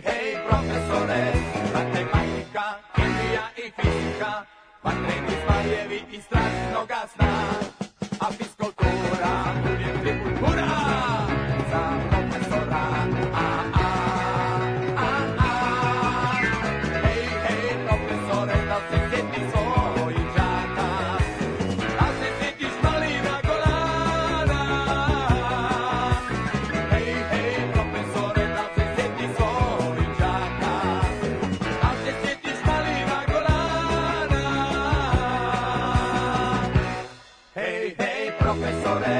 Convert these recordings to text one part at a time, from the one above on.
hej, profesore, matematika, kemija i fizika, vatreni zmajevi i strašnoga sna, a fiskultura uvijek tribun hura za profesora. Hej, hej, profesore, da se sjeti svojih đaka, da se sjetiš malina Golana. Hej, hej, profesore, da se sjeti svojih đaka, da se sjetiš malina Golana. Hej, hej, profesore,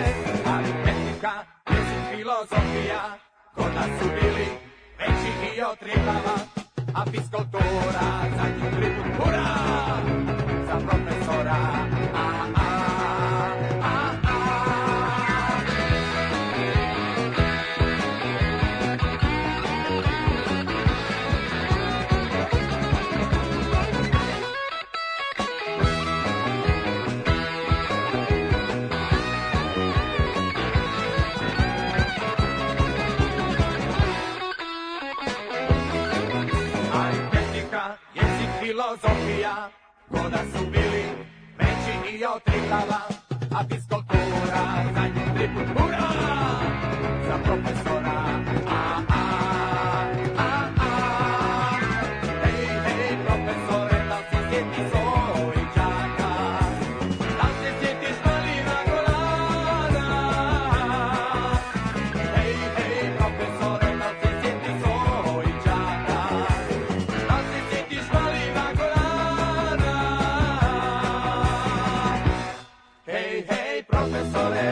aritmetika, jezik, filozofija, kod nas su bili veći i od Triglava, a fiskultura za njih tribun hura za profesora. Aritmetika, jezik, filozofija, kod nas su bili veći i od Triglava, a fiskultura za njih tribun hura za profesora. Hej, hej, profesore, da se sjeti svojih đaka, da se sjetiš malina Golana. Hej, hej, profesore, da se sjeti svojih đaka, da se sjetiš malina Golana. Hej, hej, profesore,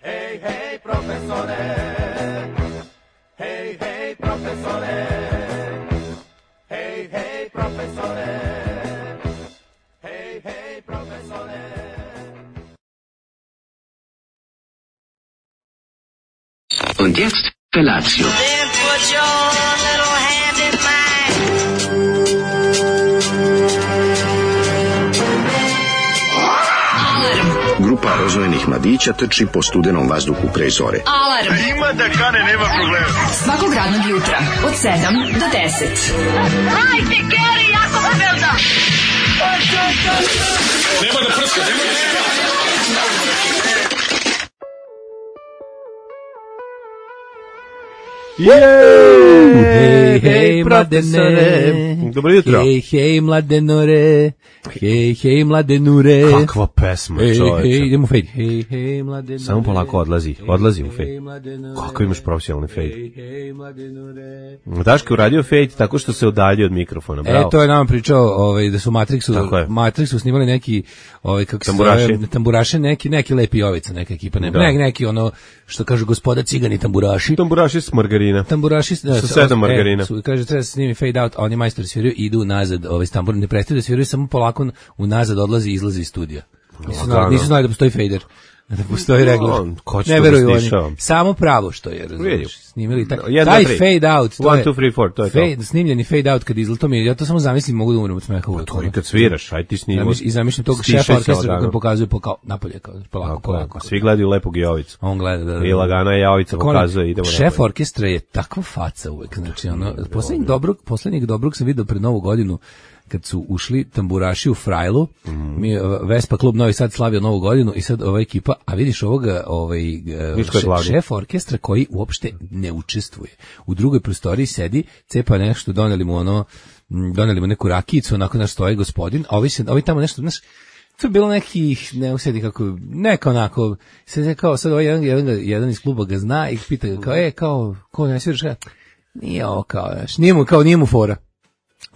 hej, hej, profesore, hej, hej, profesore, hej, hej, profesore, hej, hej, profesore. Und jetzt Felatio. Then put your little hand in mine. Grupa rozvojenih mladića trči po studenom vazduhu pre zore. Alarm. Ima da kane, nema problema. Svakog radnog jutra od 7 do 10. Hajde, Geri, jako se velda. Nema da prska, nema da prska. Hej, hej, mladene. Dobro jutro. Hej, hej, mladenore. Hej, hej, mladenure. Kakva pesma, Hej, čoveče. hej, idemo u fade. Hej, hej, mladenure. Samo polako odlazi u fade. Hej, mladenure. Kako imaš profesionalni fade? Hej, hej, mladenure. Daško je uradio fade tako što se udalji od mikrofona, bravo. To je nam pričao da su Tako je. Matrixu snimali neki kako Tamburaši. se zove, tamburaše, neki lepi jovica, neka ekipa, neki ono što kažu gospoda cigani tamburaši. Tamburaši s margarina. Tamburaši Sa 7 margarina. Kaže treba se snimi fade out, a oni majstori sviraju i idu nazad, s tamburom ne prestaju da sviraju, samo polako unazad odlazi i izlazi iz studija. Nisu znali da postoji fader. Da postoji regler. Ne veruju oni. Samo pravo što je, razumiješ. Snimili taj fade out. 1, 2, 3, 4, to je to. Snimljeni fade out kad izlato mi, ja to samo zamislim, mogu da umrem od smeha uvek. To i kad sviraš, aj ti snimimo. I zamišljam tog šefa orkestra koji pokazuje napolje, polako. Svi gledaju lepog Jovicu. On gleda, da. I lagana je Jovica pokazuje, idemo napolje. Šef orkestra je takva faca uvek, znači poslednjeg dobrog sam vidio pred Novu godinu, kad su ušli tamburaši u Frajlu, mi Vespa klub Novi Sad slavio Novu godinu i sad ova ekipa, a vidiš ovoga šef orkestra koji uopšte ne učestvuje. U drugoj prostoriji sedi, cepa nešto, doneli mu neku rakijicu, onako naš stoji gospodin, a ovi tamo nešto, znaš, to je bilo nekih, ne usjeti kako, neka onako, sad ovaj jedan iz kluba ga zna i pita ga, ko ne sviraš, nije ovo nije mu fora.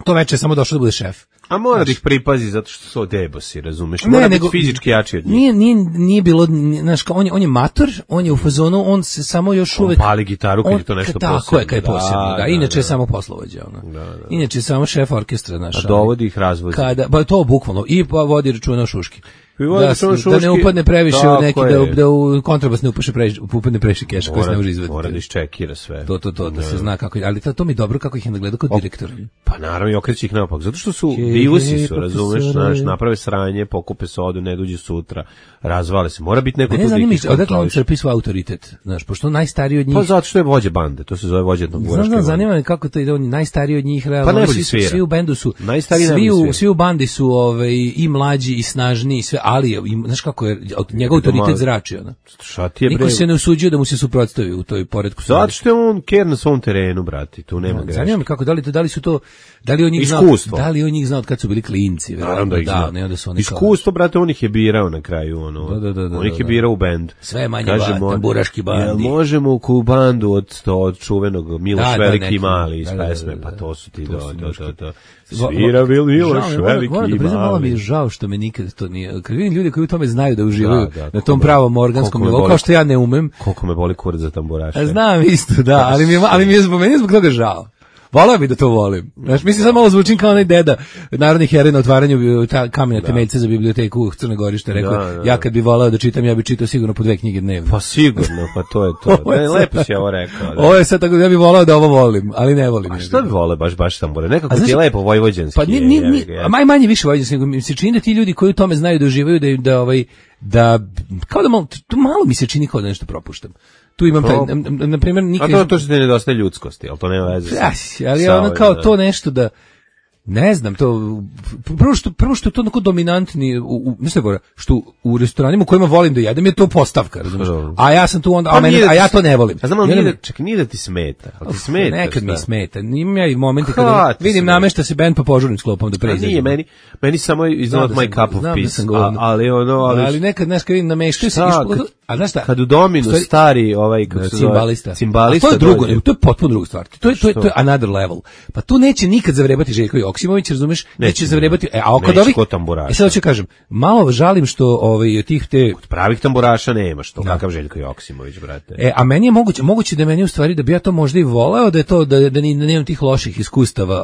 To veče je samo došao da bude šef. A mora da ih pripazi zato što su debosi, razumeš? Mora biti fizički jači od njih. Nije bilo, znaš, on je mator, on je u fazonu, on se samo još uvek... On pali gitaru kad je to nešto posebno. Tako je, kad je posebno, da. Inače je samo poslovođa, Inače je samo šef orkestra, znaš. A dovodi ih razvozi. Pa to bukvalno, i vodi računa o šuški. Da ne upadne previše u neki, da u kontrabas ne upadne previše keša koji se ne može izvediti. Mora da iščekira sve. To, da se zna kako je, ali to mi dobro kako ih je nagledao kao direktor. Pa naravno i okreći ih naopak, zato što su Divusi su, razumeš, znaš, naprave sranje, pokupe sodu, ne dođe sutra, razvale se. Mora biti neko tu Ne znam, da odakle on crpi svoj autoritet, znaš, pošto on najstariji od njih. Pa zato što je vođa bande, to se zove vođa tamburaške Znam, bande. zanima me kako to ide, on je najstariji od njih, realno. Pa najbolji svira. Svi u bendu su, Najstariji najbolji svira. svi u bandi su i mlađi i snažniji, sve, ali znaš kako je, njegov autoritet zrači, ono. Šta ti je, Niko bre? se ne usuđuje da mu se suprotstavi u toj poretku. Zato što je on ker na svom terenu, brati, tu nema greške. Zanima me kako, da li su to, da li on njih znao, Iskustvo. da li on njih znao od kad su bili klinci, Naravno da ih zna. ne, onda su oni Iskustvo, brate, on ih je birao na kraju, ono. Da, on ih je birao u bend. Sve manje tamburaški bandi. Jel možemo u bandu od čuvenog Miloš Veliki i Mali iz pesme, pa to su ti to. Svira bil Miloš Veliki moram da i priznam, malo mi je Mali. žao što me nikad to nije. Kad vidim ljude koji u tome znaju da uživaju na tom pravom organskom nivou, kao što ja ne umem. Koliko me boli kurac za tamburaše. Znam isto, da, ali mi je zbog toga žao. Volao bi da to volim. Znaš, mislim, sad malo zvučim kao onaj deda narodni heroj na otvaranju kamena temeljca za biblioteku u Crnoj Gori, što je rekao, ja kad bi volao da čitam, ja bi čitao sigurno po 2 knjige dnevno. Pa sigurno, pa to je to. Lepo si ovo rekao. Ovo je sad tako da ja bih volao da ovo volim, ali ne volim. A šta bi voleo baš tambure? Nekako ti je lepo vojvođanski. Pa manje više vojvođanski, nego mi se čini da ti ljudi koji u tome znaju da uživaju, da kao da malo mi se čini kao da nešto propuštam. Tu imam taj, na primjer, nikad... A to što ti nedostaje ljudskosti, ali to nema veze sa... Ali ono kao to nešto da... Ne znam, to prvo što je to onako dominantni, mislim što u restoranima u kojima volim da jedem je to postavka, razumiješ? A ja sam tu onda, a ja to ne volim. A znam, nije da ti smeta, ali ti smeta. Nekad mi smeta, imam ja i momente kada vidim namešta se bend pa požurim sklopom da pređem. Nije, meni samo is not my cup of peace, ali nekad, znaš, kad vidim nameštaju se, a znaš šta? Kad u Dominu stari cimbalista, to je drugo, to je potpuno druga stvar, to je another level, pa tu neće nikad zavrebati Željko Joksimović, razumeš, neće zavrebati, a kod ovih, sad ću kažem, malo žalim što tih te... Kod pravih tamburaša nema što, kakav Željko Joksimović, brate. A meni je moguće da meni u stvari, da bi ja to možda i voleo, da je to, da nemam tih loših iskustava,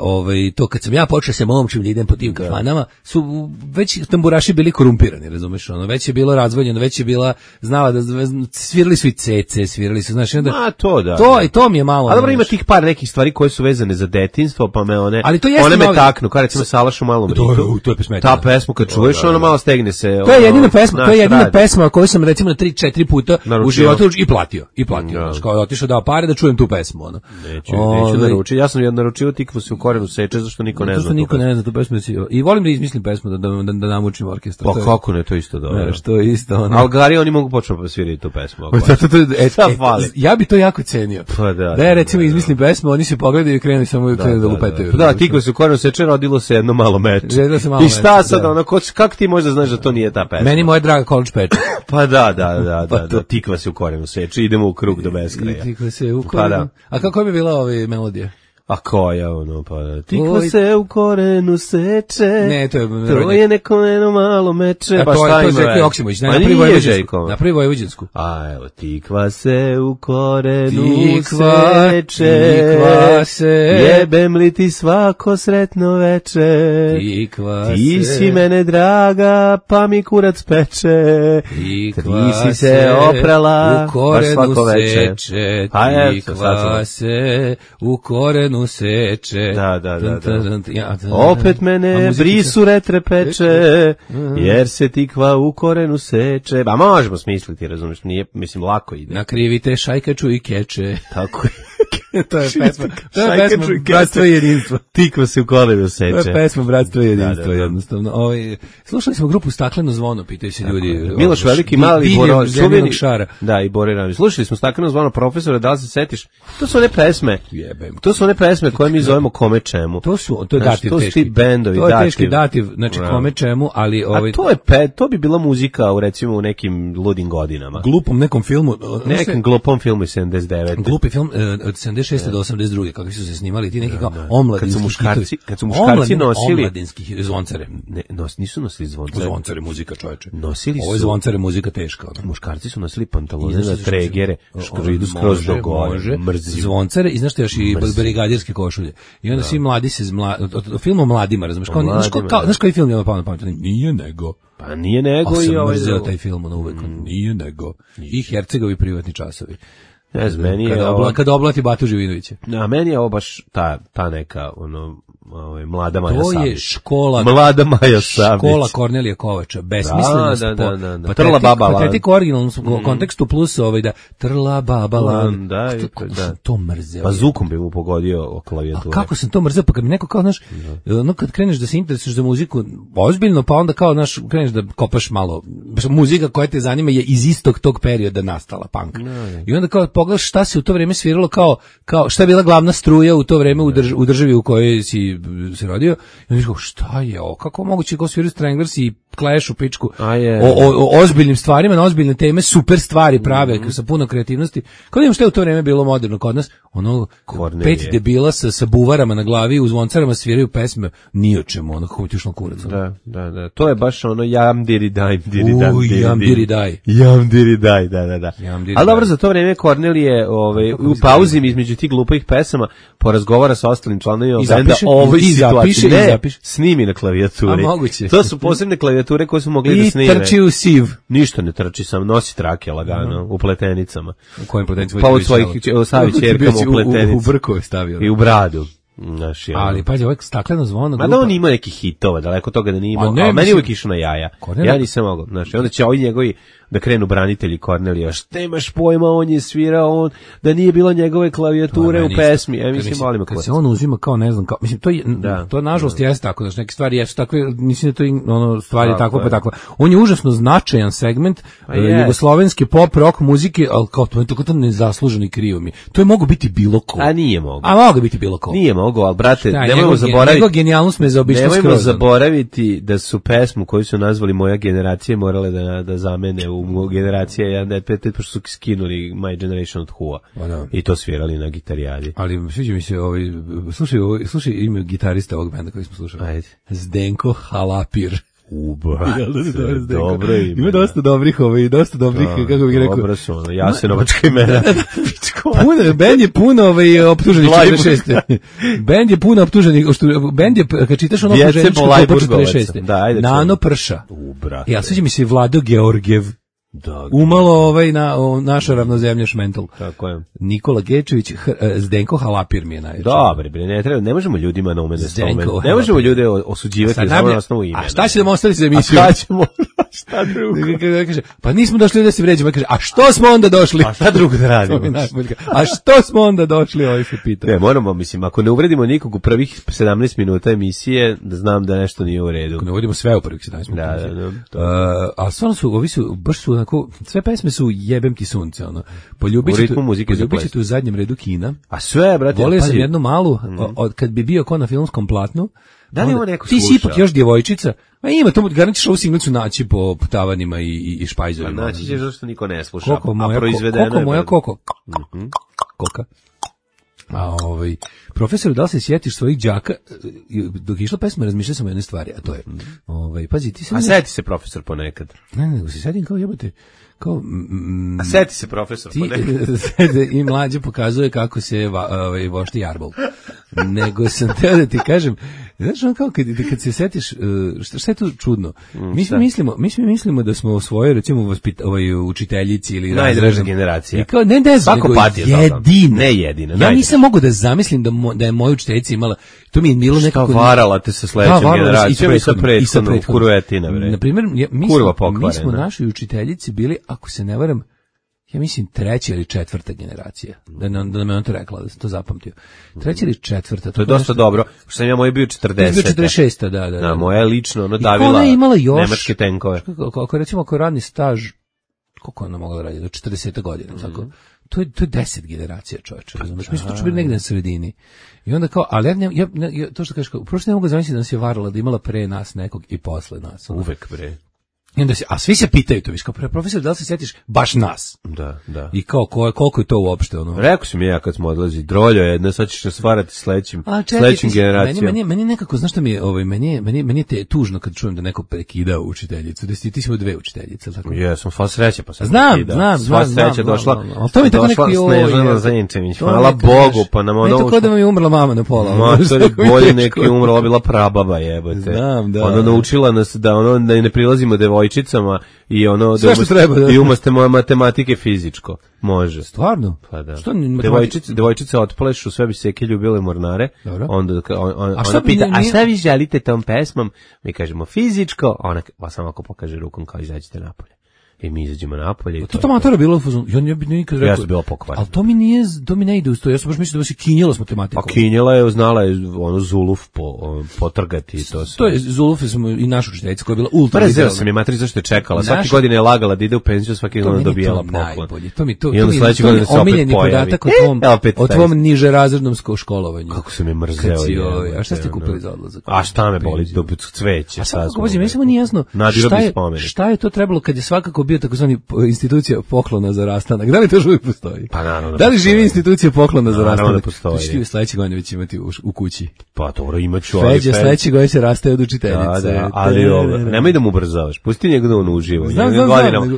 to kad sam ja počeo se momčim da idem po tim kafanama, su već tamburaši bili korumpirani, razumeš, već je bilo razvoljeno, već je bila, znala da svirali su i cece, svirali su, znaš, onda... to da. I to mi je malo... A dobro, ima tih par nekih stvari koje su vezane za detinjstvo, pa me one me taknu, kao recimo Salaš u malom ritu. To je pesmetina. Ta pesmu kad čuješ, ono malo stegne se. To je jedina pesma koju sam recimo 3-4 puta u životu i platio. Znači, kao otišao dao pare da čujem tu pesmu. Neću naručiti. Ja sam naručio Tikvu se u korenu seče, zašto niko ne zna. Zašto niko ne zna tu pesmu. I volim da izmislim pesmu, da namučim orkestra. Pa kako ne, to isto dobro. Što je isto. Algari, oni mogu početi pa svirati tu pesmu. Ja bi to jako cenio. Da ja recimo izmislim pesmu, oni se pogledaju i krenu samo da lupetaju. Da, Tikva se u korenu seče, rodilo se jedno malo meče. I šta sad, kako ti možda znaš da to nije ta pesma? Meni moja draga College peče. Pa da, Tikva se u korenu seče, idemo u krug do beskraja. Tikva se u korenu. A kako bi bila ova melodija? A koja pa Tikva se u korenu seče. Ne, to je neko malo meče. Pa šta ima? To je Željko Joksimović, napravi vojvođansku. A evo, Tikva se u korenu seče. Tikva se. Jebem li ti svako sretno veče. Tikva se. Ti si mene draga, pa mi kurac peče. Tikva ti si se oprala, u korenu seče. Tikva se u korenu seče. Da. Opet mene brisu retre peče, jer se Tikva u korenu seče. Ba možemo smisliti, razumiješ, nije, mislim, lako ide. Nakrivite šajkaču i keče. Tako je. To je pesma Bratstvo i jedinstvo. Tikva se u korenu seče. To je pesma Bratstvo i jedinstvo, jednostavno. Slušali smo grupu Stakleno zvono, pitaju se ljudi. Miloš Veliki, Mali, Čuvenog Šara. Da, i Bore Ramić. Slušali smo Stakleno zvono, profesore, da li se setiš? To su one pesme. To su one pesme koje mi zovemo kome čemu. To je dativ teški. To su ti bendovi, dativ. To je teški dativ, znači kome čemu, ali... A to bi bila muzika, recimo, u nekim ludim godinama. Glupom nekom filmu. Nekom glupom filmu iz 79. Glupi film od 76. do 82. kakvi su se snimali, ti neki kao omladinski hitovi. Kad su muškarci nosili... Omladinski zvoncare. Nisu nosili zvoncare. Zvoncare muzika, čoveče. Nosili su... Ovo je zvoncare muzika teška. Muškarci su nosili pantalone na tregere, što idu skroz do gore. Zvoncare i znaš što još i brigadirske košulje. I onda svi mladi se od filma Mladima, razumeš, znaš koji film je pao na pamet? Nije nego. Pa nije nego i ovaj... mrzeo taj film na uvek. Nije nego. I Hercegovi privatni časovi. Ne znam, meni je kada oblati Batu Živinovića. A meni je ovo baš ta neka, Mlada Maja Savić. To je škola. Mlada Maja Savić. Škola Kornelija Kovača. Besmisleno. Da. Trla baba lan. Patetik u originalnom kontekstu plus da trla baba lan. Da. Sam to mrzeo. Pa zukom bi mu pogodio klavijature. A kako sam to mrzeo, pa kad mi neko kao, znaš, kad kreneš da se interesuješ za muziku ozbiljno, pa onda kao, znaš, kreneš da kopaš malo, muzika koja te zanima je iz istog tog perioda nastala, punk. I onda kao pogledaš šta se u to vreme sviralo, kao šta je bila glavna struja u to vreme u državi u kojoj si se rodio, i onda kao, šta je ovo, kako moguće kao sviraju Stranglers i Clash u pičku o ozbiljnim stvarima, na ozbiljne teme, super stvari prave, sa puno kreativnosti. Kao da imam šta je u to vreme bilo moderno kod nas, ono, Kornelije. 5 debila sa buvarama na glavi, u zvoncarama sviraju pesme, ni o čemu, ono, kako ti ušlo kurac. Da. To je baš ono jam diri daj, jam diri daj. Jam diri daj, da. Ali dobro, za to vreme Kornelije u pauzi između tih glupih pesama porazgovara sa ostalim članovima benda o ovoj situaciji. Zapiše. Snimi na klavijaturi. A moguće. To su posebne klavijature koje su mogli da snime. I trči u siv. Ništa ne trči, sam nosi trake lagano, u pletenicama. U kojim pletenicama? Pa od svojih Savić ćerkama u pletenicu. U brkove stavio. I u bradu. Ali pazi, ovaj stakleno zvono grupa. Ma da on ima nekih hitova, daleko toga da nije imao, ali meni uvijek išao na jaja. Ja nisam mogao, onda će ovi njegovi da krenu branitelji Kornelija, šta imaš pojma, on je svirao, da nije bilo njegove klavijature u pesmi, mislim, molim me. Kad se on uzima kao, ne znam, mislim, to nažalost jeste tako, znači neke stvari jesu takve, mislim da to stvari je tako pa tako. On je užasno značajan segment jugoslovenske pop rock muzike, ali kao to nezasluženo i krivo mi. To je moglo biti bilo ko. A nije moglo. A moglo biti bilo ko. Nije moglo, ali brate, nemojmo zaboraviti. Njegov genijalnost me zaobišla skroz. Nemojmo zaboraviti da su pesmu koju su nazvali Moja generacija morale da zamene u generacija 1.5, pošto su skinuli My Generation od Who-a i to svirali na gitarijadi. Ali sviđa mi se slušaj ime gitarista ovog benda koji smo slušali. Ajde. Zdenko Halapir. Dobro ime. Ima dosta dobrih, kako bih rekao. Dobro su ono, Jasenovačka imena. Bend je puno optuženih 46. Bend je puno optuženih, bend je, kad čitaš ono optuženičko po 46. Nano Prša. Ja sviđa mi se Vlado Georgijev. Umalo naša ravnozemlja šmental. Tako je. Nikola Gečević, Zdenko Halapir mi je najveći. Dobre, ne možemo ljudima na ume da spomen. Ne možemo ljude osuđivati samo na osnovu imena. A šta će da ostaviti za emisiju? Šta drugo? Kaže, pa nismo došli da se vređamo. Kaže, a što smo onda došli? A šta drugo da radimo? A što smo onda došli? Ovaj se pita. Ne, moramo, mislim, ako ne uvredimo nikog u prvih 17 minuta emisije, da znam da nešto nije u redu. Ako ne uvredimo sve u prvih 17 minuta. A stvarno baš su onako, sve pesme su jebem ti sunce, ono. Poljubit ćete u zadnjem redu kina. A sve, brate, volio sam jednu malu, kad bi bio ko na filmskom platnu. Da li ima neko ti si ipak još djevojčica, a ima, to garantiš ovu singlicu naći po tavanima i špajzovima. Naći ćeš zašto niko ne sluša, a proizvedeno je. Koka. A profesor, da li se sjetiš svojih đaka, dok je išla pesma, razmišljao sam o jednoj stvari, a to je, pazi, ti se... A sjeti se profesor ponekad. Ne, nego se sjetim kao jebote, kao... A sjeti se profesor ponekad. I mlađe pokazuje kako se vošti jarbol. Nego sam teo da ti kažem, znaš on kao kad se sjetiš, šta je tu čudno? Mi mislimo da smo svoje, recimo, učiteljici ili... Najdraža generacija. I kao, ne, svako patio jedina. Ne jedina. Ja nisam mogu da zamislim da je moja učiteljica imala, to mi je bilo nekako... Šta varala te sa sledećom generacijom i sa prethodnom kuruetina, bre. Naprimjer, mi smo našoj učiteljici bili, ako se ne varam, ja mislim 3. ili 4. generacija. Da nam je on to rekla, da sam to zapamtio. 3. ili 4. To je dosta dobro, što sam ja moj bio 40. Bio 46. Da. Moja je lično, davila nemačke tenkove. Ako radni staž, koliko ona mogla raditi, do 40 godina, tako. To je 10 generacija, čovječe, razumiješ? Mi smo to bili negdje na sredini. I onda kao, ali ja to što kažeš, prošle ne mogu zamisliti da nas je varala, da imala pre nas nekog i posle nas. Uvek pre. I onda a svi se pitaju to, viš, kao profesor, da li se sjetiš baš nas? Da. I kao, koliko je to uopšte, ono? Rekao sam ja kad smo odlazi, droljo je, sad ćeš stvarati sledećim generacijom. Meni nekako, znaš šta mi je, meni je tužno kad čujem da neko prekida učiteljicu, da ti si imao 2 učiteljice, tako? Jesam, sva sreća, pa sam znam. Sva sreća došla Snežana Zajenčević, hvala Bogu, pa nam ono... Meni tako da vam je umrla mama na pola. Matori, bolje neki umrla, bila prababa, jebote. Znam, da. Ona naučila nas da ne prilazimo devojčice devojčicama i ono sve što treba, da. I umesto matematike fizičko. Može. Stvarno? Pa da. Što devojčice otplešu, sve bi seke ljubile mornare. Dobro. Onda ona pita, a šta vi želite tom pesmom? Mi kažemo fizičko, ona samo ako pokaže rukom kao izađite napolje. I mi izađemo napolje. To matora bilo u fazonu. Ja ne bih nikad rekao. Ja sam bila pokvarena. Ali to mi ne ide uz to. Ja sam baš mislio da se kinjela s matematikom. Pa kinjela je, znala je ono Zuluf potrgati to sve. To je Zuluf smo i naša učiteljica koja je bila ultra. Prezeo sam je materi zašto je čekala. Svake godine je lagala da ide u penziju, svake godine dobijala poklon. To mi omiljeni podatak o tvom niže razrednom školovanju. Kako se me mrzeo. A šta ste kupili za odlazak? A šta me boli, dobit cveće. A sad kako mi samo nije jasno. Šta je to trebalo kad je svakako bio takozvani institucija poklona za rastanak? Da li to još uvijek postoji? Pa naravno. Da li živi institucija poklona za rastanak? Naravno da postoji. Što ćete sledeće godine već imati u kući? Pa dobro, imaću. Feđa sledeće godine se rastaje od učiteljice. Da, ali nemoj da mu ubrzavaš. Pusti njega da on uživa. Znam.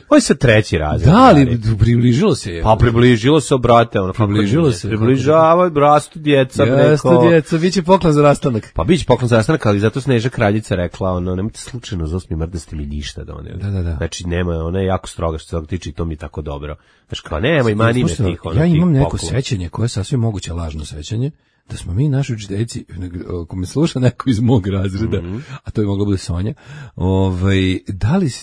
Ovo je sad treći razred. Da, ali približilo se je. Pa približilo se, brate. Približilo se. Približava, rastu djeca. Rastu djeca, bit će poklon za rastanak. Pa bit će poklon za rastanak, ali zato Sneža kraljica rekla, nemojte slučajno za 8. mart da ste mi ništa doneli. Da. Znači, ona je jako stroga što se toga tiče i to mi je tako dobro. Znači, kao nemoj, mani me tih. Ja imam neko sećanje koje je sasvim moguće lažno sećanje, da smo mi naši učiteljici, ako me sluša neko iz mog razreda, a to je moglo bude Sonja,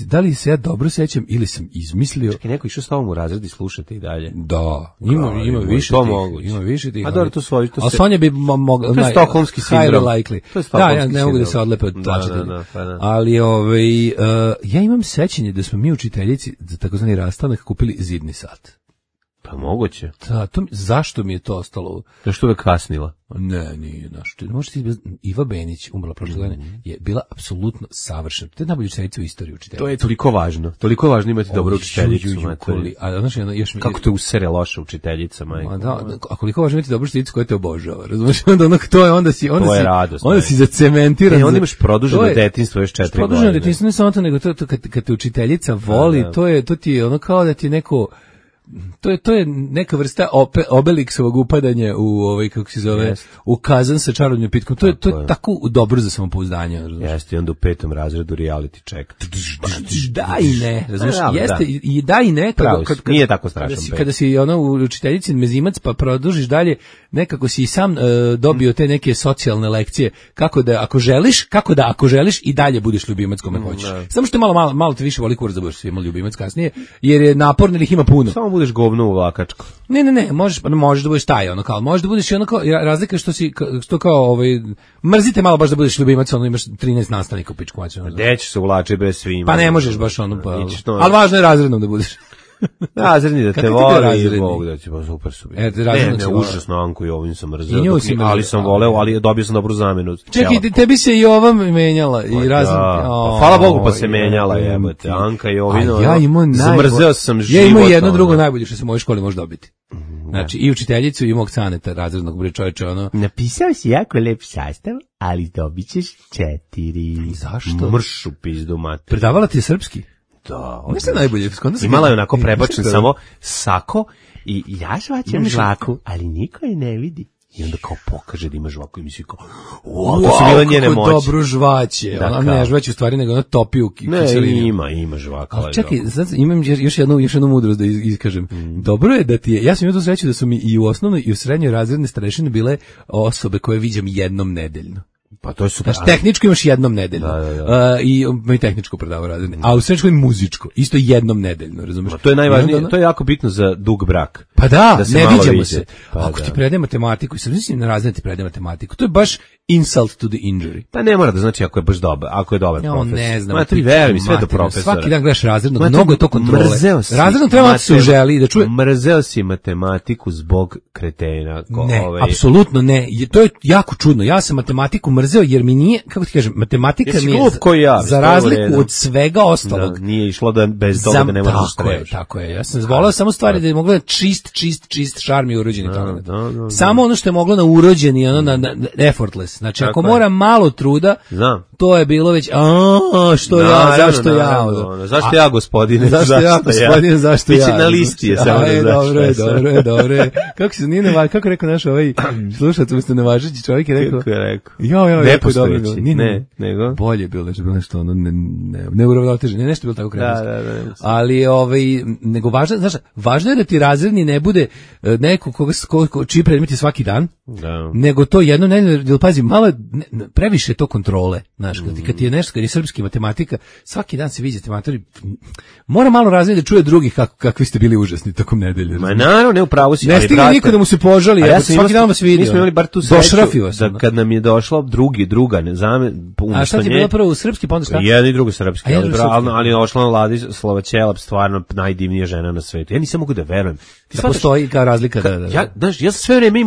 da li se ja dobro sećam ili sam izmislio. Čekaj, neko išao s tobom u razred i slušate i dalje. Da, ima više tih. A dobro, to svoji. A Sonja bi mogla. To je stokholmski sindrom. Da, ja ne mogu da se odlepe od plaćatelja. Ali ja imam sećanje da smo mi učiteljici za takozvani rastanak kupili zidni sat. Pa moguće. Da, zašto mi je to ostalo? Zašto uvek kasnila? Ne, nije našto. Možete Iva Benić, umrla prošle godine, je bila apsolutno savršena. To je najbolja učiteljica u istoriji učiteljica. To je toliko važno. Toliko važno imati dobru učiteljicu. Kako te usere loša učiteljica, majko. A koliko važno imati dobru učiteljicu koja te obožava. Razumiješ? Onda si zacementiran. Onda imaš produženo detinjstvo još 4 godine. Produženo detinjstvo ne samo to, nego kad te učiteljica voli, to ti je ono kao da ti neko... To je neka vrsta Obelixovog upadanja u kako se zove, u kazan sa čarobnim pitkom. To je tako dobro za samopouzdanje. Jeste, i onda u 5. razredu reality check. Da i ne, razumiješ? Jeste i da i ne. Nije tako strašan. Kada si u učiteljici mezimac pa produžiš dalje, nekako si i sam dobio te neke socijalne lekcije kako da ako želiš i dalje budeš ljubimac kome hoćeš. Samo što malo te više voli kurac da budeš svima ljubimac kasnije, jer je naporno, jer ih ima puno. Samo budeš govno u vlakačku. Ne, možeš da budeš taj, kao, možeš da budeš i razlika što kao, mrzite malo baš da budeš ljubimac, imaš 13 nastavnika u pičku maču. Gde ćeš se uvlači bez svima? Pa ne možeš baš ali važno je razrednom da budeš. Razredni da te voli i Bog da će pa super su bili. Ne, užasno Anku i ovim sam mrzeo, ali sam voleo, ali dobio sam dobru zamenu. Čekaj, tebi se i ova menjala i razredni. Hvala Bogu pa se menjala, jebote. Anka i Ovino. Ja zamrzeo sam život. Ja imao jedno drugo najbolje što se u mojoj školi može dobiti. Znači, i učiteljicu i mog caneta razrednog čovječa, Napisao si jako lep sastav, ali dobit ćeš 4. Zašto? Mršu pizdu mater. Predavala ti je srpski? Da. Ono je najbolje. Imala je onako prebačen samo sako i ja žvaćem žvaku, ali niko je ne vidi. I onda kao pokaže da ima žvaku i misli kao, to su bile njene moći. Kako dobro žvaće. Ona ne žvaće u stvari, nego ona topi u kiselinu. Ne, ima žvaka. Ali čekaj, imam još jednu mudrost da iskažem. Dobro je da ti je, ja sam imao tu sreću da su mi i u osnovnoj i u srednjoj razredne starešine bile osobe koje viđam jednom nedeljno. Pa to je super. Znači, tehničko imaš jednom nedeljno. I tehničko predavo razredne. A u srednjoj muzičko, isto jednom nedeljno, razumeš? To je najvažnije, to je jako bitno za dug brak. Pa da ne viđamo se. Ako ti predaje matematiku, i sad mislim na razred ti predaje matematiku, to je baš insult to the injury. Pa ne mora da znači ako je baš dobar, ako je dobar profesor. Ne znam. Ma ti veruj, sve do profesora. Svaki dan gledaš razrednog, mnogo je to kontrole. Razredno treba da se uželi da čuje. Mrzeo si matematiku zbog kretena. Ne, apsolutno ne. To je jako čudno. Ja sam matematiku mrzeo jer mi nije, kako ti kažem, matematika mi je za razliku od svega ostalog. Nije išlo da bez toga da ne možeš strebaš. Tako je. Ja sam voleo samo stvari da je mogla čist šarm i urođeni talent. Samo ono što je moglo na urođeni, na effortless. glas. Znači, ako mora malo truda, to je bilo već, što ja, zašto ja? Zašto ja, gospodine? Zašto ja, gospodine, zašto ja? Biće na listi je samo da dobro. Kako se nije kako rekao naš slušac, umesto nevažeći čovjek je rekao. Kako je rekao? Nepostojeći. Ne, nego? Bolje je bilo, nešto neuravnoteženo, nešto bilo tako krenuto. Ali, nego važno je da ti razredni ne bude neko čiji predmet je svaki dan, nego to jedno nedelje, pazi, malo previše to kontrole, znaš, kad ti je nešto, kad je srpski matematika, svaki dan se viđate matori, mora malo razredni da čuje drugih kakvi ste bili užasni tokom nedelje. Ma naravno, ne upravo si. Ne stigne niko da mu se požali, svaki dan vas vidi. Mi smo imali bar tu sreću da kad nam je došlo druga, a šta ti je bilo prvo u srpski, pa onda šta? Jedan i drugi srpski, ali je ošla Vladislava Ćelap, stvarno najdivnija žena na svetu. Ja nisam mogu da verujem. Da postoji kao razlika. Ja sve vreme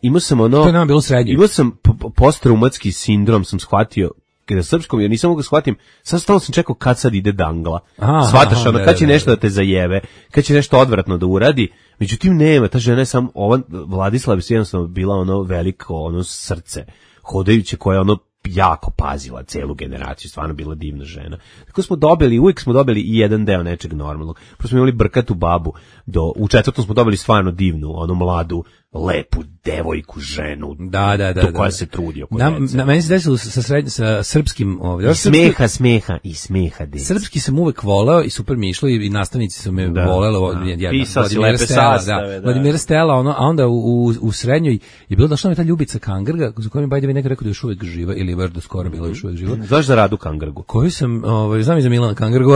imao sam ono... To je nam bilo srednje. Imao sam postraumatski sindrom, sam shvatio, kada srpskom, jer nisam mogu da shvatim, stalno sam čekao kad sad ide dangla. Shvataš, kad će nešto da te zajebe, kad će nešto odvratno da uradi, međutim nema, ta žena je sam, Vladislava je jednostavno bila ono veliko, ono srce, hodajuće koje ono jako pazila celu generaciju, stvarno bila divna žena. Tako uvijek smo dobili i jedan deo nečeg normalnog. Prvo smo imali brkatu babu, u 4. smo dobili stvarno divnu, onu mladu, lepu devojku, ženu, koja se trudi oko djece. Na meni se desilo sa srpskim smeha djece. Srpski sam uvek voleo i super mi išlo i nastavnici su me voleli. Pisao si lepe sastave. Vladimira Stela, a onda u srednjoj je bilo došla mi ta Ljubica Kangrga, za kojom je Bajdevi neko rekao da je još uvek živa, ili je baš do skoro bila još uvek živa. Znaš za Radu Kangrgu? Koju sam, znam i za Milana Kangrgu,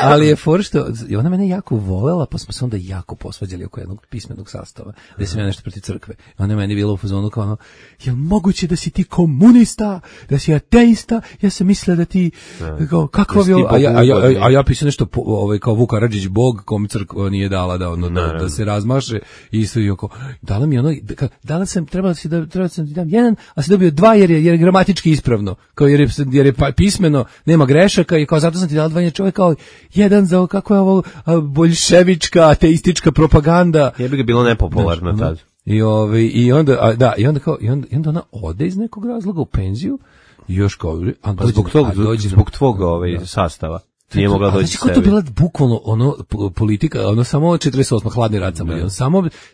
ali je for što, ona mene jako volela, pa smo se onda jako posvađali oko jednog pismenog sastava, gde sam ja nešto protiv crkve. Ona je meni bila u fazonu kao ono, je moguće da si ti komunista, da si ateista, ja sam mislila da ti, kakva bi ovo, a ja pisao nešto kao Vuk Karadžić Bog, kom crkva nije dala da se razmaše, i isto i oko, dala mi ono, trebala sam ti dam jedan, a si dobio dva jer je gramatički ispravno, kao jer je pismeno, nema grešaka i kao zato sam ti dala dva, čovjek kao jedan za kako je ovo boljševička, ateistička propaganda. Je bi ga bilo nepopularno tad. I onda ona ode iz nekog razloga u penziju i još kao zbog tvog sastava. Nije mogla doći sebi. Znači, to bila bukvalno politika, samo 48. hladni rat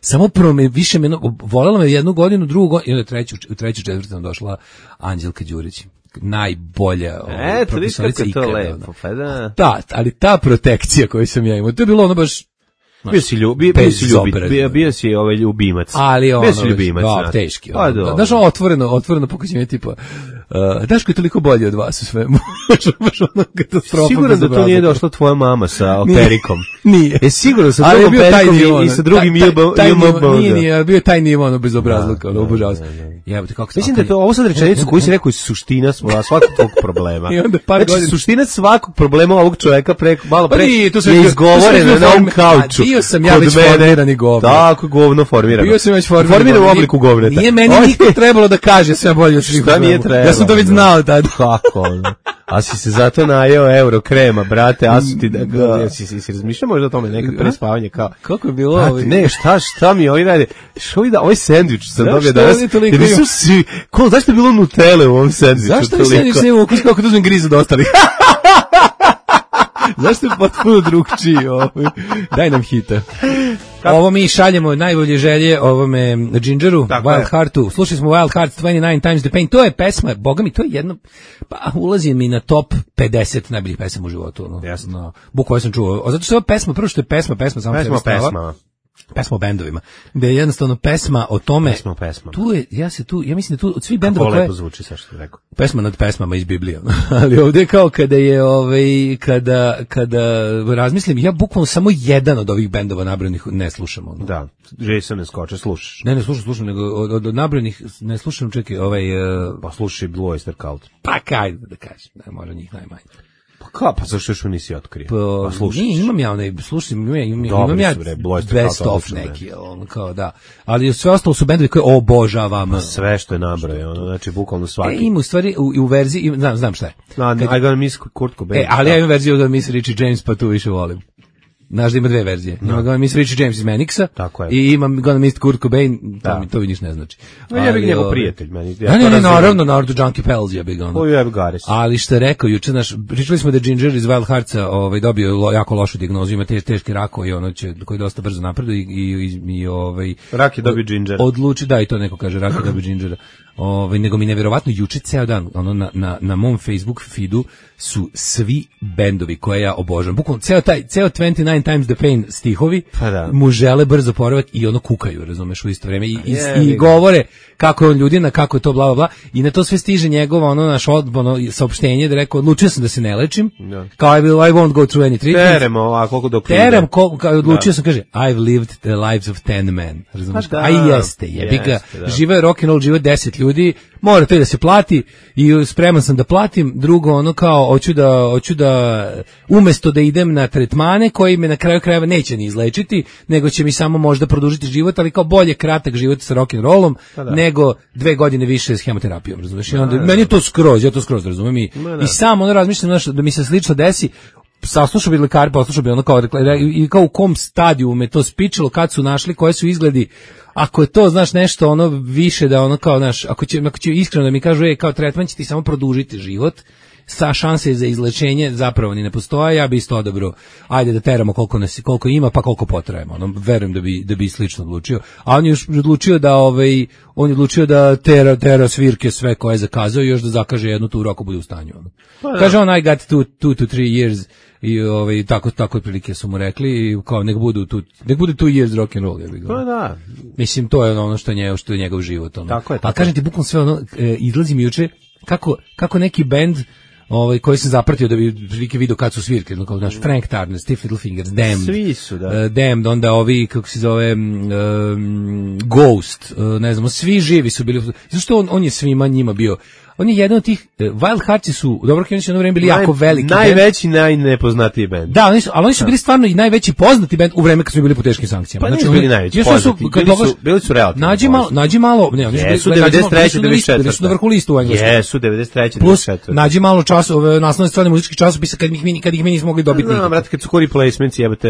samo više volela me jednu godinu, drugu godinu, i onda u treću četvrtu došla Anđelka Đurić. Najbolja profesorica ikada. Da, ali ta protekcija koju sam ja imao, to je bilo ono baš... Bio si ljubimac. Ali bio si ljubimac. Teški. Znaš, otvoreno pokazivanje tipa, Daško je toliko bolje od vas u svemu. Siguran da to nije došla tvoja mama sa perikom. Nije. Siguran sa drugom perikom i sa drugim jebom. Nije, bio je taj nivo bez obrazluka, obožavao sam. Mislim da je to, ovo sad rečenicu koju si rekao je suština svakog tvog problema. Znači, suština svakog problema ovog čoveka malo pre je izgovorena na ovom kauču. Bio sam ja već formirani govno. Tako, govno formirano. Bio sam već formiran u obliku govneta. Nije meni niko trebalo da kaže sve bolje od svih. Šta mi je trebalo? Ja sam to već znao tada. Kako? A si se zato najeo euro krema, brate, a su ti da si razmišljao možda o tome nekad pre spavanja kao. Kako je bilo ovo? Ne, šta mi ovi rade? Ovaj sendvič sam dobio danas. Zašto je bilo Nutelle u ovom sendviču? Zašto je sendvič nema ukus kako da uzmem grizu do ostalih? Zašto je potpuno drugčiji? Daj nam hita. Ovo mi šaljemo najbolje želje ovome Gingeru, Wild Heartu. Slušali smo Wild Hearts 29 Times the Pain. To je pesma, boga mi, to je jedno, pa ulazi mi na top 50 najboljih pesama u životu. Bukvalno sam čuo. Zato što je pesma, prvo što je pesma samo pesma o bendovima, gde je jednostavno pesma o tome. Pesma. Tu je, ja mislim da tu od svih bendova koje... lepo zvuči, sa što rekao. Pesma nad pesmama iz Biblije. Ali ovdje kao kada je, kada razmislim, ja bukvalno samo jedan od ovih bendova nabrojenih ne slušam. Da, Jason ne skoče, slušaš. Ne slušam, nego od nabrojenih ne slušam, čekaj, Pa slušaj Blue Oyster Cult. Pa kaj da kažem, možda njih najmanje. Pa zašto još nisi otkrio? Pa slušaj. Imam ja imam ja best of neki, kao da. Ali sve ostalo su bendovi koje obožavam. Sve što je nabrojao, znači bukvalno svaki. Ima u stvari u verziji, znam šta je. I gotta miss Kurt Cobain. Ali ja imam verziju da miss Richie James, pa tu više volim. Znaš da ima dve verzije. Ima Gonna Miss Richie James iz Manixa i ima Gonna Miss Kurt Cobain, to mi niš ne znači. Ja bih njegov prijatelj meni. Ne, naravno Junkie Pells je big ono. Ali što je rekao juče naš, pričali smo da Ginger iz Wild Heartsa dobio jako lošu dijagnozu, ima teški rak koji dosta brzo napreduje i rak je dobio Ginger. Odluči, da, i to neko kaže, rak je dobio Gingera. Nego mi nevjerovatno juče ceo dan na mom Facebook feedu su svi bendovi koje ja obožavam. Bukvalno ceo 29 Times the Pain stihovi mu žele brzo poravak i ono kukaju, razumeš, u isto vrijeme i govore kako je on ljudina, kako je to bla bla bla i na to sve stiže njegovo naš saopštenje da rekao odlučio sam da se ne lečim. Kao I won't go through any treatment. Terem ovako dok odlučio sam, kaže I've lived the lives of 10 men. Razumeš? A i jeste, jebi ga. Žive rock and roll, žive 10 ljudi, mora to i da se plati i spreman sam da platim. Drugo, kao hoću da umesto da idem na tretmane koji me na kraju krajeva neće ni izlečiti, nego će mi samo možda produžiti život, ali kao bolje kratak život sa rock and rollom nego 2 godine više s hemoterapijom, razumeš? I onda meni je to skroz, ja to skroz razumem i sam razmišljam da mi se slično desi. Saslušao bi lekari, poslušao bi i kao u kom stadiju me to spičilo, kad su našli, koje su izgledi. Ako je to, znaš, nešto više da kao, znaš, ako će iskreno da mi kažu, kao tretman će ti samo produžiti život, sa šanse za izlečenje zapravo ni ne postoje, ja bi isto odabro, ajde da teramo koliko ima, pa koliko potrajemo. Verujem da bi slično odlučio. A on je odlučio da tera svirke sve koje je zakazao i još da zakaže jednu turu ako bude u stanju. Kaže on, I got 2 to 3 years i tako prilike su mu rekli i kao nek bude 2 years rock and roll. Mislim, to je ono što je njegov život. Tako je. A kažem ti, bukvalno sve izlazi mi juče kako neki bend koji sam zapratio da bi prilike vidio kad su svirke, kao znaš, Frank Turner, Stiff Little Fingers, Damned. Svi su, da. Damned, onda ovi, kako se zove, Ghost, ne znamo, svi živi su bili, zašto on je svima njima bio. On je jedan od tih, Wild Heartsi su u dobro krenući jedno vreme bili jako veliki najveći, najnepoznatiji bend. Da, ali oni su bili stvarno i najveći poznati bend u vreme kad su bili po teškim sankcijama. Pa znači, bili najveći poznati, bili su relativno poznati. Nađi malo, ne, oni su 93. bili su na vrhu listu u Engleskoj. Jesu, 93. Plus, nađi malo naslovne strane muzičkih časopisa kad ih mi nismo mogli dobiti nikako. Brate, kad su kori placements, jebate,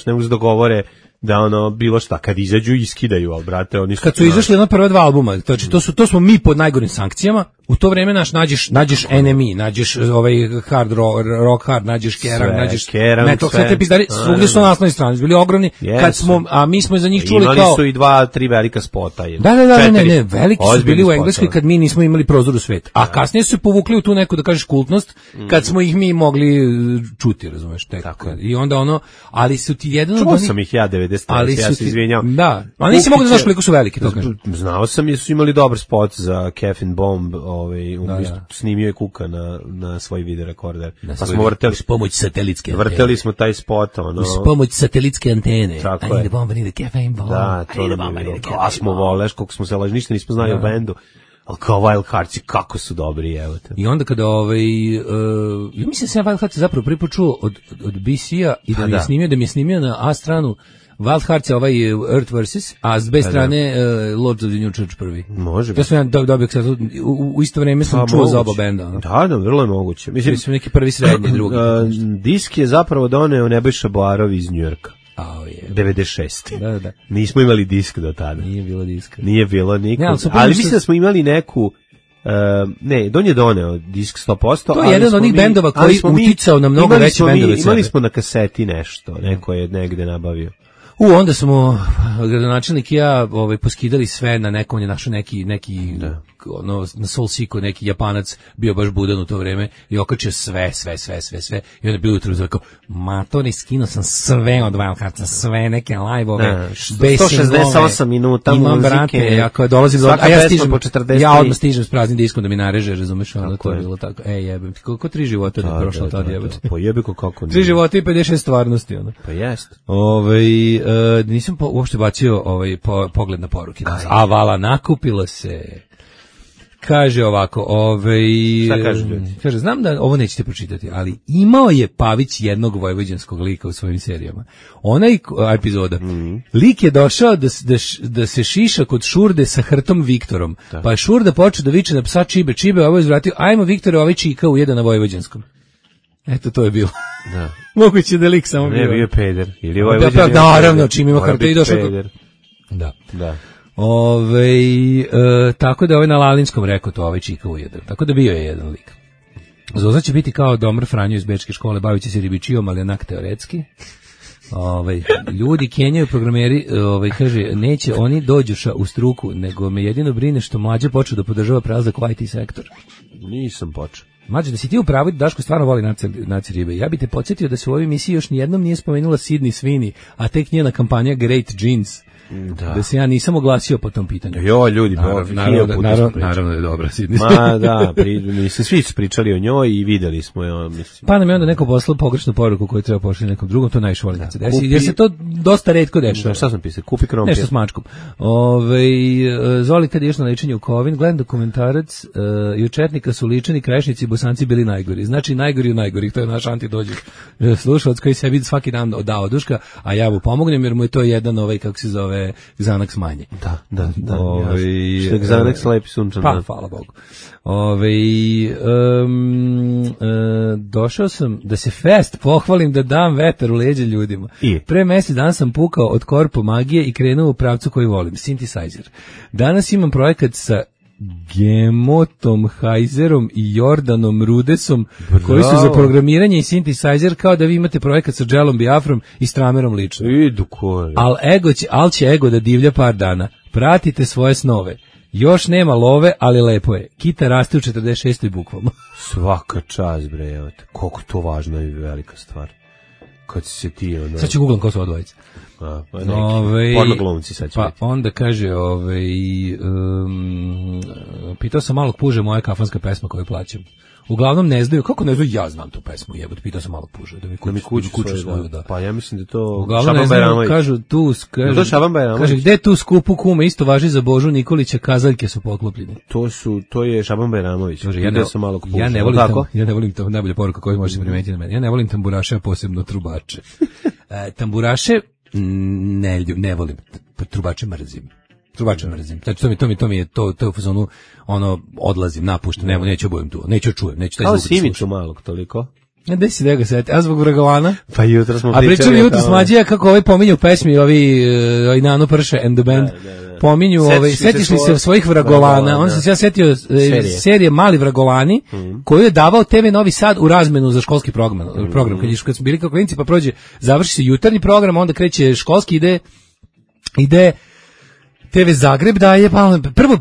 ne mogu se dogovore da bilo šta, kad izađu iskidaju, al brate, oni su... Kad su izašli prva 2 albuma, znači to smo mi pod najgorim sankcijama, u to vreme nađeš NME, nađeš hard rock hard, nađeš Kerrang, nađeš metal, sve te pizdari, svugdje su na naslovnoj strani, bili ogromni, a mi smo za njih čuli kao... Imali su i 2-3 velika spota. Ne, veliki su bili u Engleskoj kad mi nismo imali prozor u svet, a kasnije su se povukli u tu neku, da kažeš, kultnost, kad smo ih mi mogli čuti, razumeš, i onda ali su ti jedan od onih... Čuo sam ih ja 93, ja se izvinjam. Da, ali nisi mogu da znaš koliko su veliki, to kažem. Znao sam jer su imali dobar spot za Caffeine Bomb, snimio je Kuka na svoj video rekorder. Pa smo vrteli s pomoć satelitske antene. Vrteli smo taj spot, s pomoć satelitske antene. Tako je. Caffeine Bomb. Da, to nam je bilo. A smo voleš, koliko smo se laži, ništa nismo znali o bendu. Ali kao Wild Heartsi, kako su dobri, evo te. I onda kada, ja mislim se Wild Heartsi zapravo prvi put čuo od BC-a i da mi je snimio na A stranu Wild Hearts je Earth Versus, a s B strane Lords of the New Church prvi. Može. To sam ja dobio u isto vrijeme sam čuo za oba benda. Da, vrlo je moguće. Mislim neki prvi, srednji, drugi. Disk je zapravo doneo Nebojša Barov iz Njujorka. 96. Da. Nismo imali disk do tada. Nije bilo diska. Nije bilo nikog. Ali mislim da smo imali neku... on je doneo disk 100%. To je jedan od onih bendova koji uticao na mnogo veće bendove. Imali smo na kaseti nešto, neko je negde nabavio. Onda smo, gradonačelnik i ja, poskidali sve na nekom, on je našao neki na Soulseeku neki Japanac, bio baš budan u to vreme i okačio sve. I onda bio jutro kao, matori, skinuo sam sve od Wild Heartsa, sve neke live-ove, 168 minuta imam muzike. Brate, ja kao dolazim svaka pesma po 40. Ja odmah stižem s praznim diskom da mi nareže, razumeš, onda to je bilo tako. Jebem, kako 3 života da prošlo tad jebate. Pa jebeko kako nije. 3 života i 56 stvarnosti, ono. Pa jest. Nisam uopšte bacio pogled na poruke. A vala, nakupilo se. Kaže ovako, šta kažu ljudi? Kaže, znam da ovo nećete pročitati, ali imao je Pavić jednog vojvođanskog lika u svojim serijama. Onaj epizoda, lik je došao da se šiša kod Šurde sa hrtom Viktorom, pa je Šurda počeo da viče na psa Čibe, ovaj zvratio, ajmo Viktore, ovaj čika u jedan na vojvođanskom. Eto, to je bilo. Da. Moguće da lik samo bio. Ne, bio je peder. Ili naravno, čim ima karte i došao. Da. Da. Tako da na Lalinskom rekao to Čika ujedan. Tako da bio je jedan lik. Zoza će biti kao Domar Franjo iz bečke škole, bavit će se ribičijom, ali onak teoretski. Ljudi kenjaju programeri, kaže, neće oni dođu u struku, nego me jedino brine što mlađe počeo da podržava prelazak u IT sektor. Nisam počeo. Mlađe, da si ti u pravu, Daško stvarno voli naci ribe. Ja bi te podsjetio da se u ovoj emisiji još nijednom nije spomenula Sidney Sweeney, a tek njena kampanja Great Jeans. Da se ja nisam oglasio po tom pitanju. Ljudi, naravno da je dobra Sidney. Ma da, svi su pričali o njoj i videli smo je, mislim. Pa nam je onda neko poslao pogrešnu poruku koju treba pošli nekom drugom, to najviše volim da se desi, jer se to dosta retko dešava. Šta sam pisao? Kupi krompir. Nešto s mačkom. Zoli kad ješ na lečenje u Kovin, gledam dokumentarac, i u Četnika su ličani Krajišnici i Bosanci bili najgori. Znači najgori u najgorih, to je naš antidođe. Slušalac koji se vidi svaki dan da oduška, a ja mu pomognem jer mu je to jedan kako se zove Xanax manje. Da. Što je Xanax lepi sunčan. Pa, hvala Bogu. Došao sam da se fest pohvalim, da dam vetar u leđe ljudima. Pre mesec dana sam pukao od korpo magije i krenuo u pravcu koji volim, synthesizer. Danas imam projekat sa Gemotom Hajzerom i Jordanom Rudesom, koji su za programiranje i synthesizer, kao da vi imate projekat sa Dželom Biafrom i Stramerom lično. Al će ego da divlja par dana. Pratite svoje snove. Još nema love, ali lepo je. Kita raste u 46. bukvalno. Svaka čast, bre, evo te. Koliko to važna i velika stvar. Kad si se ti... Sad ću googlam ko su odvojice. Porno glumci sad će biti. Pa onda kaže, pitao sam malog puže moja kafanska pesma koju plaćam. Uglavnom ne znaju, kako ne znaju, ja znam tu pesmu, jebot, pitao sam malog puže, da mi kuću svoju, da. Pa ja mislim da to Šaban Bajramović. Kažu, kaže, gde tu skupu kume, isto važi za Božu Nikolića, kazaljke su poklopljene. To je Šaban Bajramović. Ja ne volim to, najbolja poruka koju možete primetiti na mene. Ja ne volim tamburaše, a posebno trubače. Tamburaše ne volim, trubače mrzim. Znači to mi je u fazonu, odlazim, napuštam, neću obujem tu, neću čujem, neću taj zvuk. Kao Simicu malog, toliko. Gde si da ga seti? A zbog Vragovana? Pa jutro smo pričali. A pričali jutro s Mlađija kako pominju u pesmi ovi Nano Prše and the Band. Pominju, setiš li se svojih Vragovana? On sam se ja setio serije Mali Vragovani, koju je davao TV Novi Sad u razmenu za školski program. Kad smo bili kao klinci, pa završi se jutarnji program, onda kreće školski, ide TV Zagreb daje,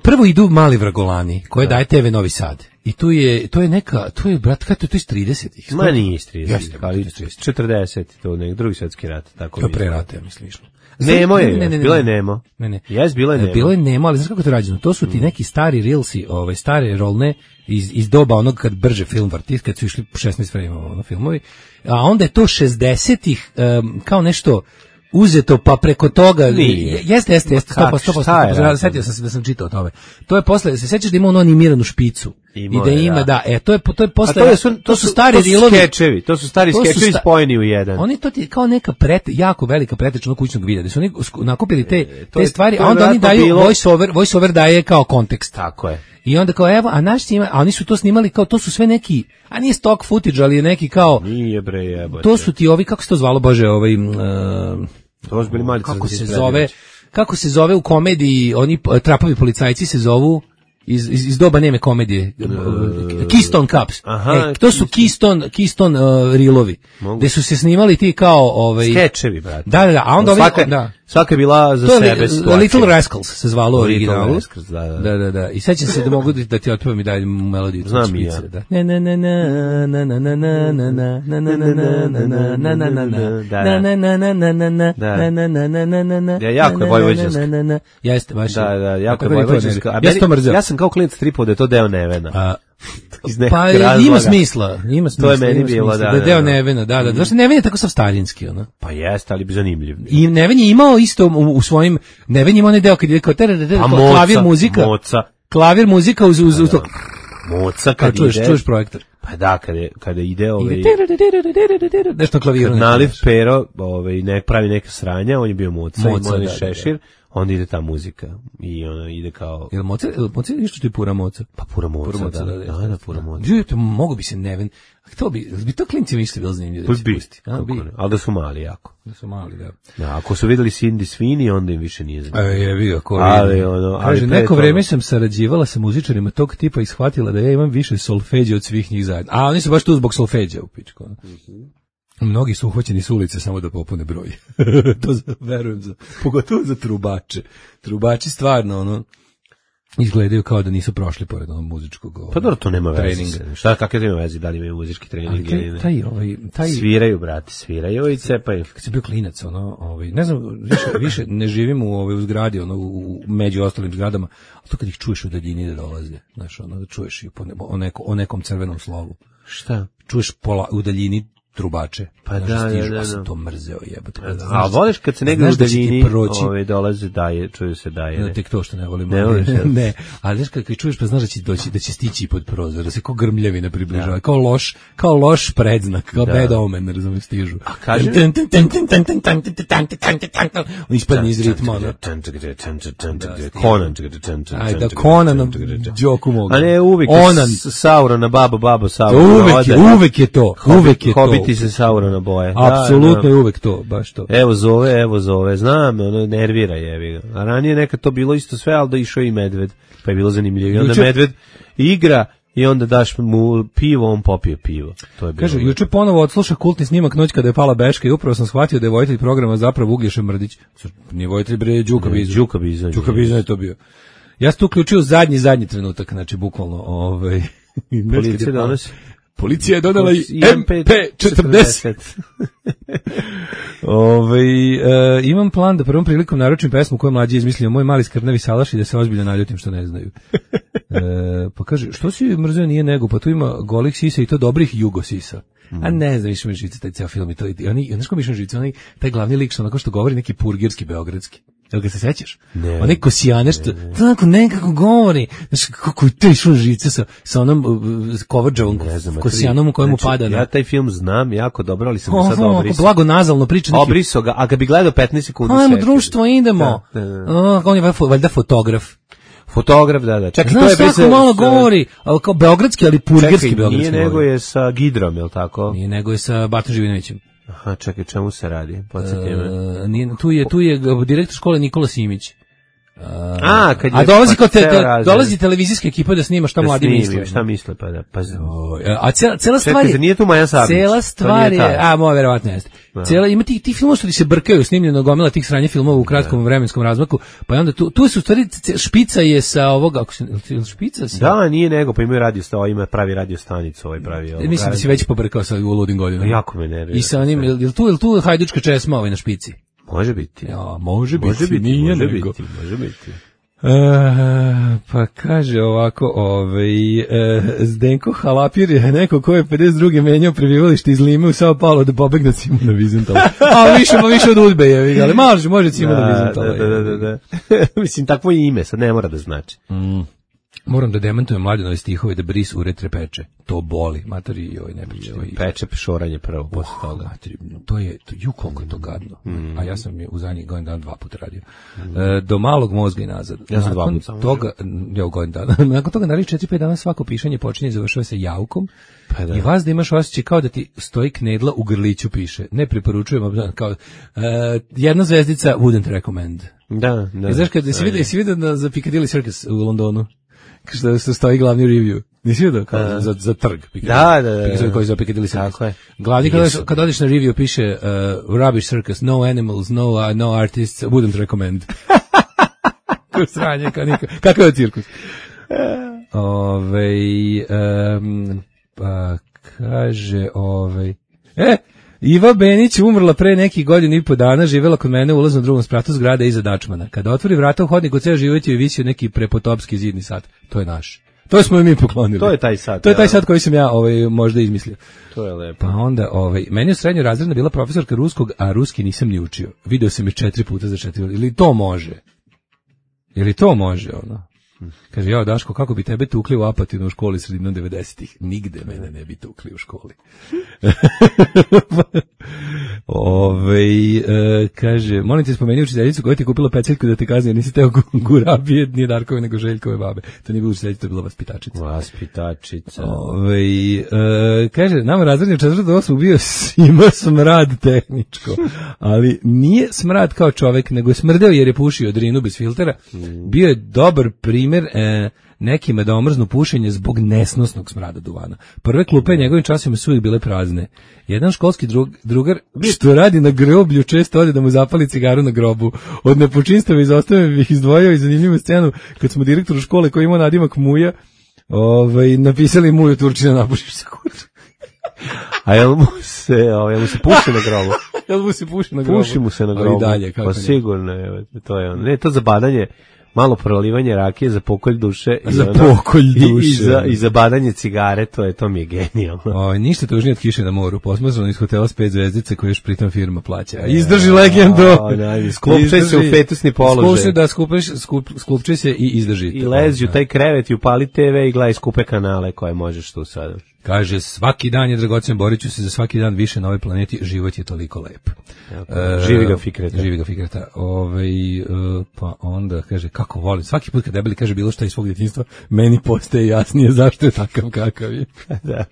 prvo idu Mali Vragolani, koje daje TV Novi Sad. I to je brat, kada to je iz 30-ih? Ma nije iz 30-ih, ali 40, to je drugi svjetski rat. Tako to pre rata, ja mislim, išlo. Nemo je, bilo je Nemo. Jes, bilo je Nemo. Bilo je Nemo, ali znaš kako to rađeno? To su ti neki stari reelsi, stare rolne, iz doba onog kad brže film vrti, kad su išli 16 frame filmovi, a onda je to 60-ih kao nešto uzeto pa preko toga. Jeste, 100%. Sjetio sam se da sam čitao o tome. To je posle, se sećaš da ima ono animiranu špicu? I da ima, da, to je posle, to su stari rilovi. Skečevi, to su stari skečevi spojeni u jedan. Oni to ti kao neka jako velika pretečna kućnog videa, da su oni nakupili te stvari, a onda oni daju voice-over daje kao kontekst. Tako je. I onda kao, evo, a naš snima, a oni su to snimali kao, to su sve neki, a nije stock footage, ali je neki kao... Nije bre, jebote. To su ti ovi, kako se to zvalo, Bože, to su bili mali kako se zove u komediji, oni trapavi policajci se zovu, iz doba neme komedije, Keystone Cups. To su Keystone reelovi, gde su se snimali ti kao... skečevi, brate. Da, a onda svaka je bila za sebe situacija. Little Rascals se zvalo originalu. Da. I sećam se da mogu da ti otpevam i dalje melodiju. Znam i ja. Jako je vojvođanska. Jeste, baš. Da, jako je vojvođanska. Ja sam kao klinac tripao da je to deo Nevena. Pa ima smisla. To je meni bilo, da je deo Nevena, da. Zašto Neven je tako sav starinski, ono? Pa jeste, ali bi zanimljiv. I Neven je imao isto u svojim, Neven je imao onaj deo kad je kao klavir muzika. Klavir muzika uz to. Moca kad ide. Čuješ projektor. Pa da, kada ide nešto klaviru. Kad naliv pero, ne pravi neka sranja, on je bio Moca i Moni Šešir. onda ide ta muzika i ona ide kao... Jel Mozart nešto što je pura moca? Pa pura moca, da, pura moca. Mogu bi se neven... To bi to klinci mišli bilo zanimljivo da se pusti. Ali da su mali jako. Da su mali, da. Da, ako su videli Cindy Sweeney, onda im više nije zanimljivo. Jebi ga, ali neko vreme sam sarađivala sa muzičarima tog tipa i shvatila da ja imam više solfeđa od svih njih zajedno. A oni su baš tu zbog solfeđa u pičku. Mnogi su uhvaćeni s ulice samo da popune broj. To verujem, pogotovo za trubače. Trubači stvarno, izgledaju kao da nisu prošli pored onog muzičkog pa dobro, to nema veze. Šta, kakve to ima veze, da li imaju muzički trening ili ne? Taj sviraju, brati, sviraju i cepaju. Kad sam bio klinac, ne znam, više ne živim u zgradi, među ostalim zgradama, ali to kad ih čuješ u daljini da dolaze, znaš, da čuješ o nekom crvenom slovu. Šta? Čuješ u daljini trubače. Pa da. Sam to mrzeo, jebote. A voliš kad se negdje u daljini dolaze čuju se daje. Ne, tek to što ne volim. Ne, ali znaš kad čuješ pa znaš da će stići pod prozor, da se kao grmljavina približava, kao loš predznak, kao bad omen, razumiješ, stižu. A kaže... On ispadne iz ritma, Conan. Ajde, Conan, džoku mogu. A ne, uvijek Saurona, babo Saurona. Uvijek je to. Hobiti se Saurona boje. Apsolutno je uvek to, baš to. Evo zove, znam, nervira jebi ga. A ranije nekad to bilo isto sve, ali da išao i medved, pa je bilo zanimljivo. I onda medved igra i onda daš mu pivo, on popije pivo. To je bilo. Kaže, juče ponovo odsluša kultni snimak Noć kada je pala Beška i upravo sam shvatio da je vojitelj programa zapravo Uglješa Mrdić. Nije vojitelj, bre, Đuka Bizon. Đuka Bizon je to bio. Ja sam tu uključio zadnji trenutak, znači bukvalno policija donosi. Policija je donela i MP40. Imam plan da prvom prilikom naručim pesmu koju mlađi izmislio Moj mali skrnavi salaš i da se ozbiljno naljutim što ne znaju. Pa kaže, što si mrzeo nije nego, pa tu ima golih sisa i to dobrih jugo sisa. A ne znam, više mi živice taj ceo film i to. Znaš ko mi više živice, taj glavni lik što onako što govori neki purgirski beogradski. Jel ga se sećaš? Ne. Onaj Kosijane što tako nekako govori. Znaš, kako je to išlo živice sa onom Kovađavom Kosijanom u kojemu pada. Ja taj film znam jako dobro, ali sam sad obrisao. Blago nazalno priča. Obrisao ga, a ga bi gledao 15 sekundi. Ajmo društvo, idemo. On je valjda fotograf. Da. Čekaj, to je svako malo govori, ali kao beogradski, ali purgirski beogradski. Nije nego je sa Gidrom, je li tako? Nije nego je sa Bartom Živinovićem. Aha, čekaj, čemu se radi? Tu je direktor škole Nikola Simić. Kad dolazi televizijska ekipa da snima šta mladi misle. Šta misle, pa da. A cela stvar je... Nije tu Maja Sablić. Cela stvar je... verovatno jeste. Ima ti filmova što ti se brkaju, snimljeno gomila tih sranja filmova u kratkom vremenskom razmaku, pa onda tu su stvari, špica je sa ovoga... Špica sa... Da, nije nego, pa imaju ima pravi radio stanicu, pravi... Mislim da si već pobrkao sa u ludim godinama. Jako me nervira. I sa onim, je tu hajdučka česma na špici? Može biti. Ja, može biti. Pa kaže ovako, Zdenko Halapir je neko ko je 52. menjao prebivalište iz Lime u Sao Paulo da pobegne Simona Vizentala. A više od Udbe je, ali može Simona Vizentala. Da. Mislim, takvo ime, sad ne mora da znači. Moram da demantujem Mladenove stihove da bris uretre peče. To boli, materi ne priče. Peče pešoranje prvo, posle toga. Materi, koliko je to gadno. A ja sam je u zadnjih godin dana 2 puta radio. Do malog mozga i nazad. Ja sam 2 puta. Ja u godin dana. Nakon toga, naravno 4-5 dana svako pišanje počinje i završava se jaukom. Pa da. I vas da imaš osjećaj kao da ti stoji knedla u grliću piše. Ne preporučujem, kao jedna zvezdica wouldn't recommend. Da. I znaš kada si vidio za Piccadilly Circus u Londonu? Što stoji glavni review. Nisi vidio kao za trg? Da. Koji za Piccadilly Circus. Tako je. Glavni kad odeš na review piše rubbish circus, no animals, no artists, wouldn't recommend. Ko sranje, kakav je cirkus? Pa kaže Iva Benić umrla pre nekih godina i po dana, živjela kod mene u ulaznom drugom spratu zgrade iza Dačmana. Kada otvori vrata u hodniku, ceo život je visio neki prepotopski zidni sat. To je naš. To smo mi poklonili. To je taj sat. To je taj sat koji sam ja možda izmislio. To je lepo. Pa onda, meni je u srednjoj razredna bila profesorka ruskog, a ruski nisam ni učio. Video sam je 4 puta za 4. Ili to može? Kaže, ja Daško, kako bi tebe tukli u Apatinu u školi sredinom 90-ih? Nigde mene ne bi tukli u školi. Kaže, molim te spomeni učiteljicu koja ti je kupila peceljku da te kazni, jer nisi teo gurabije, nije Darkove nego Željkove babe. To nije bilo učiteljica, to je bila vaspitačica. Vaspitačica. Kaže, nama razrednje 4. bio ima smrad tehničko, ali nije smrad kao čovek, nego je smrdeo jer je pušio drinu bez filtera. Bio je dobar primjer nekima da omrznu pušenje zbog nesnosnog smrada duvana. Prve klupe njegovim časima su uvijek bile prazne. Jedan školski drugar što radi na groblju često ode da mu zapali cigaru na grobu. Od nepočinstava izostave bih izdvojio i zanimljivu scenu kad smo direktoru škole koji ima nadimak Muja napisali Muju Turčina napušiš se kuću. A jel mu se puši na grobu? Jel mu se puši na grobu? Puši mu se na grobu. Dalje, pa sigurno, to je ono. Ne, to za badanje, malo prolivanje rakije za pokolj duše. I za badanje cigare, to mi je genijalno. Ništa tužnije od kiše na moru. Posmažano iz hotela s 5 zvezdice koje još pritom firma plaća. Izdrži legendo. Sklupčaj se u fetusni položaj. Sklupčaj se i izdrži. I lezi u taj krevet i upali TV i gledaj skupe kanale koje možeš tu sada. Kaže, svaki dan je dragocen, borit ću se za svaki dan više na ovoj planeti, život je toliko lep. Živi ga Fikreta. Pa onda kaže, kako volim, svaki put kad debeli kaže bilo šta iz svog djetinjstva, meni postaje jasnije zašto je takav kakav je. Da.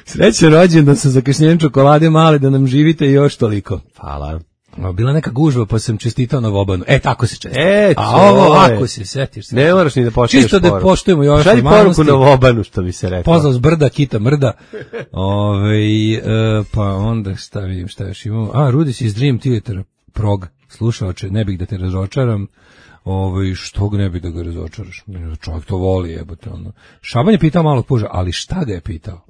Srećan rođendan sa zakašnjenjem čokolade male da nam živite još toliko. Hvala. Bila neka gužva pa sam čestitao Novobanu. Tako se čestita. A ovo ako se setiš. Ne moraš ni da poštuješ čisto poruku. Da poštujemo još šalji poruku Novobanu, što bi se rekao. Pozdrav s brda, kita mrda. Pa onda šta još imamo. Rudić iz Dream Theater Prog. Slušaoče, ne bih da te razočaram. Što ne bi da ga razočaraš? Čovjek to voli, jebote ono. Šaban je pitao malog puža, ali šta ga je pitao?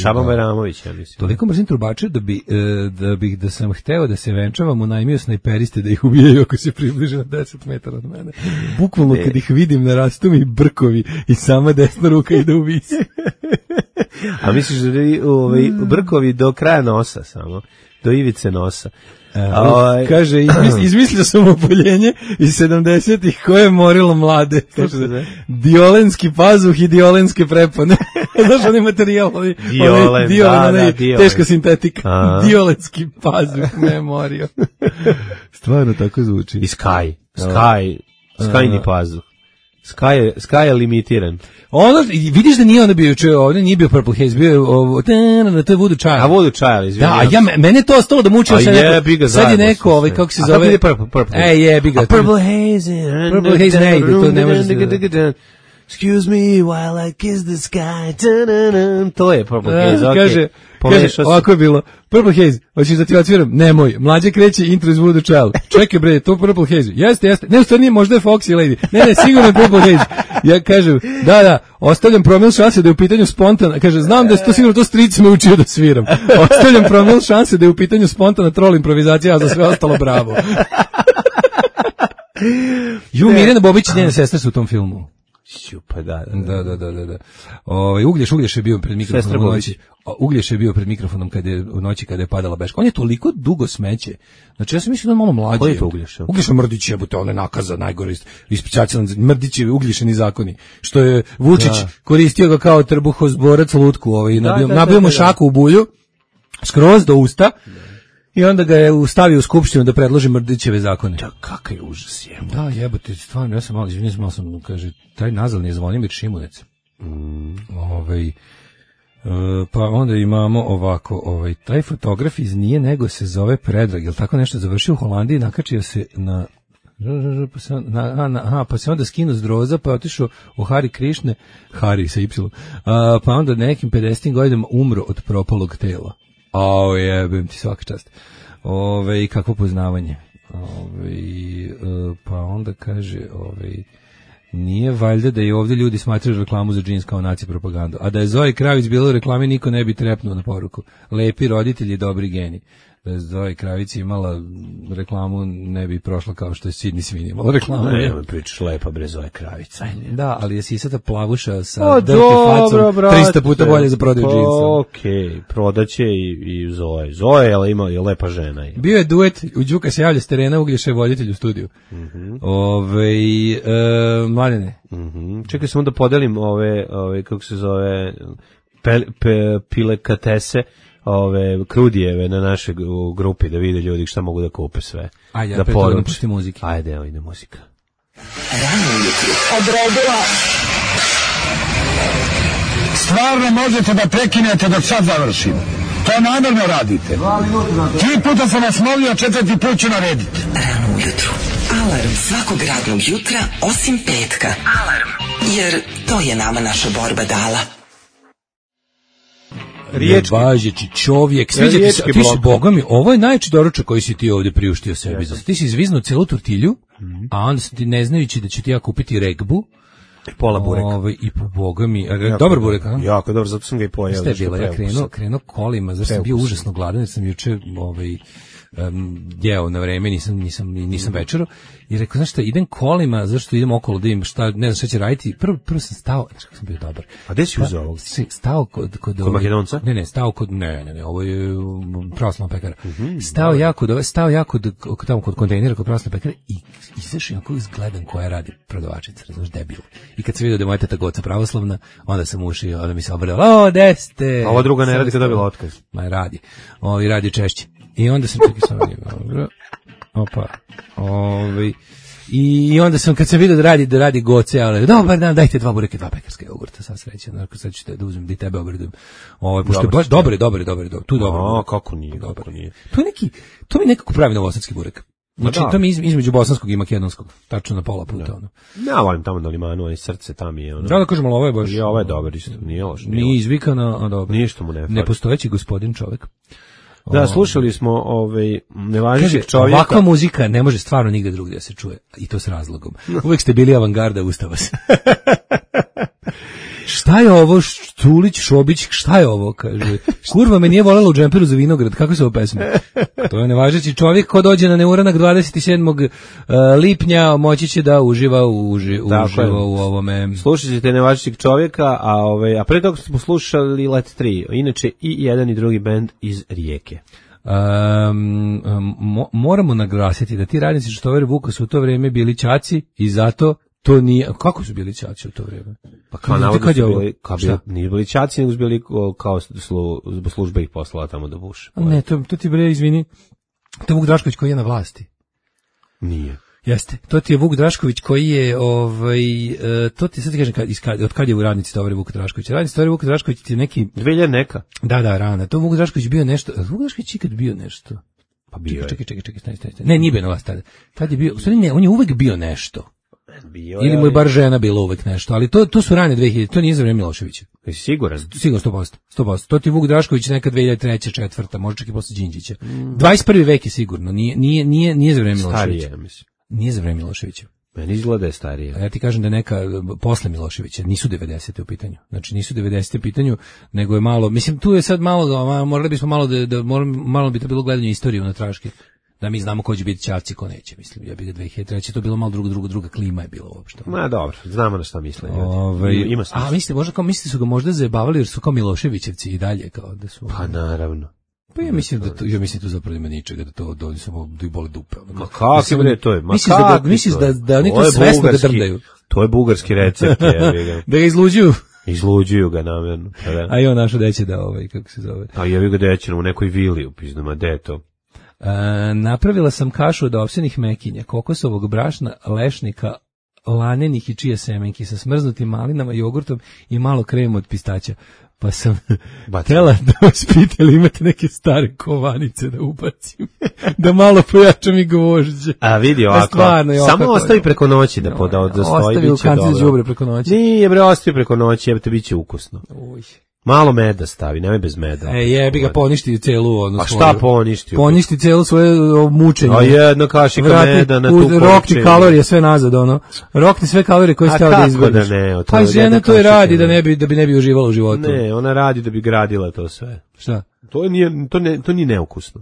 Šaban Bajramović, ja mislim. Toliko mrzim trubače da sam hteo da se venčavam, unajmio snajperiste da ih ubijaju ako se približe na 10 metara od mene. Bukvalno kad ih vidim narastu mi brkovi i sama desna ruka ide u vis. A misliš da brkovi do kraja nosa samo? Do ivice nosa. Kaže, izmislio sam opoljenje iz 70-ih koje je morilo mlade. Diolenski pazuh i diolenske prepone. Znaš onaj materijal? Diolen, teška sintetika. Diolenski pazuh me morio. Stvarno tako zvuči. I Skyni pazuh. Sky je limitiran. Vidiš da nije ono bio ovdje, nije bio Purple Haze, bio je to je Voodoo Child. A Voodoo Child, izvinjam. Da, mene to ostalo da mučio sad je neko, kako se zove. Purple Haze. Jebi ga. Purple Haze. Purple Haze ne ide, to ne može se... Excuse me while I kiss the sky. To je Purple Haze, okej. Kaže, ovako je bilo. Purple Haze, hoćeš da ti odsviram? Nemoj. Mlađe kreće intro iz Voodoo Child. Čekaj bre, to Purple Haze. Jeste. Ne, u stvari nije, možda je Foxy Lady. Ne, sigurno je Purple Haze. Ja kažem, da, ostavljam promil šanse da je u pitanju spontana. Kaže, znam da je to sigurno to stric me učio da sviram. Ostavljam promil šanse da je u pitanju spontana troll improvizacija, a za sve ostalo bravo. Mirjana Bobić i njene sestre su u tom filmu. Pa da. Uglješ je bio pred mikrofonom u noći. Uglješ je bio pred mikrofonom u noći kada je padala beška. On je toliko dugo smeće. Znači ja sam mislio da je malo mlađi. Ko je to Uglješ? Uglješ je Mrdić, jebote, on je nakaza najgore ispečaćelan. Mrdić je Uglješeni zakoni. Što je Vučić koristio ga kao trbuhozborac lutku, nabio mu šaku u bulju skroz do usta. I onda ga je stavio u skupštinu da predloži Mrdićeve zakone. Da, kakav je užas je. Da, jebote, stvarno, ja sam malo sam, kaže, taj nazalni je Zvonimir Šimunec. Pa onda imamo ovako, taj fotograf iz Nije nego se zove Predrag, jel tako nešto završio u Holandiji, nakačio se pa se onda skinuo s Droza, pa je otišao u Hari Krišne, Hari sa Y, pa onda nekim 50. godinama umro od propalog tela. Jebim ti svaka čast. Kakvo poznavanje. Pa onda kaže, nije valjda da i ovdje ljudi smatraju reklamu za džins kao naci propagandu. A da je Zoe Kravić bila u reklami, niko ne bi trepnuo na poruku. Lepi roditelji, dobri geni. Da Zoe Kravici imala reklamu, ne bi prošla kao što je Sidney Sweeney imala reklamu. Ne, pričaš lepa bre Zoe Kravica. Da, ali je sisata plavuša sa dirty facom 300 puta bolje za prodaju džinsa. Okej, prodaće i Zoe. Zoe je lepa žena. Bio je duet, u Đuka se javlja s terena, Uglješa je voditelj u studiju. Mladene. Čekaj samo da podelim ove kako se zove, piletese, krudijeve na našoj grupi, da vide ljudi šta mogu da kupe sve. Ajde, da poruče. Pusti muzike. Ajde, evo ide muzika. Rano ujutru odredila. Stvarno možete da prekinete dok sad završim. To namjerno radite. 3 puta sam vas molio, 4. put ću narediti. Rano ujutru. Alarm svakog radnog jutra osim petka. Alarm. Jer to je nama naša borba dala. Riječki. Nevažeći čovjek. Sviđa ti se, ti si, boga mi, ovo je najveći doručak koji si ti ovdje priuštio sebi. Ti si izviznuo celu tortilju, a onda si ti ne znajući da ću ti ja kupiti regbu. I pola bureka. I po boga mi, dobar burek, a? Jako dobro, zato sam ga i pojeo. Ste bila, ja krenuo kolima, zato sam bio užasno gladan, jer sam juče jeo na vreme, nisam večero, i rekao, znaš šta, idem kolima, zašto idem okolo da im šta, ne znam šta će raditi, prvo sam stao, znaš kako sam bio dobar. A gde si uzeo ovog? Stao kod Makedonca? Ne, stao kod, ne, ovo je pravoslavna pekara. Stao ja kod kontejnera, kod pravoslavne pekare i izašao jako izgledam koja radi prodavačica, razumiješ, debil. I kad se vidio da je moja teta Goca pravoslavna, onda sam ušao, onda mi se obradila, o, gde ste? A ova druga ne radi kad dobila otkaz. Ma radi. I radi češće. I onda sam čekao sam dobro. Opa. I onda sam, kad sam vidio da radi Goce, ali dobar dan, dajte 2 bureke, 2 pekarske jogurta, sad sreće, sad ću te da uzmem, da i tebe obradujem. Pošto je baš dobar, tu dobro. Kako nije, kako nije. To mi nekako pravi novosadski burek. Znači, to mi između bosanskog i makedonskog, tačno na pola puta, ono. Ja volim tamo na limanu, ali srce tam je, ono. Da kažem, ali ovo je baš... I ovo je dobar isto, nije loš. Nije izvikano, a dobro. Ništa mu ne fali. Nepostojeći gospodin čovek. Da, slušali smo nevažećeg čovjeka. Ovakva muzika ne može stvarno nigde drugdje da se čuje, i to s razlogom. Uvijek ste bili avangarda, ustava se. Šta je ovo, Štulić, Šobić, šta je ovo, kaže. Kurva me nije voljela u džemperu za vinograd, kako se ovo pesma? To je nevažeći čovjek ko dođe na neuranak 27. lipnja, moći će da uživa u ovome. Slušat ćete nevažećeg čovjeka, a pre toga smo slušali Let 3, inače i jedan i drugi bend iz Rijeke. Moramo naglasiti da ti radnici Štovere Vuka su u to vrijeme bili ćaci i zato to nije, kako su bili ćaci u to vrijeme? Pa kao navodno su bili, nije bili ćaci, nego su bili kao služba ih poslala tamo da buše. Ne, to ti bre, izvini, to je Vuk Drašković koji je na vlasti. Nije. Jeste, to ti je Vuk Drašković koji je, to ti sad kažem, od kad je u radnici Tovare Vuk Drašković? Radnici Tovare Vuk Drašković ti je neki... 2000 neka. Da, rana. To Vuk Drašković bio nešto, Vuk Drašković ikad bio nešto. Pa bio čekaj, stani. Ne, nije bio na vas tada. Tad je bio, ne, on je uvek bio nešto. Ili mu je bar žena bila uvek nešto, ali to su rane 2000, to nije za vreme Miloševića. Jesi siguran? Sigurno 100%. To ti Vuk Drašković neka 2003. 4. možda čak i posle Đinđića. 21. vek je sigurno, nije za vreme Miloševića. Starije, mislim. Nije za vreme Miloševića. Meni izgleda je starije. A ja ti kažem da neka posle Miloševića, nisu 90. u pitanju. Znači nisu 90. u pitanju, nego je malo, mislim tu je sad malo, morali bismo malo bi to bilo gledanje istorije na traške. Da mi znamo ko će biti ćavci, ko neće, mislim. Ja bih ga 2003. to bilo malo druga klima je bilo uopšte. Ma dobro, znamo na šta misle ljudi. Ima smisla. A misli su ga možda zajebavali jer su kao Miloševićevci i dalje kao da su. Pa naravno. Pa ja mislim da tu zapravo ima ničega, da to oni samo da ih bole dupe. Ma kako bre to je? Misliš da oni to svesno da drndaju. To je bugarski recept, da ga izluđuju. Izluđuju ga namjerno. A i on našo deće da kako se zove. A jevi ga deće u nekoj vili u pizdama, gde je to? Napravila sam kašu od ovsenih mekinja, kokosovog brašna, lešnika, lanenih i čije semenki sa smrznutim malinama, jogurtom i malo krema od pistaća. Pa sam htjela da vas pitali, imate neke stare kovanice da ubacim, da malo pojačam i gvožđe. A vidi ovako, samo ostavi preko noći da stoji, bit će dobro. Ostavi u kanci za đubre preko noći. Nije bre, ostavi preko noći, jebate, bit će ukusno. Malo meda stavi, nemoj bez meda. Jebi ga, poništi celu onu svoju. A šta poništi? Poništi celu svoje mučenje. A jedna kašika meda na tu količinu. Rokni kalorije sve nazad, ono. Rokni sve kalorije koje ste da izgodiš. A kako da ne? Pa žena to i radi da ne bi uživala u životu. Ne, ona radi da bi gradila to sve. Šta? To nije neukusno.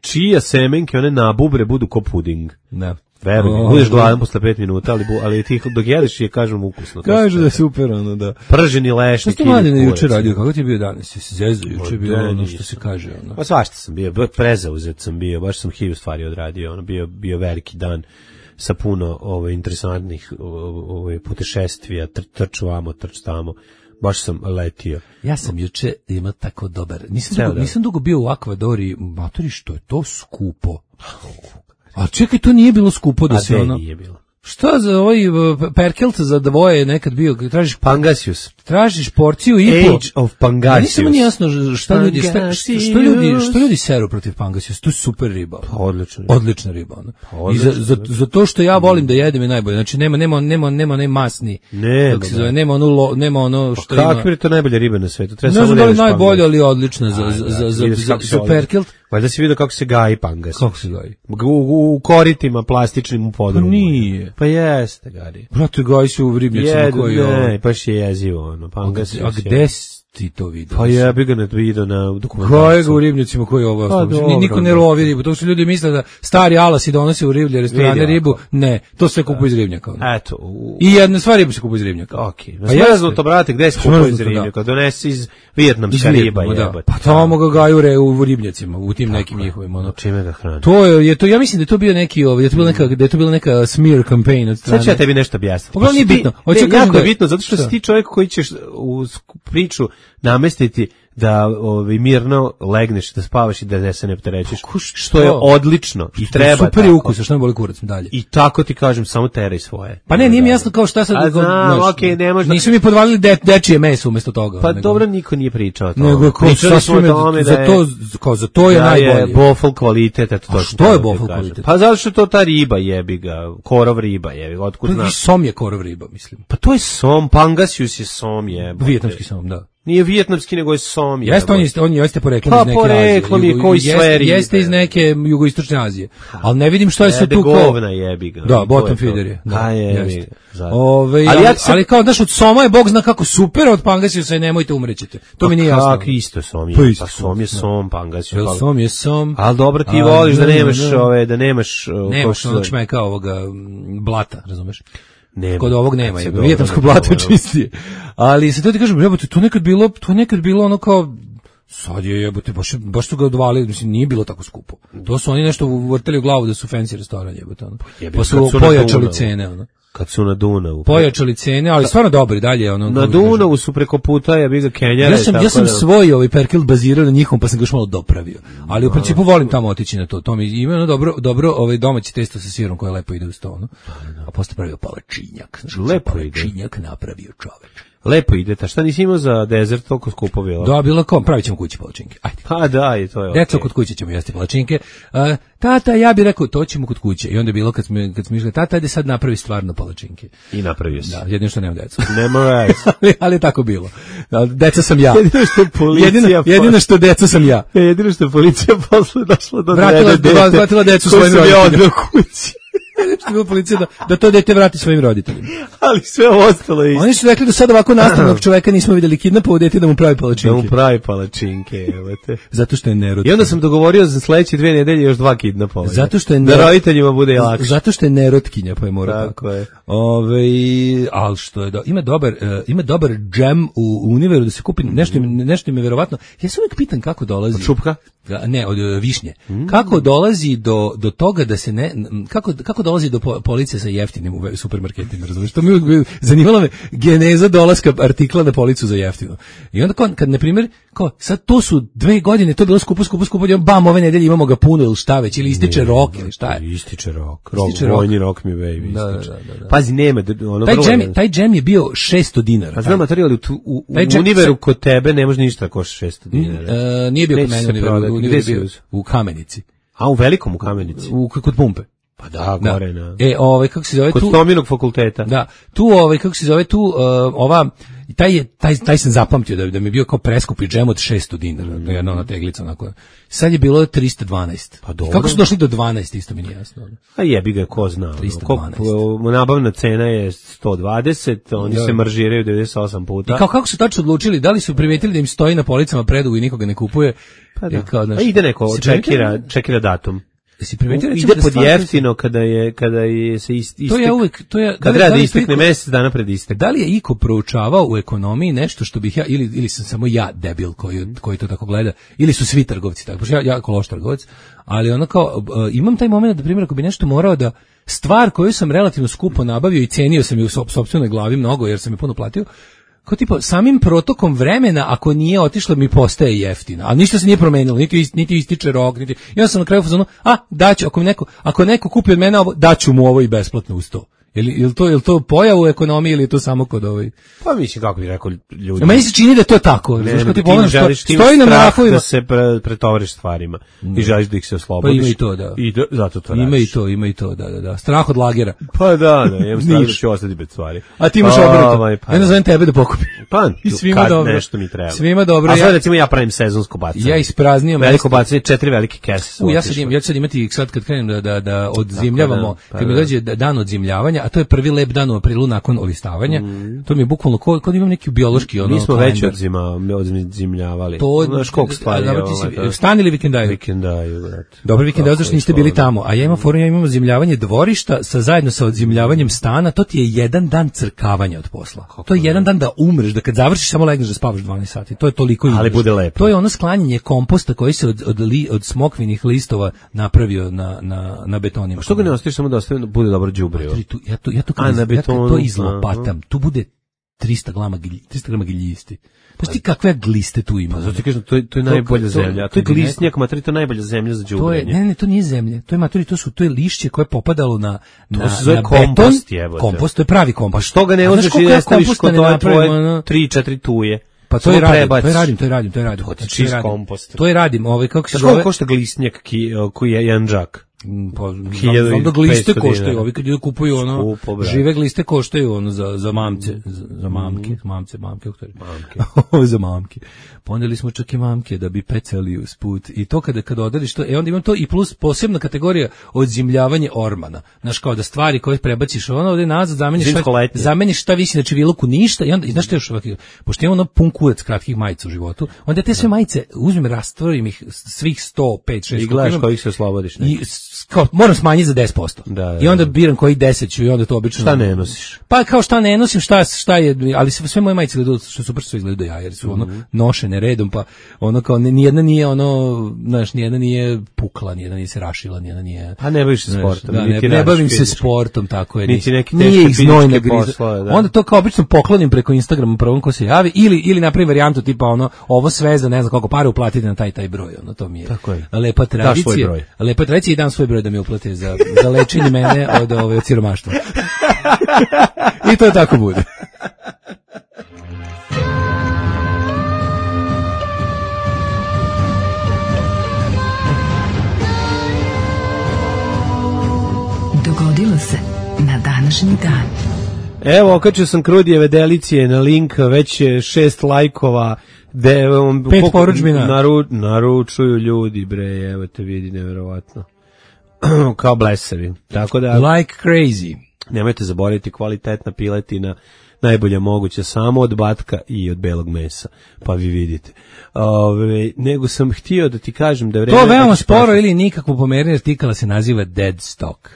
Čija semenke, one nabubre, budu ko puding. Da. Verujem, budeš gladan posle 5 minuta, ali ti dok jedeš je, kažem, ukusno. Kažu da je super, ono, da. Prženi lešnik. Što ti mladine juče radio, kako ti je bio danas? Jesi zezu, juče je bilo ono što se kaže, ono. Pa svašta sam bio, prezauzet sam bio, baš sam 1000 stvari odradio, ono, bio veliki dan sa puno interesantnih putešestvija, trč vamo, trč tamo. Baš sam letio. Ja sam juče imao tako dobar. Nisam dugo bio u Akvadori, matori, što je to skupo. A čekaj, to nije bilo skupo da se ono... nije bilo? Šta za ovaj Perkelt za dvoje je nekad bio, tražiš Pangasius. Tražiš porciju i po. Age of Pangasius. Nisam mi jasno što ljudi seru protiv Pangasius. To je super riba. Odlična riba. I za to što ja volim da jedem je najbolje. Znači nema ne masni. Nema ono što ima. Kakva je to najbolja riba na svetu? Ne znam da li najbolja, ali odlična za Perkelt. Valjda si vidio kako se gaji Pangasius. Kako se gaji? U koritima plastičnim u podrumu. Pa nije. Pa jeste, gari. Brate, gaji se u ribnjacima koji je... Ne, baš je jezivo, ono. Pangasius. A gde ti to vidio? Pa ja bih ga vidio na dokumentaciju. Gaji ga u ribnjacima koji je ovo. Niko ne lovi ribu. To što ljudi misle da stari alasi donose u riblje restorane ribu. Ne, to sve kupuje iz ribnjaka. Eto. I jedna stvar riba se kupuje iz ribnjaka. Okej. Pa to, brate, gde se kupuje iz ribnjaka? Donesi iz vijetnamska riba, jebote. Pa tamo ga gaju u ribnjacima, u tim nekim njihovim, ono. Čime ga hrani? To ja mislim da je to bio neki, da je to bila neka smear campaign od strane. Sad ću ja tebi nešto objasniti. Pogledaj, nije bitno. Jako je bitno, zato što si ti čovjek koji ćeš u priču namestiti da mirno legneš, da spavaš i da se ne opterećiš, što je odlično i treba. Super je ukus, što ne boli kurac dalje. I tako ti kažem, samo teraj svoje. Pa ne, nije mi jasno kao šta sad. Ne možda. Nisu mi podvalili dečije meso umesto toga. Pa dobro, niko nije pričao o tome. Nego pričali smo o tome za to je najbolje. Bofl kvalitet, eto to. Što je bofl kvalitet? Pa zato što to ta riba jebi ga, korov riba jebi ga, otkud znaš. Pa som je korov riba, mislim. Pa to je som, Pangasius je som jebote. Vijetnamski som, da. Nije vijetnamski, nego je som. Jeste, on jeste poreklom iz neke Azije. Pa poreklom je koji sve ribe. Jeste iz neke jugoistočne Azije. Ali ne vidim što je sve tu kao... govna jebi ga. Da, bottom feeder je. Da, jebi ga. Ali kao, znaš, od soma je Bog zna kako super, od Pangasiusa nemojte umrećete. To mi nije jasno. Kako isto som je? Pa som je som, Pangasius. Som je som. Ali dobro, ti voliš da nemaš... Nemaš onog šmeka ovoga blata, razumeš? Kod ovog nema, vijetnamsko blato je čistije. Ali se to ti kažem, jebote, to je nekad bilo ono kao, sad je jebote, baš su ga odvalili, mislim, nije bilo tako skupo. To su oni nešto vrteli u glavu da su fancy restoran, jebote, ono. Pa su pojačali cene, ono. Kad su na Dunavu. Pojačali cene, ali stvarno dobri dalje. Ono, na Dunavu su preko puta, ja bih ga Kenjare. Ja sam svoj Perkelt bazirao na njihovom, pa sam ga još malo dopravio. Ali u principu volim tamo otići na to. To mi ima ono dobro domaći testo sa sirom koje lepo ide uz to. Ono. A posle pravio palačinjak. Lepo ide. Palačinjak napravio čoveč. Lepo ide, ta šta nisi imao za dezert, toliko skupo bilo? Da, bilo kao, pravit ćemo kući palačinke. Ajde. Pa da, i to je Deco, kod kuće ćemo jesti palačinke. Tata, ja bih rekao, to ćemo kod kuće. I onda je bilo kad smo išli, tata, ajde sad napravi stvarno palačinke. I napravio si. Da, jedino što nemam decu. Nema veze. ali je tako bilo. Deca sam ja. Jedino što policija... jedino što deca sam ja. Jedino što policija posle došla do vratila decu svojim roditeljima. Kući. Što je bilo policija da to dete vrati svojim roditeljima. Ali sve ostalo je isto. Oni su rekli da sad ovako nastavnog čoveka nismo vidjeli kidnapovo dete da mu pravi palačinke. Da mu pravi palačinke, evo. Zato što je nerotkinja. I onda sam dogovorio za sledeće 2 nedelje još 2 kidnapovanja. Zato što je da roditeljima bude lakše. Zato što je nerotkinja, pa je mora tako. Je. Al što je ima dobar džem u Univeru da se kupi nešto mi verovatno. Ja se uvijek pitam kako dolazi. Od šupka? Ne, od višnje. Kako dolazi do toga da se kako dolazi do police sa jeftinim u supermarketima, razumiješ? To mi uvijek zanimala me geneza dolaska artikla na policu za jeftino. I onda kad na primjer, sad to su 2 godine, to je bilo skupo, bam, ove nedelje imamo ga puno ili šta već, ili ističe rok, ili šta je? Ističe rok. Vojni rok mi baby ističe. Da. Pazi, nema, ono taj džem je bio $600. Pa znam, materijal u Univeru kod tebe ne može ništa košta $600. Nije bio kod mene, u Kamenici. A u velikom u Kamenici? Kod pumpe. Pa da, gore na. Kako se zove kod tu? Stominog fakulteta. Da. Tu kako se zove tu ova I taj sam zapamtio da mi je bio kao preskupi džem od 600 dinara, jedna ona teglica onako. Sad je bilo 312. Pa dobro. Kako su došli do 12, isto mi nije jasno. A jebi ga, ko zna. 312. Nabavna cena je 120, oni se maržiraju 98 puta. I kako su tačno odlučili, da li su primetili da im stoji na policama predugo i nikoga ne kupuje? Pa da. Ide neko, čekira datum. Ide pod jeftino kada je se istek. Kad treba da istekne mesec dana pred istek. Da li je iko proučavao u ekonomiji nešto što bih ja ili sam samo ja debil koji to tako gleda, ili su svi trgovci tako. Ja jako loš trgovac, ali ono kao imam taj momenat da primjer ako bi nešto morao da stvar koju sam relativno skupo nabavio i cenio sam je u sopstvenoj glavi mnogo jer sam je puno platio. Kao tipa, samim protokom vremena, ako nije otišlo, mi postaje jeftina. A ništa se nije promenilo, niti ističe rok, niti... I onda sam na kraju fazonu, daću, ako neko kupi od mene ovo, daću mu ovo i besplatno uz to. Je li to pojav u ekonomiji ili je to samo kod ovaj? Pa mislim, kako bi rekao ljudi. Meni se čini da je to tako. Stoji na mrafovima. Da se pretovariš stvarima i želiš da ih se oslobodiš. Pa ima i to, da. Zato to radiš. Ima i to, da. Strah od lagera. Pa da, imam strah da ću ostati bez stvari. A ti imaš obrnuto. Ja nazovem tebe da pokupim. Pa, i svima dobro. Nešto mi treba. Svima dobro. A sad recimo ja pravim sezonsko bacanje. Ja ispraznio veliko bacanje, 4 velike kese. Ja sad imati sad kad krenem da odzimljavamo, kad mi dođe dan odzimljavanja, a to je prvi lep dan u aprilu nakon olistavanja. To mi je bukvalno kod imam neki biološki ono. Mi smo već odzimljavali. To znaš koliko stvari. Stan ili vikendaju? Vikendaju, brate. Dobro, vikendaju zašto niste bili tamo. A ja imam odzimljavanje dvorišta zajedno sa odzimljavanjem stana. To ti je jedan dan crkavanja od posla. To je jedan dan da umreš, da kad završiš samo legneš da spavaš 12 sati. To je toliko. Ali bude lepo. To je ono sklanjanje komposta koji se od smokvinih listova napravio na betonima. Što ga ne ostaviš samo da bude dobro đubrivo? Ja to izlopatam. Tu bude 300 grama giljisti. Pa ti kakve gliste tu ima? Zato ti kažem, to je najbolja zemlja. To je glistnjak, materi, to je najbolja zemlja za đubrenje. Ne, to nije zemlja. To je materi, to je lišće koje je popadalo na kompost, beton. Kompost, to je pravi kompost. Pa što ga ne uzmeš i ne staviš kod tvoje 3-4 tuje? Pa to je radim. Čist kompost. To je radim, kako se zove? Koliko košta glistnjak koji je Janđak? Pa znam da gliste koštaju, ovi kad kupuju ono žive gliste koštaju ono za mamce, za mamke, za mamke. Poneli smo čak i mamke da bi pecali usput i to kada odrediš to, onda imam to i plus posebna kategorija odzimljavanje ormana. Znaš, kao da stvari koje prebaciš ovdje nazad, zameniš šta visi na čiviluku ništa i onda, znaš što još ovakve, pošto imam ono pun kurac kratkih majica u životu, onda te sve majice uzmem, rastvorim ih svih 100, 5, 6. I gledaš kojih se oslobodiš. Moram smanjiti za 10%. I onda biram koji 10 ću i onda to obično... Šta ne nosiš? Pa kao šta ne nosim, šta je, ali sve moje majice gledaju, što super sve izgledaju ja, jer su ono nošene redom, pa ono kao nijedna nije ono, znaš, nijedna nije pukla, nijedna nije se rašila, nijedna nije... A ne baviš se sportom. Ne bavim se sportom, tako je. Niti neki nije ih znojna griza. Onda to kao obično poklonim preko Instagrama prvom ko se javi, ili napravim varijantu tipa ono, ovo sve za ne znam koliko para uplatiti na taj broj, ono to mi je lepa tradicija. Lepa tradicija i dam svoj broj da mi uplate za lečenje mene od siromaštva. I to tako bude. Dogodilo se na današnji dan. Evo, okačio sam Krudijeve delicije na link, već 6 lajkova. 5 poručbina. Naručuju ljudi, bre, evo te vidi, neverovatno. Kao blesavi. Tako da... Like crazy. Nemojte zaboraviti, kvalitetna piletina, najbolja moguća, samo od batka i od belog mesa. Pa vi vidite. Nego sam htio da ti kažem da je vreme... To veoma sporo ili nikakvo pomerenje artikala se naziva dead stock.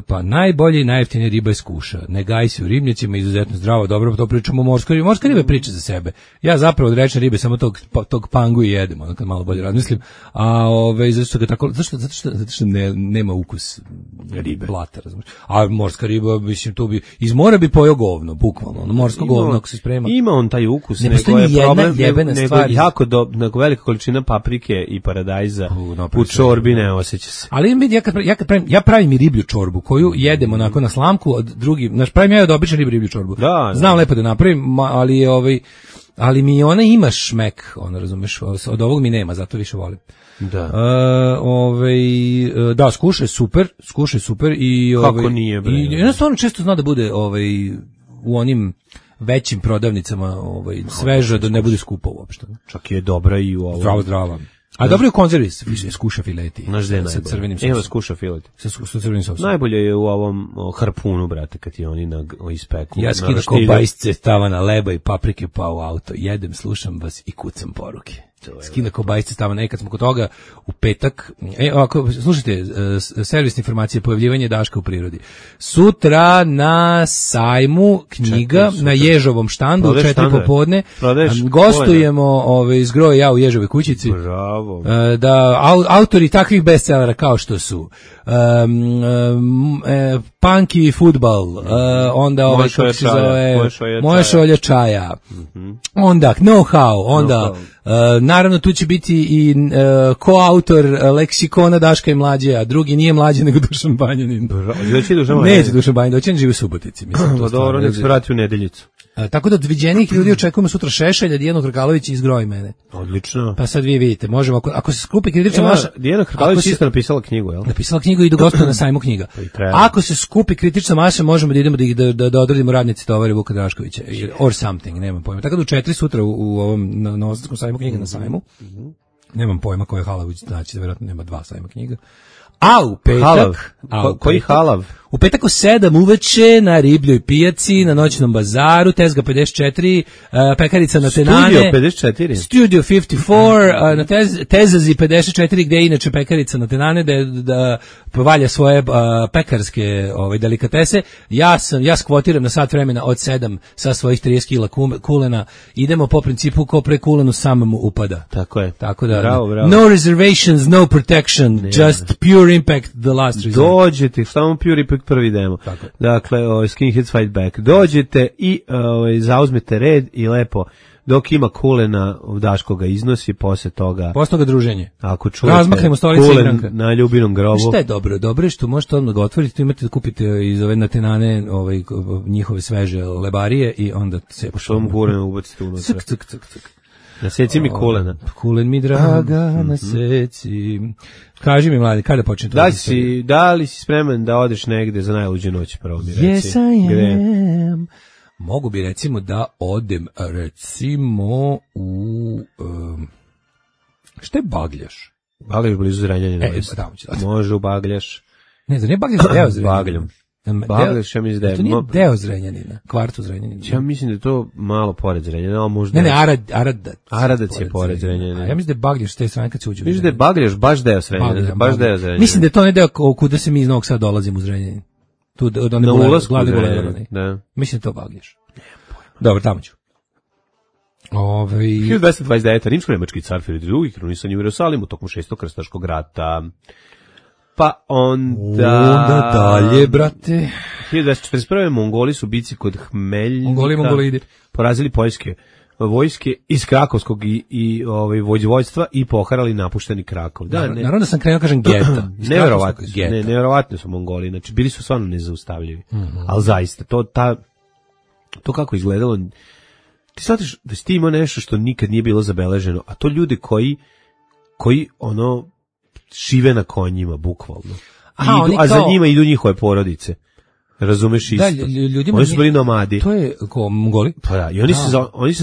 Pa najbolje i najjeftinije riba je skuša. Ne gaji se u ribnjacima, izuzetno zdravo, dobro, to pričamo o morskoj ribi. Morska riba priča za sebe. Ja zapravo od rečne ribe samo tog pangu i jedem, ono kad malo bolje razmislim. A zato što nema ukus ribe, blata, razumiješ. A morska riba, mislim, tu bi iz mora bi pojeo govno, bukvalno, ono morsko govno ako se sprema. Ima on taj ukus, ne nego je problem, nego jako velika količina paprike i paradajza u čorbi ne osjeća se. Ali ja pravim i riblju čorbu koju jedem onako na slamku, od drugi, pravim ja od obične riblju čorbu. Znam lepo da napravim, ali mi ona ima šmek, ono razumeš, od ovog mi nema, zato više volim. Da, skuša je super i kako nije bre. I jednostavno često zna da bude u onim većim prodavnicama sveže da ne bude skupo uopšte. Čak je dobra i u ovom. Zdrava. A dobro je u konzervi, skuša fileti. Sa crvenim sosom. Evo skuša fileti. Sa crvenim sosom. Najbolje je u ovom harpunu, brate, kad ti oni ispeku. Ja skidam ko bajsce stavana leba i paprike pa u auto. Jedem, slušam vas i kucam poruke. Skida ko bajsce stavana. Kad smo kod toga u petak, slušajte, servisne informacije, pojavljivanje Daška u prirodi. Sutra na sajmu knjiga, na Ježovom štandu, u 4 popodne. Gostujemo iz Groja ja u Ježovoj kućici. Bravo. Da autori takvih bestsellera kao što su Punky Futbal, onda kako se zove Moja šolja čaja, onda Know-how, onda naravno tu će biti i koautor leksikona Daška i Mlađe, a drugi nije Mlađe nego Dušan Banjanin. Neće Dušan Banjanin, doći on živi u Subotici. Dobro, nek se vrati u Nedeljicu. Tako da od viđenih ljudi očekujemo sutra Šešelja, Dijanu Hrkalović i Izgroji mene. Odlično. Pa sad vi vidite, možemo, ako se skupi kritična masa... Dijana Hrkalović isto napisala knjigu, jel? Napisala knjigu i gostuje na sajmu knjiga. Ako se skupi kritična masa, možemo da idemo da odradimo radnici tovari Vuka Draškovića. Or something, nemam pojma. Tako da u 4 sutra u ovom Novosadskom sajmu knjiga na sajmu. Nemam pojma koja je Halav, znači da vjerojatno nema 2 sajma knjiga. A u petak... Koji Halav? U petak u 7 uveče na Ribljoj pijaci, na noćnom bazaru, Tezga 54, pekarica na Tenane. Studio 54, na Tezazi 54, gde je inače pekarica na Tenane, da povalja svoje pekarske delikatese. Ja skvotiram na sat vremena od 7 sa svojih 30 kila kulena. Idemo po principu ko pre kulenu sam mu upada. Tako je. Tako da, bravo. No reservations, no protection, just pure impact, the last result. Dođete, samo pure impact prvi demo. Tako. Dakle, Skinheads Fight Back. Dođete i zauzmete red i lepo dok ima kulena, Daško ga iznosi, posle toga druženje. Ako čujete razmaknemo stolice kulen na ljubinom grobu. Šta je dobro? Dobro je što možete odmah ga otvoriti, tu imate da kupite iz ove natenane njihove sveže lebarije i onda se poštom kulena ubacite unutra. Cuk. Naseci mi kulena. Kulen mi draga, naseci. Kaži mi, mladi, kada počne to? Da li si spreman da odeš negde za najluđu noć, prvo mi reci? Yes, I am. Mogu bi recimo da odem recimo u... šta je Bagljaš? Bagljaš blizu Zrenjanina. Može u Bagljaš. Ne, da nije Bagljaš deo Zrenjanina. Bagljom. Bagljaš, ja mislim da je... To nije deo Zrenjanina, kvartu Zrenjanina. Ja mislim da je to malo pored Zrenjanina, ali možda... Ne, Aradac je pored Zrenjanina. Ja mislim da je Bagljaš te strane kad se uđe. Mislim da je Bagljaš baš deo Zrenjanina. Mislim da je to ne deo kuda se mi iz Novog Sada dolazimo u Zrenjanin. Tu, na ulazku u Zrenjanin. Mislim da je to Bagljaš. Dobro, tamo ću. 1229. Rimsko-nemački car Filip II. krunisan je u Jerusalimu tokom 6. krstaškog rata. Pa onda dalje, brate. 1241. Mongoli su bici kod Hmeljnika Mongolidi porazili poljske vojske iz Krakovskog i vojvodstva i poharali napušteni Krakov. Naravno da sam krenuo kažem geta. Neverovatni su Mongoli, znači bili su stvarno nezaustavljivi. Ali zaista, to kako izgledalo, ti shvatiš da si ti imao nešto što nikad nije bilo zabeleženo, a to ljudi koji žive na konjima, bukvalno. A za njima idu njihove porodice. Razumeš isto. Oni su bili nomadi. To je Mongoli? Pa da, i oni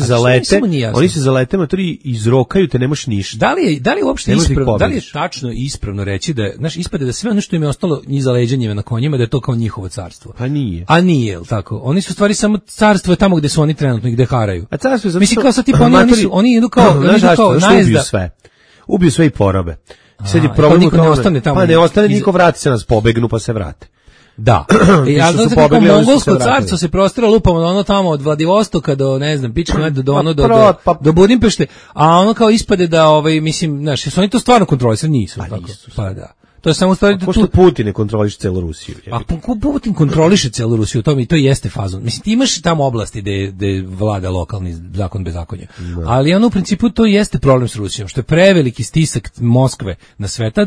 se zalete, matori izrokaju te, nemaš ništa. Da li uopšte ispravno, da li je tačno ispravno reći da, znaš, ispade da sve ono što im je ostalo iza leđa njima na konjima, da je to kao njihovo carstvo? Pa nije. A nije, jel tako? Oni su stvari samo carstvo je tamo gde su oni trenutno i gde haraju. A carstvo je zato mislim kao sad tipa oni idu kao najezda. Ubiju sve i porobe. Sad je problem u tome, pa ne ostane niko, vrati se nas, pobegnu pa se vrate. Da. Ja znam kako mongolsko carstvo se prostira lupamo ono tamo od Vladivostoka do, ne znam, pička do Budimpešte, a ono kao ispade da, mislim, znaš, su oni to stvarno kontrolisali? Nisu. Pa da. To je samo stvari da tu Putin ne kontroliše celu Rusiju. A Putin kontroliše celu Rusiju, to jeste fazon. Mislim, ti imaš tamo oblasti gde vlada lokalni zakon bezakonja. Ali ono u principu to jeste problem s Rusijom, što je preveliki stisak Moskve na sveta.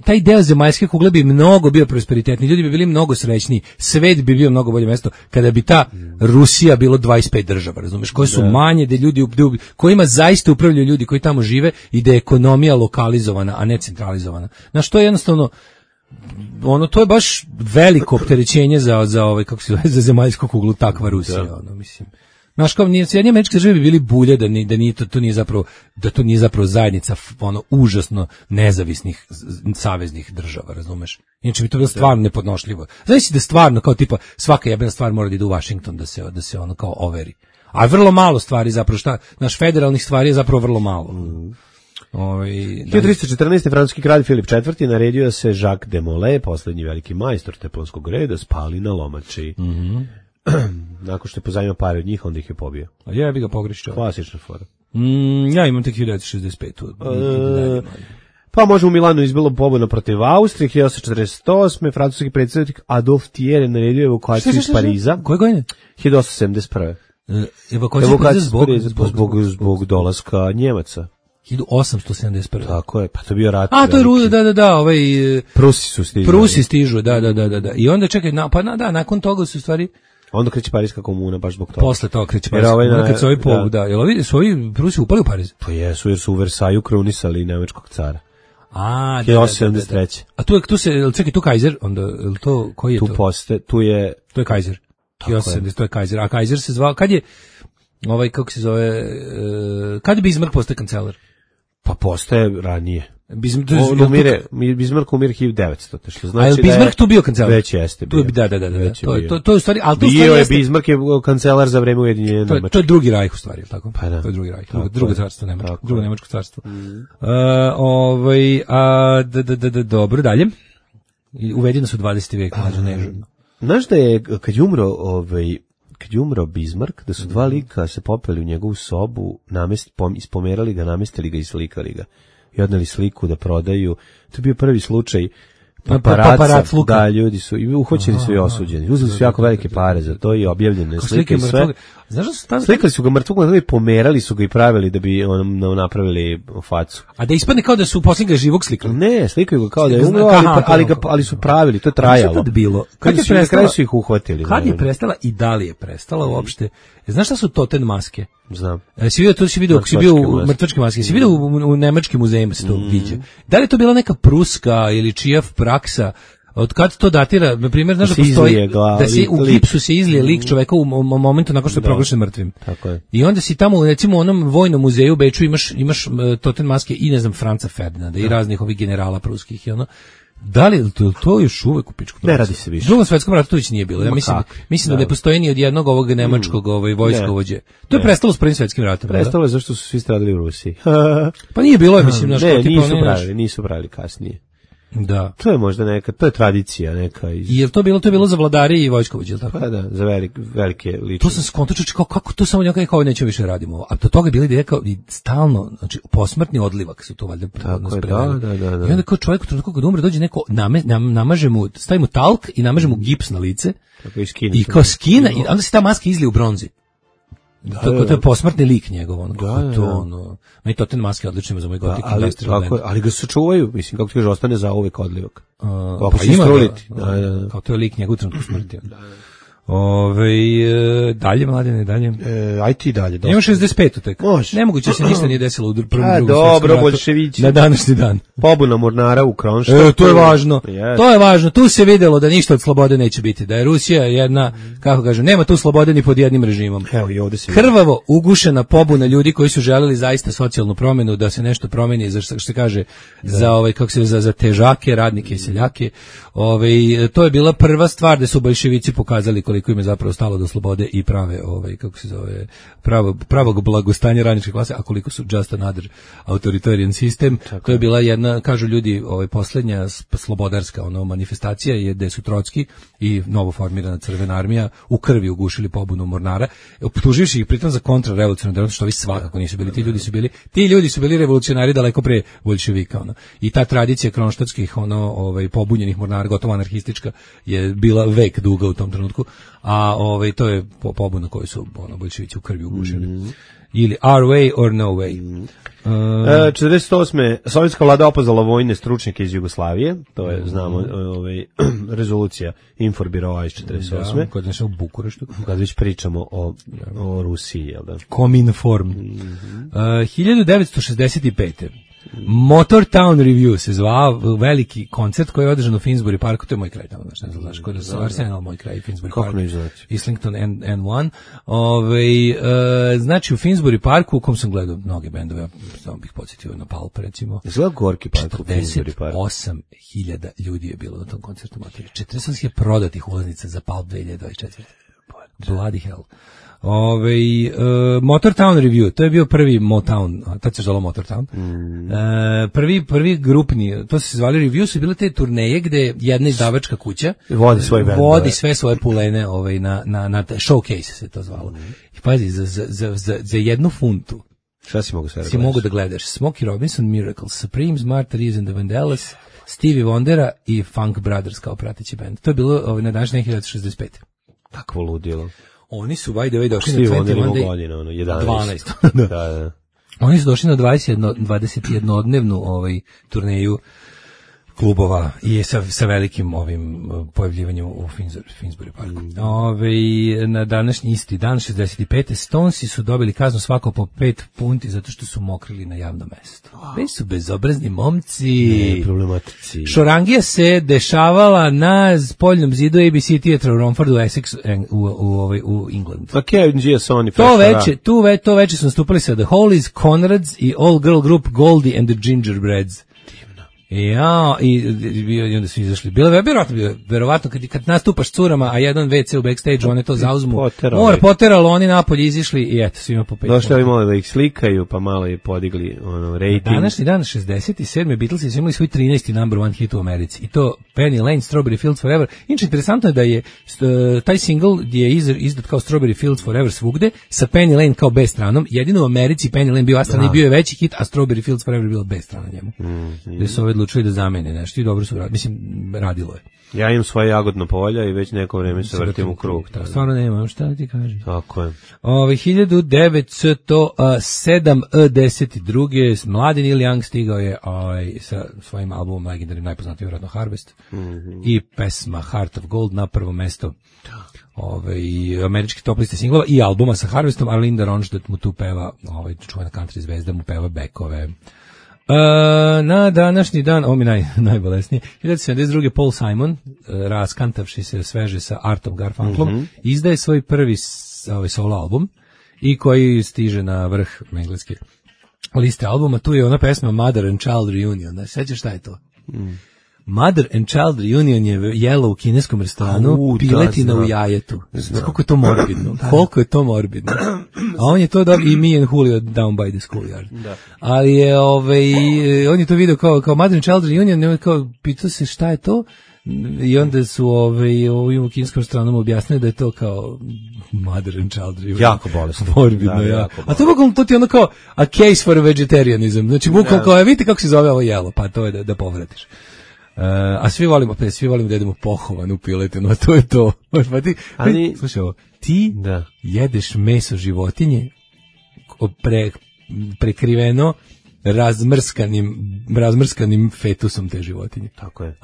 Taj deo zemaljske kugle bi mnogo bio prosperitetni, ljudi bi bili mnogo srećniji, svet bi bio mnogo bolje mesto kada bi ta Rusija bilo 25 država, razumeš, koje su manje, da ljudi kojima zaista upravljaju ljudi koji tamo žive i da je ekonomija lokalizovana, a ne centralizovana. Znaš, to je jednostavno ono, to je baš veliko opterećenje za ovaj, kako se zove, za zemaljsku kuglu, takva Rusija, ono, mislim. Znaš, kao Sjedinjene Američke Države bi bili bulje da nije to nije zapravo zajednica ono užasno nezavisnih saveznih država, razumeš? Inače bi to bilo stvarno nepodnošljivo. Znači da stvarno kao tipa svaka jebena stvar mora da ide u Washington da se ono kao overi. A vrlo malo stvari zapravo naš federalnih stvari je zapravo vrlo malo. 1314. francuski kralj Filip IV. Naredio se Jacques de Molay, poslednji veliki majstor teponskog reda, spali na lomači. Nakon što je pozajmio pare od njih, onda ih je pobio. A ja bi ga pogrešio. Klasična fora. Ja imam tek 1965. Pa može u Milanu izbilo pobuda protiv Austrije, 1848. Francuski predsjednik Adolphe Thiers naredio evakuaciju iz Pariza. Koje godine? 1871. Evakuaciju zbog dolaska Njemaca. 1871. Tako je, pa to je bio rat. A, to je da, ovaj... Prusi stižu, da. I onda čekaj, nakon toga su stvari... Onda kreće Parijska komuna, baš zbog toga. Posle toga kreće Parijska komuna, kad se ovi povu, da. Jel su ovi Prusi upali u Pariz? Pa jesu, jer su u Versaju krunisali nemačkog cara. A, 1873. A tu se, čekaj, tu Kaiser, onda, jel to, koji je to? Tu je... To je Kaiser. 1870, to je Kaiser. A Kaiser se zvao, kad je, kako se zove, kad je Bismarck postao kancelar? Pa postaje ranije. Bismarck umire 1900, što znači da je Bismarck tu bio kancelar. Već jeste bio. Da. To je u stvari, al to bio je Bismarck je kancelar za vreme Ujedinjene Nemačke. To je drugi rajh u stvari, tako? Pa da. To je drugi rajh, drugo carstvo nemačko, drugo nemačko carstvo. Dobro, dalje. Uvedeni su 20. vek, mlađe nežurno. Znaš da je kad je umro Bismarck, da su dva lika se popeli u njegovu sobu, ispomerali ga, namestili ga i slikali ga. I odneli sliku da prodaju. To je bio prvi slučaj paparaca, da, ljudi su, i uhoćeni su i osuđeni. Uzeli su jako velike pare za to i objavljene slike i sve. Znaš da su tamo... Slikali su ga mrtvog, pomerali su ga i pravili da bi napravili facu. A da ispadne kao da su posljednjeg živog slikali? Ne, slikaju ga kao da je umro, ali su pravili, to je trajalo. Kad je bilo? Na kraju su ih uhvatili. Kad je prestala i da li je prestala uopšte? Znaš šta su totem maske? Znam. Si vidio, ako si bio u mrtvačke maske, si vidio u nemačkim muzejima se to viđe. Da li je to bila neka pruska ili čija praksa? Od kad to datira? Na primjer, znaš da postoji da se u gipsu se izlije lik čoveka u momentu nakon što je proglašen mrtvim. Tako je. I onda si tamo, recimo u onom vojnom muzeju u Beču imaš totem maske i ne znam Franca Ferdinanda i raznih ovih generala pruskih i ono. Da li to još uvek u pičku? Ne radi se više. U Drugom svetskom ratu to već nije bilo. Ja mislim da ne postoji ni od jednog ovog nemačkog vojskovođe. To je prestalo s Prvim svetskim ratom. Prestalo je zašto su svi stradali u Rusiji. Pa nije bilo, mislim, znaš, nisu pravili kasnije. Da. To je možda to je tradicija neka. I je to bilo za vladari i vojskovođe, tako? Pa da, za velike ličnosti. To sam skontočio kako to samo nekako neće više radimo. A do toga je bilo da je kao i stalno, znači posmrtni odlivak su to valjda spremali. Da. I onda kao čovjek kad umre dođe neko namaže mu, stavi mu talk i namaže mu gips na lice. Tako i kao skina i onda se ta maska izlije u bronzi. To je posmrtni lik njegov, meni to ten maske odlične za moj gotik. Ali ga se čuvaju, mislim, kako ti kaže, ostane za uvek odlivak. Pa ima kao to je lik njegov trenutku smrti. Dalje, Mladene, dalje. Aj ti dalje. Ima 65 tek. Nemoguće se ništa nije desilo u prvom drugom dobro, boljševići. Na današnji dan. Pobuna mornara u Kronštadtu. To je važno. To je važno. Tu se videlo da ništa od slobode neće biti. Da je Rusija jedna, kako kažem, nema tu slobode ni pod jednim režimom. Evo i ovde se krvavo ugušena pobuna ljudi koji su želeli zaista socijalnu promjenu, da se nešto promeni, za što se kaže, za težake, radnike i seljake. To je bila prva stvar da su boljševici pokazali koliko im je zapravo stalo do slobode i prave, pravog blagostanja radničke klase, a koliko su just another authoritarian system. To je bila jedna, kažu ljudi, posljednja slobodarska manifestacija je gde su Trotski i novo formirana Crvena armija u krvi ugušili pobunu mornara, optuživši ih pritom za kontrarevolucionarno djelovanje, što ovi svakako nisu bili. Ti ljudi su bili revolucionari daleko pre boljševika. I ta tradicija kronštadtskih pobunjenih mornara, gotovo anarhistička, je bila vek duga u tom trenutku. A to je pobuna koju su boljševici u krvi ugušili. Ili our way or no way. 48. Sovjetska vlada opozvala vojne stručnjake iz Jugoslavije, to je, znamo, rezolucija Inforbiroa iz 48. Da, kod nešto u Bukureštu. Kad već pričamo o Rusiji, jel da? Kominform. 1965. Motortown Review se zvao, veliki koncert koji je održan u Finsbury Parku, to je moj kraj tamo, znaš, kod Arsenal, moj kraj, Finsbury Park, Islington N1. Znači u Finsbury Parku, u kom sam gledao mnoge bendove, samo bih podsjetio na Pulp, recimo. Izgleda gorki park u Finsbury Parku. 48.000 ljudi je bilo na tom koncertu, 48.000 prodatih ulaznica za Pulp 2024. Bloody hell. Motortown Review, to je bio prvi Motown, tad se zvalo Motortown. Prvi grupni, to se zvali Review, su bile te turneje gde jedna izdavačka kuća vodi sve svoje pulene na showcase se to zvalo. I pazi, za 1 funtu šta si mogu sve si mogu da gledaš Smokey Robinson, Miracles, Supremes, Martha Reeves and the Vandellas, Stevie Wondera i Funk Brothers kao prateći bend. To je bilo na današnje 1965. Takvo ludilo. Oni su by the way došli na 21 godina, 12. Da. Oni su došli na 21-dnevnu turneju klubova i sa velikim ovim pojavljivanjem u Finsbury Parku. Na današnji isti dan, 65. Stonesi su dobili kaznu svako po 5 funti zato što su mokrili na javnom mestu. Već su bezobrazni momci. Problematici. Šorangija se dešavala na spoljnom zidu ABC Theatre u Romfordu, Essex, u Englandu. To veče su nastupali sa The Hollies, Conrads i All Girl Group Goldie and the Gingerbreads. Ja, i onda su izašli. Verovatno kad nastupaš curama, a jedan WC u backstage, one to zauzmu. Poteralo, oni napolje izišli i eto, svima po 5. Došli ovi malo da ih slikaju, pa malo i podigli rating. Današnji dan, 67. Beatlesi su imali svoj 13. number one hit u Americi. I to Penny Lane, Strawberry Fields Forever. Inače, interesantno je da je taj single je izdat kao Strawberry Fields Forever svugde, sa Penny Lane kao B stranom. Jedino u Americi Penny Lane bio A-strana i bio je veći hit, a Strawberry Fields Forever bilo B strana njemu. Gde su odlučili da zamene nešto i dobro su radili. Mislim, radilo je. Ja imam svoje jagodno polja i već neko vreme se vrtim u krug. Stvarno nemam, šta ti kažem? Tako je. 1972. mladi Neil Young stigao je sa svojim albumom legendarnim, najpoznatiji vjerojatno Harvest, i pesma Heart of Gold na prvo mesto američke top liste singlova i albuma sa Harvestom, a Linda Ronstadt mu tu peva, čuvena country zvezda mu peva bekove. Na današnji dan, ovo mi najbolesnije, 1972. Paul Simon, raskantavši se sveže sa Artom Garfunkelom, izdaje svoj prvi solo album i koji stiže na vrh engleske liste albuma. Tu je ona pesma Mother and Child Reunion. Da, sećaš šta je to? Mother and Child Reunion je jelo u kineskom restoranu, piletina u jajetu. Koliko je to morbidno. Koliko je to morbidno. A on je to dobio i Me and Julio Down by the Schoolyard. Ali je, on je to video kao Mother and Child Reunion, i on kao pitao se šta je to, i onda su ovim u kineskom restoranu objasnili da je to kao Mother and Child Reunion. Jako bolesno. Morbidno, ja. A to ti je ono kao a case for vegetarianism. Znači, bukvalno kao, vidite kako se zove ovo jelo, pa to je da povratiš. A svi volimo da jedemo pohovanu piletinu, a to je to. Slušaj ovo, ti jedeš meso životinje prekriveno razmrskanim fetusom te životinje. Tako je.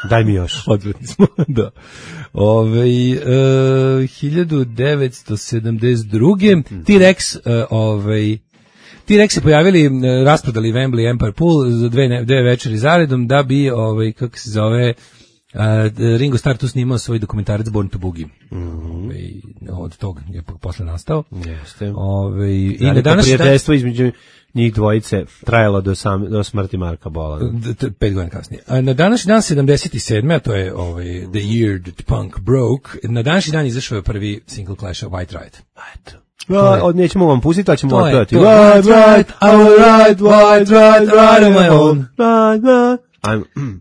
Daj mi još. Odvratni smo, da. 1972. T-Rex se pojavili, rasprodali Wembley Empire Pool za dve večeri zaredom da bi, kako se zove, Ringo Starr tu snimao svoj dokumentarac Born to Boogie. Od toga je posle nastao. Jeste. I na danas prijateljstvo između njih dvojice trajalo do smrti Marka Bola. 5 godina kasnije. Na današnji dan 77. a to je The Year That Punk Broke, na današnji dan izašao je prvi single Clash of White Riot. Eto. Nećemo vam pustiti, ali ćemo otpevati. White Riot, I will ride, White Riot, ride on my own.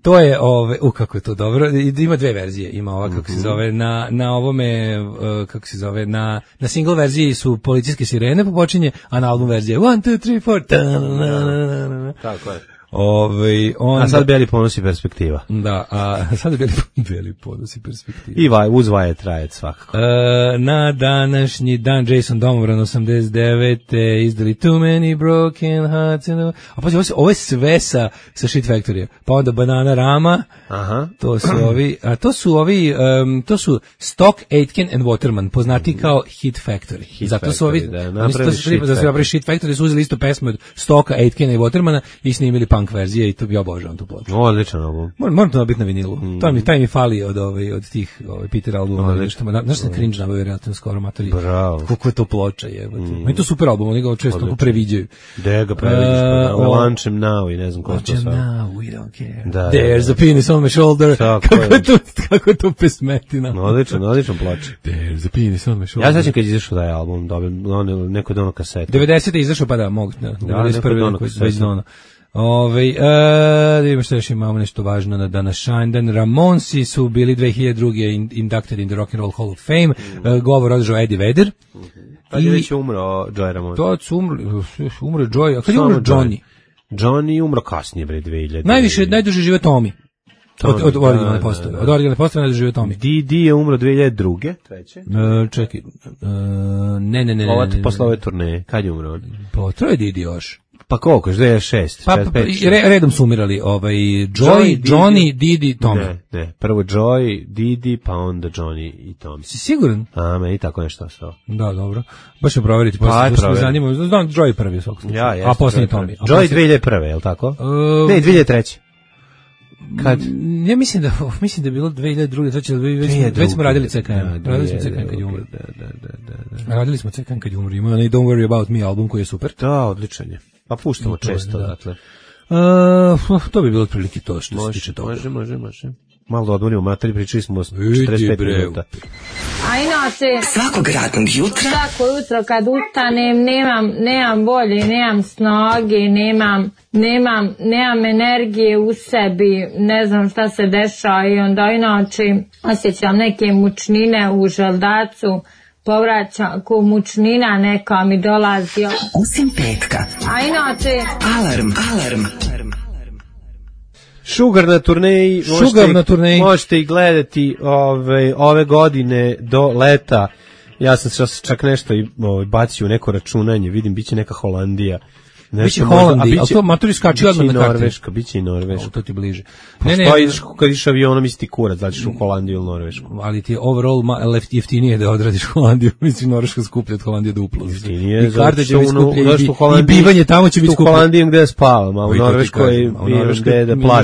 To je, kako je to dobro, ima dve verzije, ima ova, kako se zove, na ovome, kako se zove, na single verziji su policijske sirene popočinje, a na album verzije 1, 2, 3, 4, tako je. Onda, a sad Beli ponos i perspektiva. Da, a sad Beli ponos i perspektiva. I uz vaje traje svakako. Na današnji dan Jason Domobran 89. izdali Too Many Broken Hearts. A pa ovo je sve sa Shit Factory. Pa onda Banana Rama. Aha. To su Stock, Aitken and Waterman, poznati kao Hit Factory. Zato su ovi, napravili Shit Factory, su uzeli isto pesme od Stocka, Aitkena i Watermana i snimili punk verzije i to ja obožavam tu ploču. Odličan album. Moram to biti na vinilu. Taj mi fali od tih Peter albuma. Znaš sam cringe nabavio relativno skoro matori. Bravo. Kako je to ploča jebote. Meni to super album, oni ga često previđaju. Da ga previđaš, Launch Him Now i ne znam ko to sa. Now, we don't care. There's a penis on my shoulder. Kako je to pesmetina. Odličan ploč. There's a penis on my shoulder. Ja sećam kad je izašao taj album, neko dono kasete. 90. je izašao, pa da, mogu. 91. već dono. Da vidimo što još imamo nešto važno na današnji dan. Ramonsi su bili 2002. inducted in the Rock and Roll Hall of Fame. Govor održao Eddie Vedder. Kad je već umro Joey Ramone? To umro Joey. A kad je umro Johnny? Johnny umro kasnije, bre, 2000. Najduže žive Tommy. Od originalne postave. Od originalne postave najduže žive Tommy. Didi je umro 2002. Treće. Čekaj. Ne. Ovo posle ove turneje. Kad je umro? Pa to je Didi još. Pa koliko? 2006? Pa redom su umirali. Joey, Johnny, Didi, Tommy. Ne. Prvo Joey, Didi, pa onda Johnny i Tommy. Si siguran? A, meni tako nešto ostalo. Da, dobro. Baš ću proveriti. Pa, zanima. Znam, Joey prvi u svakog slučaju. A posljednji Tommy. Joey 2001. je li tako? Ne, 2003. Kad? Ja mislim da je bilo 2002. Već smo radili CKM. Radili smo CKM kad je umro. Radili smo CKM kad je umro. Ima onaj Don't Worry About Me album koji je super. Da, odličan je. Pa puštamo često, dakle. To bi bilo otprilike to što se tiče toga. Može. Malo da odmorimo materi, pričali smo 45 minuta. A inače, svakog radnog jutra, svako jutro kad ustanem, nemam volje, nemam snage, nemam energije u sebi, ne znam šta se dešava i onda inače osjećam neke mučnine u želdacu, povraća ko mučnina neka mi dolazi. Osim petka. A inače, alarm. Sugar na turneji, možete i gledati ove godine do leta. Ja sam čak nešto bacio u neko računanje, vidim, biće neka Holandija. Biće Holandija, ali to maturi skači odmah na karti. Biće i Norveška. To ti bliže. Kad iš avionom misli ti kurac, da ćeš u Holandiju ili Norvešku. Ali ti je overall jeftinije da odradiš Holandiju, mislim Norveška skuplja od Holandije duplo. Jeftinije, i karte će biti skuplje i bivanje tamo će biti skuplje. U Holandiji gde spavam, a u Norveškoj imam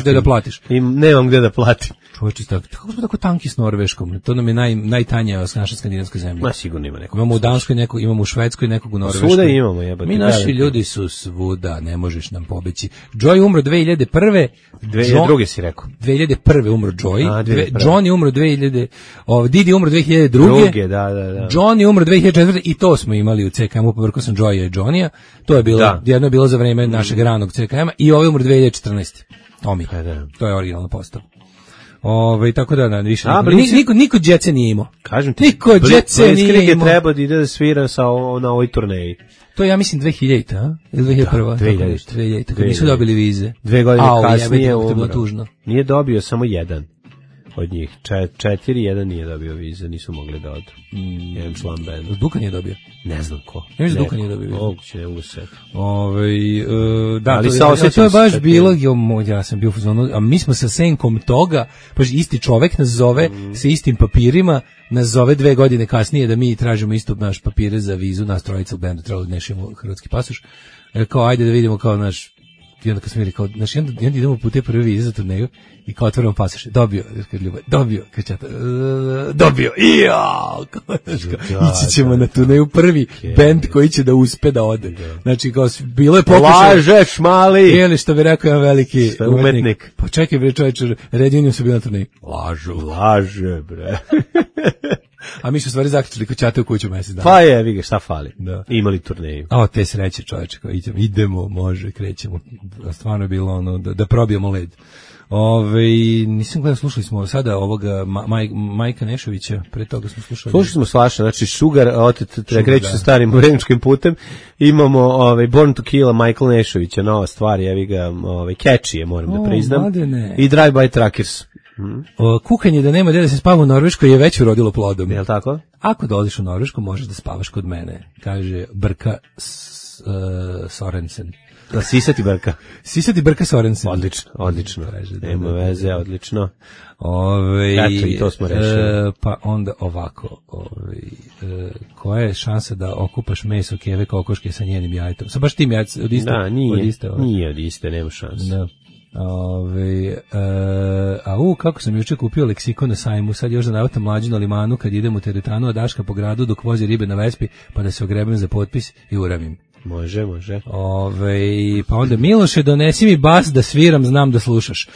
gde da platiš. Nemam gde da platim. Čovječe, kako smo tako tanki s Norveškom? To nam je najtanja naša skandinavska zemlja. Ma sigurno ima nekog. Imamo u Danskoj nekog, imamo u Švedskoj nekog, u Norveškoj. Svuda imamo, jebate. Mi naši ljudi su svuda, ne možeš nam pobeći. Joey umro 2001. 2002. si rekao. 2001. umro Joey. Johnny umro 2000. Didi umro 2002. Da. Johnny umro 2004. I to smo imali u CKM-u, povrko sam Joeya i Johnny-a. To je bilo, jedno je bilo za vreme našeg ranog CKM-a i ovaj umro 2014. Tommy. To je originalna postava. Tako da više niko djece nije imao. Kažem ti, niko djece nije imao. Treba da ide da svira na ovoj turneji. To je, ja mislim, 2000, a? Ili 2001? 2000, kad nisu dobili vize. 2 godine kasnije umro. Nije dobio samo jedan od njih. 4, nije dobio vize, nisu mogli da odu. Jedan član benda. Duka nije dobio? Ne znam ko. Ne mislim Duka nije dobio vize. Moguće, ne used. Da, to je baš bilo, ja sam bio u fazonu, a mi smo sa senkom toga, baš isti čovek nas zove sa istim papirima, nas zove 2 godine kasnije da mi tražimo isto naš papire za vizu, nas trojica u bendu, trebalo da nešimo hrvatski pasoš. Kao, ajde da vidimo kao naš, i onda kad smo bili kao, znači, onda idemo po te prve vize za turneju i kao otvorimo pasoše. Dobio, ići ćemo na turneju prvi bend koji će da uspe da ode. Znači, kao, bilo je pokušaj. Lažeš, mali! Ili što bi rekao jedan veliki umetnik. Pa čekaj, bre, čovječe, Red Union su bili na turneju. Laže, bre. A mi smo stvari zaključili ko ćate u kuću mesec dana. Pa je, vidi šta fali. Da. Imali turneju. Te sreće, čovječe, idemo, može, krećemo. Stvarno je bilo ono, da probijemo led. Nisam gledao, slušali smo sada ovoga Majka Nešovića, pre toga smo slušali. Slušali smo svašta, znači Sugar, otet, kreću sa starim vremenskim putem, imamo Born to Kill Michael Nešovića, nova stvar, jevi ga, catchy je, moram da priznam, mladene. I Drive by Truckers. Kukanje da nema gde da se spava u Norveškoj je već urodilo plodom. Je li tako? Ako dolaziš u Norvešku, možeš da spavaš kod mene, kaže Brka Sorensen. Da, Sisati Brka. Sisati Brka Sorensen. Odlično. Nema veze, odlično. Eto, i to smo rešili. Pa onda ovako, koja je šansa da okupaš meso keve kokoške sa njenim jajetom? Sa baš tim jajcem, od iste? Da, nije od iste, nema šanse. Da. Kako sam juče kupio leksikon na sajmu, sad još da navatam mlađu na limanu kad idem u teretanu, a Daška po gradu dok vozi ribe na Vespi, pa da se ogrebem za potpis i uravim. Može. Pa onda Miloše, donesi mi bas da sviram, znam da slušaš.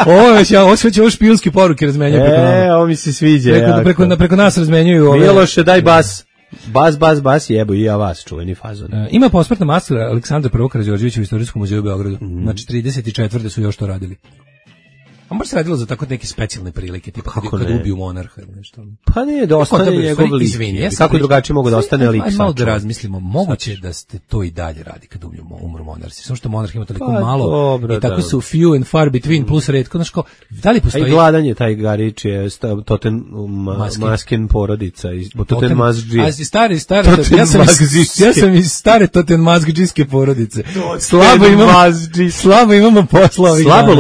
Ovo će ovo špijunske poruke razmenjaju preko nama. Ovo mi se sviđa. Preko nas razmenjuju ove. Miloše, daj bas. Bas, jebo i ja vas, čuveni fazon. Ima posmrtna maskula Aleksandra I. Karađorđevića u Istorijskom muzeju u Beogradu. Znači 34. su još to radili. A možda se radilo za tako neke specijalne prilike, tipa kad ubiju monarha ili nešto. Pa ne, da ostane njegov lik. Izvini, kako drugačije mogu da ostane lik? Malo da razmislimo, moguće da ste to i dalje radi kad umru monarsi. Samo što monarh ima toliko malo i tako su few and far between plus retko. Znaš kao, da li postoji... A i gladan je taj Garić je Toten Masken porodica. Toten Mazđi. A stari, ja sam iz stare Toten Mazđijske porodice. Slabo imamo posla ovih dana.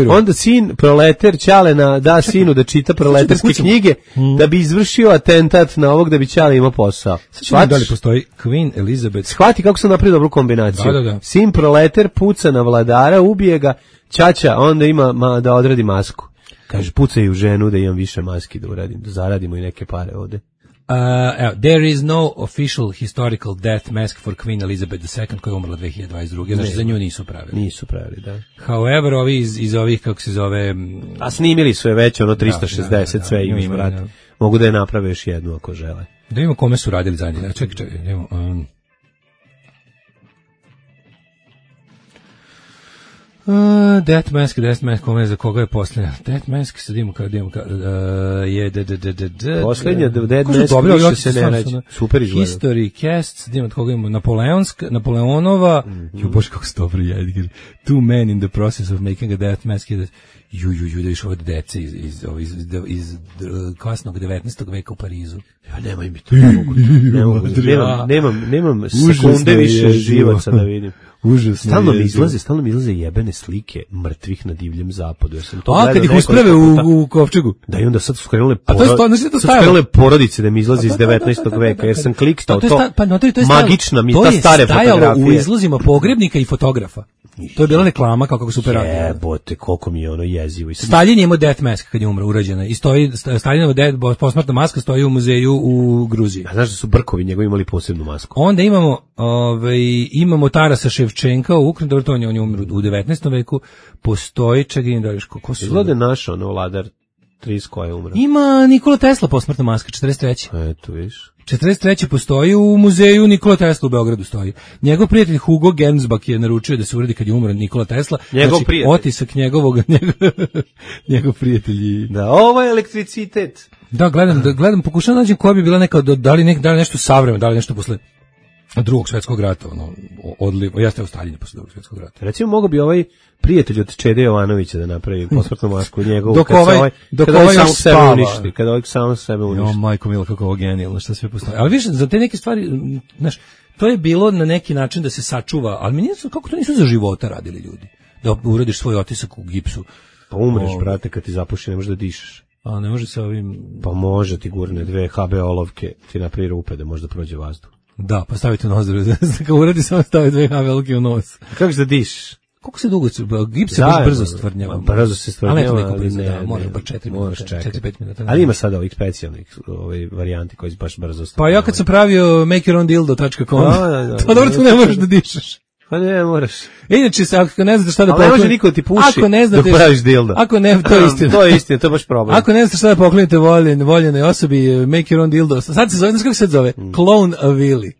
Onda sin proleter Ćale da sinu da čita proleterske knjige da bi izvršio atentat na ovog da bi Ćale imao posao. Da li postoji Queen Elizabeth? Shvati kako sam napravio dobru kombinaciju. Da. Sin proleter puca na vladara, ubije ga, Ćaća onda ima da odradi masku. Kaže, pucaj u ženu da imam više maski da uradim, da zaradimo i neke pare ovde. There is no official historical death mask for Queen Elizabeth II koja je umrla 2022. Znači za nju nisu pravili. Da. However, ovi iz ovih, kako se zove... A snimili su je već, 360, sve ima, vrat. Mogu da je naprave još jednu ako žele. Da vidimo kome su radili zadnje. Čekaj, idemo... Death Mask, kome za koga je posljednja? Death Mask, sad imamo je posljednja Death Mask više se ne reći. Super izgleda. History Cast, sad imamo od koga imamo Napoleonova, bože kako se dobro je, Two Men in the Process of Making a Death Mask, da viš ovo dece iz kasnog 19. veka u Parizu. Ja nemoj mi to, nemam sekunde više živaca da vidim. Užasno. Stalno mi izlaze jebene slike mrtvih na divljem zapadu. Ja sam to kad ih usprave u kovčegu. Da, i onda sad su skrenule porodice da mi izlazi iz 19. veka, jer sam klikstao to. Magična mi ta stare fotografije. To je stajalo u izlozima pogrebnika i fotografa. To je bila reklama kako super radio. Jebote, koliko mi je ono jezivo. Stalin je imao death mask kad je umro, urađena. I stoji, Stalinova posmrtna maska stoji u muzeju u Gruziji. A znaš da su Brkovi njegovi imali posebnu masku? Onda imamo Tarasa Ševčenka u Ukrajini, dobro, on je umro u 19. veku. Postoji, čekaj, da viš ko su... Izgleda naš, vladar Tris koja je umra. Ima Nikola Tesla posmrtna maska, 43. Eto, viš. 43. postoji u muzeju Nikola Tesla u Beogradu stoji. Njegov prijatelj Hugo Gernsback je naručio da se uradi kad je umro Nikola Tesla. Njegov prijatelj. Otisak njegov prijatelj. Da, ovo je elektricitet. Da, gledam, pokušam nađem koja bi bila neka, da li nešto savremeno, da li nešto posle Drugog svjetskog rata, jeste u Staljinu posle Drugog svjetskog rata. Recimo, mogo bi ovaj prijatelj od Čede Jovanovića da napravi posmrtnu masku njegovu, dok ovaj samo sebe uništi, kada ovaj samo sebe uništi. Majko mila, kako ovo genijalno, šta sve postoji. Ali više, za te neke stvari, znaš, to je bilo na neki način da se sačuva, ali mi nisu, kako to nisu za života radili ljudi, da uradiš svoj otisak u gipsu. Pa umreš, brate, kad ti zapuši, ne možeš da dišeš. A ne može se ovim... Pa može ti gurne 2 HB olovke, ti napravi rupe da možda prođe vazduh. Da, pa stavite u nos, kad uradi samo stavi 2 HB olovke u nos. Kako se dišeš? Koliko se dugo, gips se brzo stvrdnjava. Brzo se stvrdnjava, ali ne, može bar 4 minuta, 4-5 minuta. Ali ima sada ovih specijalnih varijanti koji baš brzo stvrdnjava. Pa ja kad sam pravio makeyourowndildo.com, to dobro tu ne možeš da dišeš. Pa ne, moraš. Inače, ako ne znaš šta da pokloniš... Ali ne može niko ti puši dok praviš dildo. Ako ne, to je istina. To je istina, to je baš problem. Ako ne znaš šta da poklonite voljenoj osobi, make your own dildo. Sad se zove, znaš kako se zove? Clone a Willy.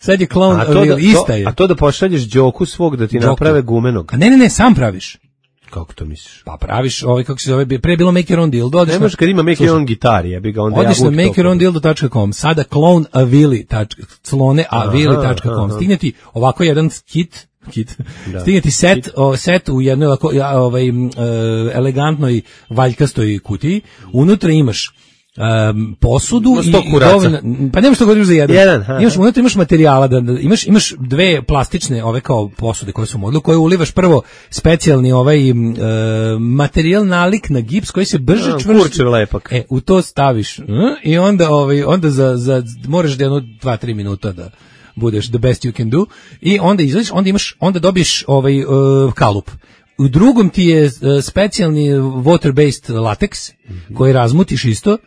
Sad je Clone ista je. A to da pošalješ Đoku svog da ti naprave gumenog. A ne, sam praviš. Kako to misliš? Pa praviš, kako se zove, pre je bilo Make Your Own Dildo. Ne može kad ima Make Your Own gitari, ja bi ga onda odeš na makeyourowndildo.com, sada cloneavili.com, stigne ti ovako jedan kit, stigne ti set u jednoj elegantnoj valjkastoj kutiji, unutra imaš posudu i dovoljno, pa nemaš što godiš za jedan. Unutra imaš materijala, imaš dve plastične ove kao posude koje su modelu, koje ulivaš prvo specijalni materijal nalik na gips koji se brže čvrsti. Kurčev lepak. U to staviš i onda moraš da 2-3 minuta da budeš the best you can do i onda izlaziš, onda dobiješ kalup. U drugom ti je specijalni water-based lateks koji razmutiš isto,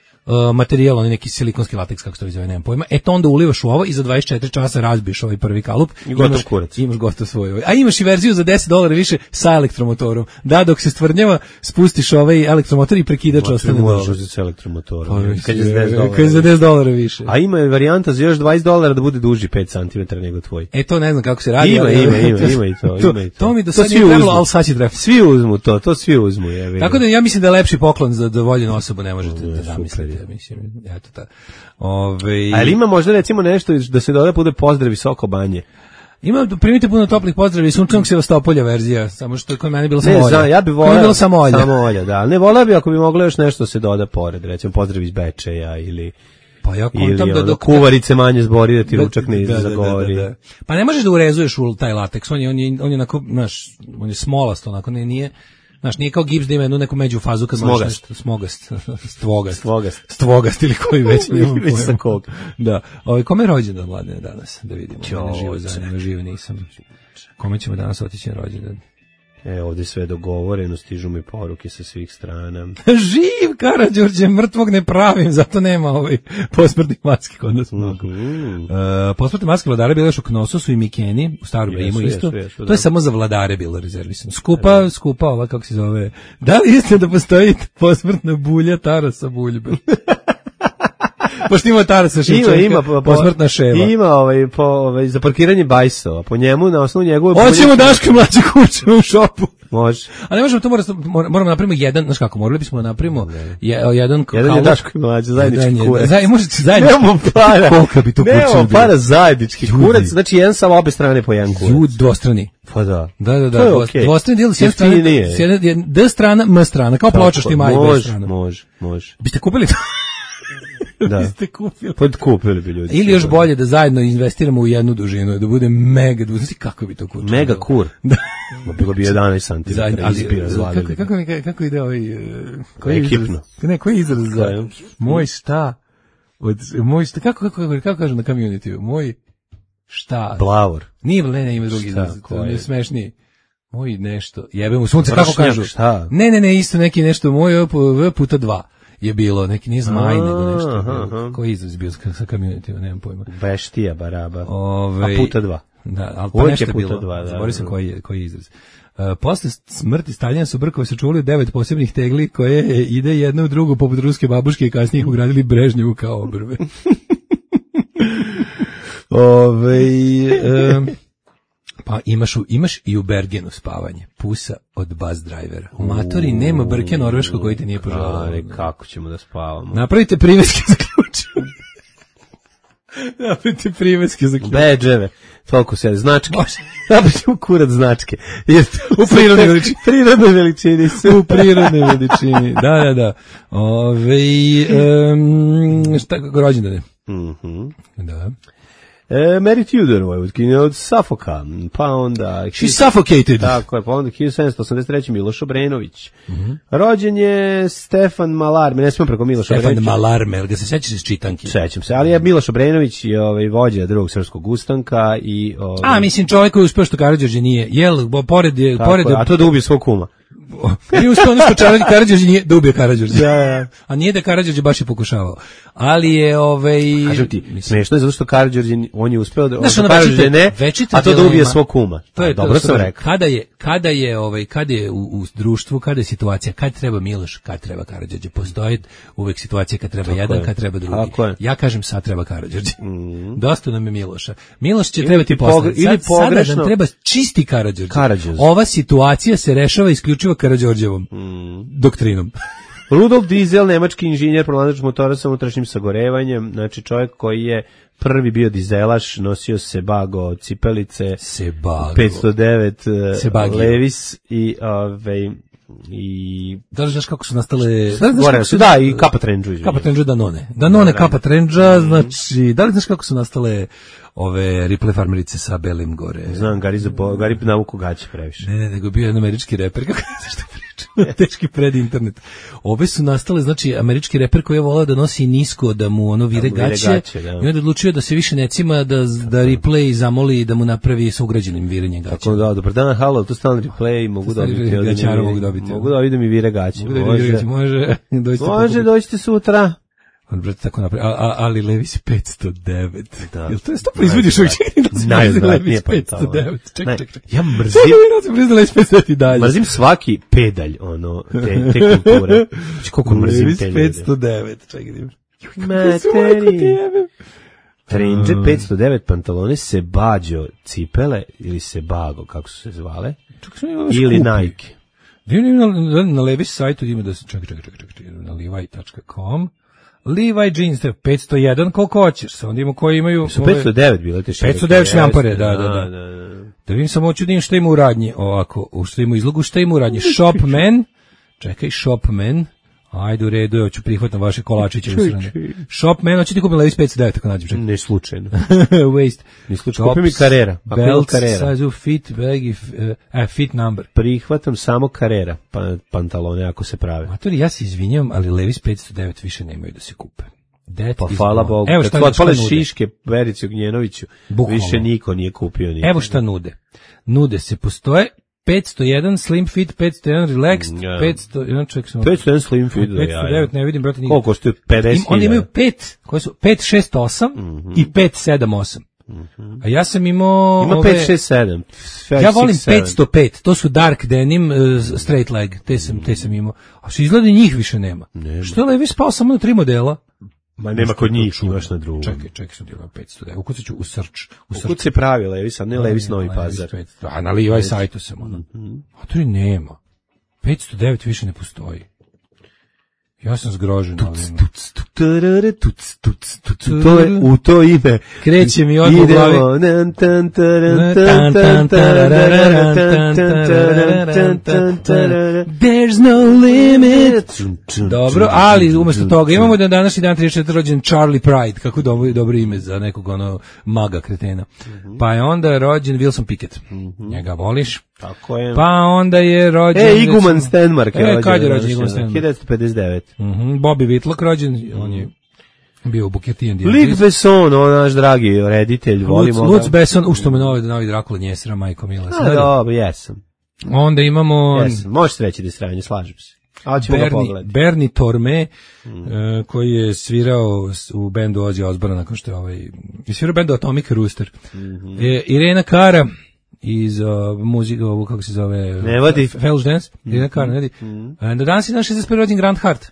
materijal, onaj neki silikonski lateks, kako se to zove, nemam pojma. To onda ulivaš u ovo i za 24 časa razbiješ ovaj prvi kalup. I gotov kurac. Imaš gotov svoj. A imaš i verziju za $10 više sa elektromotorom. Da, dok se stvrdnjava, spustiš ovaj elektromotor i prekidač ostane dole. Možeš sa elektromotorom. Kad je za $10 više. A ima varijanta za još $20 da bude duži 5 cm nego tvoj. To ne znam kako se radi. Ima i to. To mi do sad nije trebalo, ali sad će treba. Svi uzmu to svi uzmu. Tako da ja mislim da je lepši poklon za voljenu osobu ne možete da zamislite. Mislim, eto ta. Ali ima možda recimo nešto da se doda bude pozdrav visoko banje. Ima, primite puno toplih pozdrava i sunčanog Sevastopolja verzija, samo što je kod mene bilo samo olja. Ja bih voleo samo olja, da. Ne voleo bi ako bi moglo još nešto se doda pored, recimo pozdrav iz Bečeja ili pa ja kontam da dok kuvarice manje zbori da ti ručak ne zagovori. Da. Pa ne možeš da urezuješ u taj lateks, on je onako, znaš, on je smolast, onako nije. Znaš, nije kao gips da ima jednu neku među fazu kad stvogast ili koji već nemam pojma. Sa kog. Da. Kome je rođendan Mladene danas? Da vidimo. Živo nisam. Kome ćemo danas otići na rođendan? Ovdje sve dogovoreno, stižu mi poruke sa svih strana. Živ Karađorđe, mrtvog ne pravim, zato nema posmrtnih maski kod nas mnogo. Posmrtne maske vladare bile još u Knososu i Mikeni, u Starom Rimu isto. To je samo za vladare bilo rezervisano. Skupa ova, kako se zove. Da li istina da postoji posmrtna bulja Tarasa Buljbe? Pošto ima Tarasa Ševčenka, ima posmrtna ševa. Ima za parkiranje bajsova, po njemu, na osnovu njegove... Hoćemo Daške mlađe kuće u šopu. Može. A ne možemo, to moramo napravimo jedan, znaš kako, morali bismo napravimo jedan je Daško mlađe, zajednički kurac. Možete zajednički. Nemamo para. Koliko bi to kuće bilo? Nemamo para zajednički kurac, znači jedan sa obe strane po jedan kurac. Dvostrani. Pa da. Da. Dvostrani dijel s jedne strane, D strana, M strana, kao ploča što ima i B strana. Može. Biste kupili to? Da. Kupili bi ljudi. Ili još bolje da zajedno investiramo u jednu dužinu, da bude mega dužina. Kako bi to kur? Mega kur. Da. Bilo bi 11 cm. Kako ide ovaj... Ekipno. Koji je izraz za... Moj šta? Kako kažu na community? Moj šta? Blavor. Ne, ima drugi izraz. To je smešniji. Moj nešto. Jebe mu sunce, kako kažu? Šta? Ne, isto neki nešto. Moj puta 2. Je bilo, neki nije zmaj, nego nešto. Koji izraz bio sa community, nemam pojma. Beštija, baraba. A puta 2. Da, ali pa nešto je bilo. Zaboravio sam koji je izraz. Posle smrti Staljina su brkove sačuvali 9 posebnih tegli koje ide jedna u drugu poput ruske babuške i kasnije ih ugradili Brežnjevu kao obrve. Pa imaš i u Bergenu spavanje. Pusa od bus drivera. U matori nema brke norveško koji te nije poželao. Kako ćemo da spavamo? Napravite priveske za ključ. Bedževe. Toliko se značke. Napravimo kurac značke. U prirodnoj veličini. U prirodnoj veličini. Da. Šta rođendane? Da. Mary Tudor Vojvodkinja od Suffolka, pa onda... She suffocated. Tako je, pa onda 1783. Miloš Obrenović. Rođen je Stefan Malarme, ne smemo preko Miloša Obrenovića. Stefan Malarme, ga se sećaš iz čitanki? Sećam se, ali je Miloš Obrenović i vođa drugog srpskog ustanka i... mislim, čovjek koji uspeo što Karađorđe nije, pored... A to da ubije svog kuma. Nije uspio ono što Karađorđe nije da ubije Karađorđe. A nije da Karađorđe baš je pokušavao. Ali je kažem ti, smešno je zato što Karađorđe on je uspeo da Karađorđe ne, a to da ubije svog kuma. To je dobro sam rekao. Kada je u društvu, kada je situacija, kad treba Miloš, kad treba Karađorđe, postoji uvek situacija kad treba jedan, kad treba drugi. Ja kažem sad treba Karađorđe. Dosta nam je Miloša. Miloš će trebati posle. Sada nam treba čisti Karađorđe. Ova situacija se rešava isključivo Karađorđevom doktrinom. Rudolf Diesel, nemački inženjer, pronalazač motora sa unutrašnjim sagorevanjem, znači čovjek koji je prvi bio dizelaš, nosio Sebago cipelice, 509 Levis i da li znaš kako su nastale i Kappa Trendžu. Kappa Trendžu Danone Kappa Trendža, znači da li znaš kako su nastale ove Ripley farmerice sa belim gore? Znam, Gari navuku gaće previše. Ne, nego bio jedan američki reper, kako ne što pričam, teški pred internet. Ove su nastale, znači američki reper koji je volao da nosi nisko, da mu ono vire gaće, i onda odlučio da se više necima da Ripley zamoli da mu napravi sa ugrađenim virenjem gaća. Tako da, dobar dan, halo, tu stan Ripley, mogu dobiti. Mogu da vidim i vire gaće. Može, dođite sutra. On brate tako napravi, ali Levis 509. Jel to je sto proizvodiš uvijek? Najodvratnije Levis 509. Ček. Ja mrzim svaki pedalj, te kulture. Koliko mrzim te ljude. Levis 509. Čekaj, Trendže 509 pantalone, Sebago cipele, ili Sebago, kako su se zvale, ili Nike. Na Levis sajtu ima da se, čekaj, na levi.com, Levi jeans, 501, koliko hoćeš, onda imamo koji imaju... Su 509 bile te šerike. 509 šljampare, da. Da vidim samo hoću da im šta ima u radnji, ovako, šta ima u izlogu, šta ima u radnji, Shopman, čekaj, Shopman, ajde u redu, hoću prihvatam vaše kolačiće u srane. Shopman, hoću ti kupim Levis 509, ako nađem, čekaj. Ne slučajno. Waste. Ne slučajno, kupi mi Carrera. Belt, size, fit, baggy, fit number. Prihvatam samo Carrera, pantalone, ako se prave. Matori, ja se izvinjam, ali Levis 509 više nemaju da se kupe. Pa hvala Bogu. Evo šta otpale šiške Verici Ognjenoviću, više niko nije kupio ništa. Evo šta nude. Nude se postoje 501 slim fit, 501 relaxed, 501 slim fit, 509, ne vidim, brate, koliko koštuju 50.000. Oni imaju 568 i 578. A ja sam imao... Ima 567. Ja volim 505, to su dark denim, straight leg, te sam imao. A što izgleda njih više nema. Što je Levis spao samo na 3 modela? Ma nema kod njih, imaš na drugom. Čekaj, sam djelao 509. Ukucat ću u search. Ukucat se pravi Levis, a ne Levis Novi Pazar. A na Levi sajtu sam ono. A to i nema. 509 više ne postoji. Ja sam zgrožen. To je u to ime. Kreće mi odmah u glavi. There's no limit. Dobro, ali umjesto toga imamo da današnji dan 34. rođen Charlie Pride, kako dobro ime za nekog maga kretena. Pa je onda rođen Wilson Pickett. Njega voliš? Tako je. Pa onda je rođen... Iguman Stenmark je rođen. Kad je rođen Iguman Stenmark? 1959. Bobby Whitlock rođen, on je bio u Buketi and the Luc Besson, on naš dragi reditelj, volimo ga. Luc Besson, što me novi Drakula Njesera, majko mila. Dobro, jesam. Onda imamo... Jesam, možete reći da je sranje, slažem se. Bernie Torme, koji je svirao u bendu Ozzy Osbourne, nakon što je svirao bendu Atomic Rooster. Irena Cara, iz muzike, kako se zove... Ne vodi. Fellow's Dance, Irena Cara, ne vodi. Na danas je naš 61. rođen Grant Hart.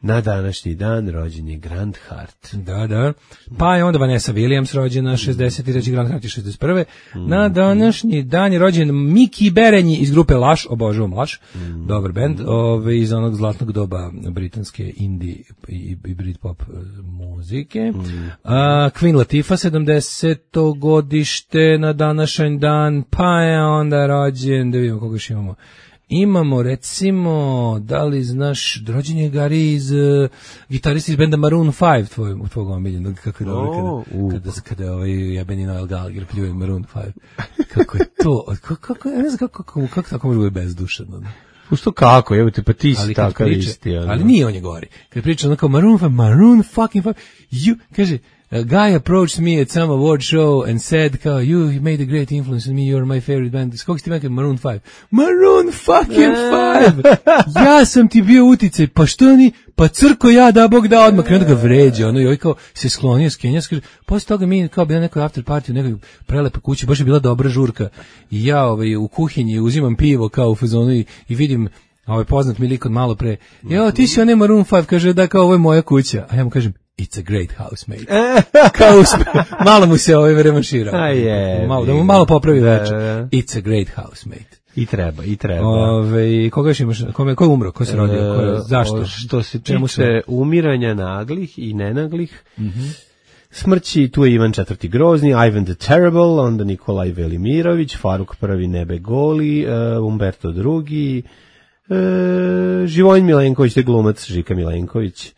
Na današnji dan rođen je Grant Hart. Da. Pa je onda Vanessa Williams rođena 63. Grant Hart je 61. Na današnji dan je rođen Miki Berenji iz grupe Laš, obožavam Laš, dobar bend, iz onog zlatnog doba britanske indie i Britpop muzike. Queen Latifah 70. godište na današnji dan, pa je onda rođen, da vidimo koga još imamo. Imamo, recimo, da li znaš, rođen je Gary iz gitarista iz benda Maroon 5, tvojeg omiljenog, kako je dobro kada jebeni Noel Gallagher pljuje Maroon 5. Kako je to, ja ne znam kako tako može biti bezdušano. Što kako, evo te, pa ti si takav isti. Ali nije on je gori. Kad priča ono kao Maroon fucking 5, kaže, guy approached me at some award show and said, kao, you made a great influence on me, you're my favorite band. Skog si ti mekaj? Maroon 5. Maroon fucking 5! Ja sam ti bio uticaj, pa što ni, pa crko ja, da Bog da odmah, i onda ga vređa, ono, i ovaj kao se sklonio s Kenja, kaže, posle toga mi kao bila nekoj after party u nekoj prelepe kući, baš je bila dobra žurka, i ja u kuhinji uzimam pivo kao u fazonu i vidim poznat mi lik od malo pre, ti si onaj Maroon 5, kaže, da, kao, ovo je moja kuća, a ja mu kažem, it's a great housemate. Kao malo mu se revanširao. Da mu malo popravi večer. It's a great housemate. I treba. Koga još imaš? Ko je umro? Ko se rodio? Zašto? Što se tiče umiranja naglih i nenaglih, smrći, tu je Ivan IV. Grozni, Ivan the Terrible, onda Nikolaj Velimirović, Faruk I. Nebegoli, Umberto II. Živojin Milenković, te glumac Žika Milenković.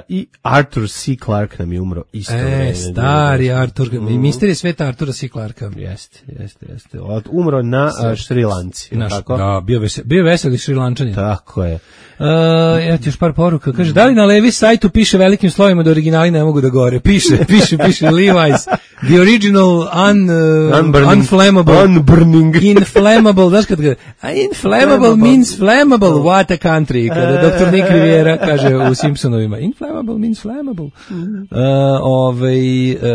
I Arthur C. Clarke nam je umro isto vreme. Stari Arthur, misterije sveta Artura C. Clarka. Jeste. Umro na Šrilanci. Da, bio veseli Šrilančanin. Tako je. Evo ti još par poruka. Kaže, da li na Levi sajtu piše velikim slovima da originali ne mogu da gore? Piše Levi's. The original unflammable. Unburning. Inflammable. Znaš kad ga... Inflammable means flammable. What a country. Kada doktor Nick Riviera kaže u Simpsonovima. Inflammable means flammable.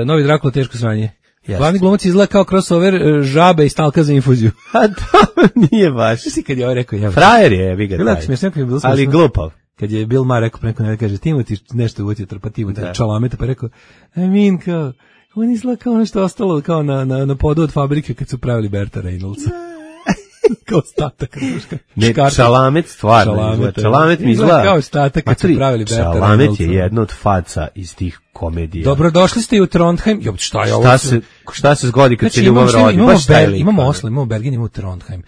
Novi Drakula, teško sranje. Glavni glumac izgleda kao crossover žabe i stalka za infuziju. A to nije baš. Svi kad je ovo rekao, frajer je, vi ga taj. Ali glupav. Kad je Bill Maher rekao preko ne kaže, Timoti nešto uvotio, pa Timoti čalameta, pa rekao, kao, on izgleda kao nešto ostalo kao na podu od fabrike kad su pravili Berta Reynoldsa. Kao statak. Ne, Čalamet stvarno. Čalamet mi izgleda kao statak kad su pravili Berta Reynoldsa. Čalamet je jedna od faca iz tih komedija. Dobrodošli ste i u Trondheim. Šta je ovo? Šta se zgodi kad se ljubav rodi? Imamo Oslo, imamo Bergen, imamo Trondheim.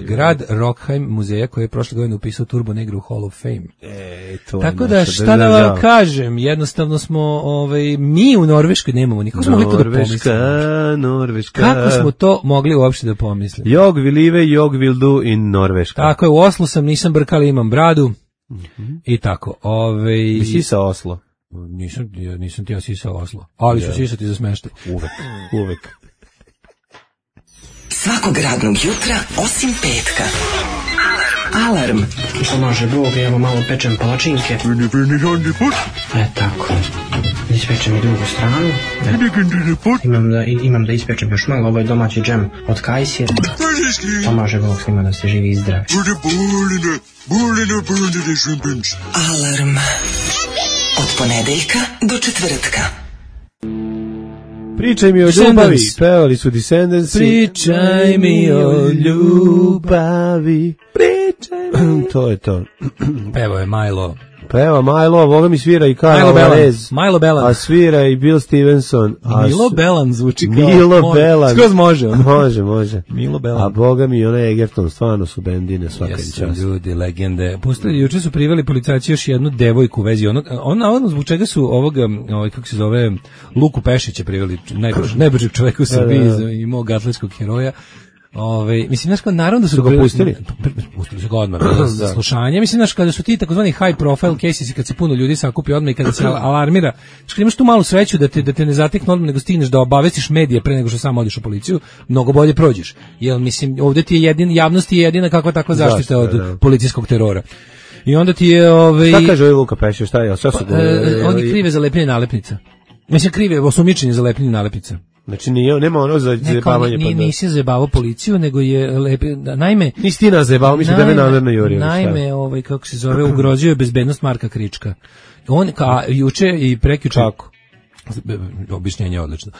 Grad Rockheim muzeja koji je prošle godine upisao Turbo Negru u Hall of Fame. Tako da šta da vam kažem, jednostavno smo mi u Norveškoj nemamo nikog. Norveška. Kako smo to mogli uopšte da pomislimo? Jog will live, jog will do in Norveška. Tako je, u Oslu sam, nisam brkali, imam bradu i tako. Nisi sa Oslo? Nisam ti ja sisao Oslo, ali ću sisati za smeštaj. Uvek. Svakog radnog jutra, osim petka. Alarm. Pomaže Bog, evo malo pečem palačinke. Tako. Ispečem i drugu stranu. Imam da ispečem još malo, ovo je domaći džem od kajsije. Pomaže Bog svima da se živi i zdravi. Alarm. Od ponedeljka do četvrtka. Pričaj mi o ljubavi. Pevali su Descendants. Pričaj mi o ljubavi. To je to. Pevo je Milo. Peva Milo, ovoga mi svira i Kyle Alvarez. Milo Belan. A svira i Bill Stevenson. Milo Belan zvuči kao. Milo Belan. Skroz može. Može. Milo Belan. A boga mi onaj Egerton, stvarno su bendine svaka čast. Ljudi, legende. Pustili, juče su priveli policajci još jednu devojku u vezi ona zbog čega su kako se zove, Luku Pešića priveli, najbržeg čoveka u Srbiji i mog atletskog heroja. Mislim, znaš, naravno da su ga pustili. Pustili su ga odmah za slušanje. Mislim, znaš, kada su ti takozvani high profile cases i kad se puno ljudi sakupi odmah i kada se alarmira, znaš, kad imaš tu malu sreću da te ne zatekne odmah, nego stigneš da obavestiš medije pre nego što sam odiš u policiju, mnogo bolje prođeš. Jer, mislim, ovdje ti je javnost je jedina kakva takva zaštita od policijskog terora. I onda ti je... Šta kaže ovaj Luka Pešić, šta je? On je krive za lepljenje nalepnica. Mislim, krive osumnjičenje za lepljenje nalepnica. Znači nema ono za zajebavanje. Nisi zajebavao policiju, nego je naime... Nisi ti nas zajebavao, mislim da me namerno jurio. Naime, kako se zove, ugrozio je bezbednost Marka Krička. On, juče i prekjuče... Kako? Objašnjenje je odlično.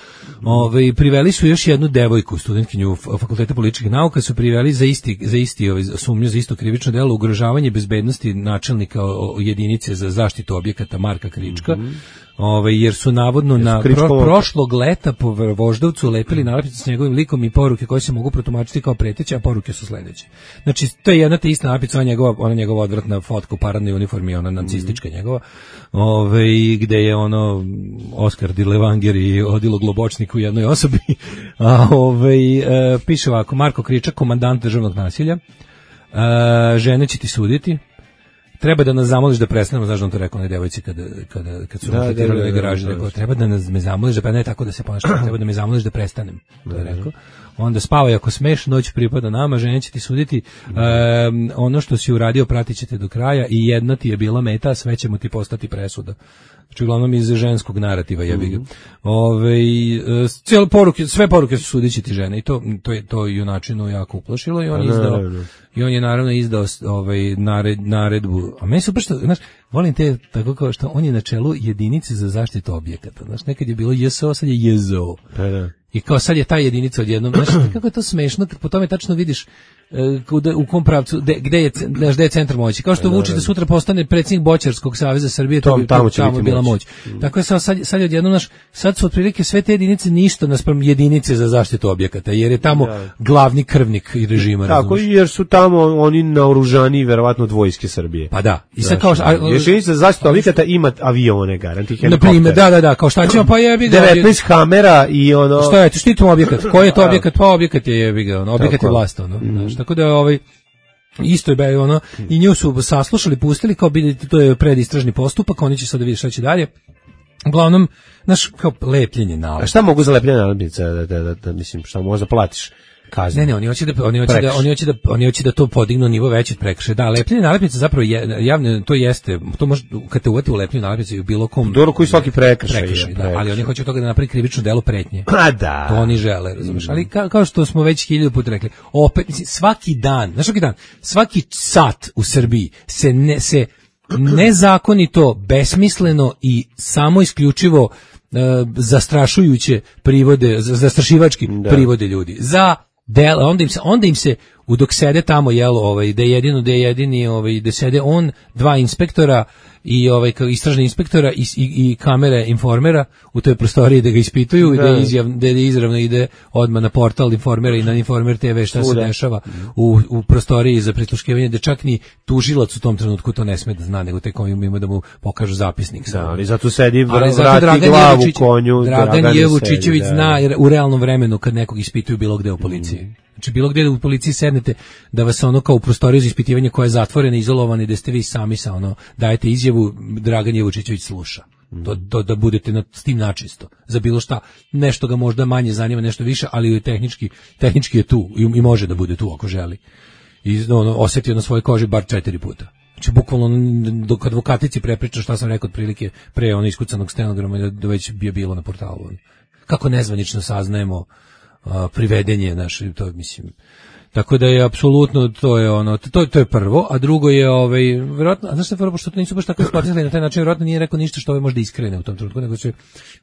Priveli su još jednu devojku, studentkinju Fakulteta političkih nauka, su priveli za isti sumnju, za isto krivično delo, ugrožavanje bezbednosti načelnika jedinice za zaštitu objekata Marka Krička. Jer su navodno na prošlog leta po Voždovcu lepili nalepnice s njegovim likom i poruke koje se mogu protumačiti kao preteće, a poruke su sledeće. Znači, to je jedna te ista nalepnica, ona njegova odvratna fotka u paradnoj uniformi, ona nacistička njegova, gde je Oskar Di Levanger i Odilo Globočnik u jednoj osobi. Piše ovako, Marko Kričak, komandant državnog nasilja, žene će ti suditi, treba da nas zamoliš da prestanemo, znaš da on to rekao onoj devojci kad su rotirali u garaži, rekao, treba da me zamoliš, da ne tako da se ponašam, treba da me zamoliš da prestanem, to je rekao. Onda spavaj ako smeš, noć pripada nama, ženja će ti suditi, ono što si uradio pratit će te do kraja i jedna ti je bila meta, a sve će mu ti postati presuda. Znači, uglavnom iz ženskog narativa, jebi ga. Sve poruke su sudići ti žene i to junačinu jako uplašilo i on je naravno izdao naredbu. A meni super što, znaš, volim te tako kao što on je na čelu jedinice za zaštitu objekata. Znaš, nekad je bilo JSO, sad je JZO. I kao sad je ta jedinica odjednom, znaš, kako je to smešno, kad po tome tačno vidiš u kom pravcu, gde je centar moći. Kao što Vučić da sutra postane predsjednik Boćarskog saveza Srbije, tamo je bila moć. Tako je sad je odjednom, sad su otprilike sve te jedinice ništa naspram jedinice za zaštitu objekata, jer je tamo glavni krvnik i režima. Tako, jer su tamo oni naoružani verovatno od vojske Srbije. Pa da. I sad kao jedinica za zaštitu objekata ima avione, garanti helikopter. Da, kao šta ćemo, pa jebi ga. 19 kamera i ono. Šta je, štitimo objekat. Koji je to objekat? Pa objekat je jebi ga, objekat je vlast, tako da isto je i nju su saslušali, pustili kao to je predistražni postupak, oni će sad da vidi šta će dalje. Uglavnom, znaš, kao lepljenje nalepnica. A šta mogu za lepljenje nalepnica da mislim, šta možda platiš? Kazne. Ne, oni hoće da to podignu nivo veći od prekršaja. Da, lepljenje nalepnica zapravo javne, to jeste, to može kad te uvati u lepljenju nalepnice u bilo kom. Dobro, koji svaki prekršaj, da, ali oni hoće od toga da napravi krivično delo pretnje. A da. To oni žele, razumeš? Ali kao što smo već 1000 puta rekli, opet svaki dan, svaki sat u Srbiji se nezakonito, besmisleno i samo isključivo zastrašujuće privode, zastrašivački privode ljudi. Onda im se dok sede tamo da je jedini da sede on, 2 inspektora i istražni inspektora i kamere informera u toj prostoriji da ga ispituju i da izravno ide odmah na portal informera i na Informer TV šta se dešava u prostoriji za prisluškivanje, da čak ni tužilac u tom trenutku to ne sme da zna, nego tek ima da mu pokažu zapisnik. Da, ali zato sedi vrati glavu konju. Dragan Jevučićević zna u realnom vremenu kad nekog ispituju bilo gde u policiji. Znači bilo gdje u policiji sednete da vas kao u prostoriju za ispitivanje koja je zatvorena, izolovana i da ste vi sami dajete izjavu, Dragan Jevučićević sluša. Da budete s tim načisto. Za bilo šta, nešto ga možda manje zanima, nešto više, ali tehnički je tu i može da bude tu ako želi. I osjetio na svojoj koži bar 4 puta. Znači bukvalno dok advokatici prepriča šta sam rekao otprilike pre iskucanog stenograma da već je bilo na portalu. Kako nezvanično saznajemo privedenje naše, to mislim. Tako da je apsolutno to je prvo, a drugo je verovatno, znaš šta, pošto to nisu baš tako isplatili na taj način, verovatno nije rekao ništa što može da iskrene u tom trenutku, nego će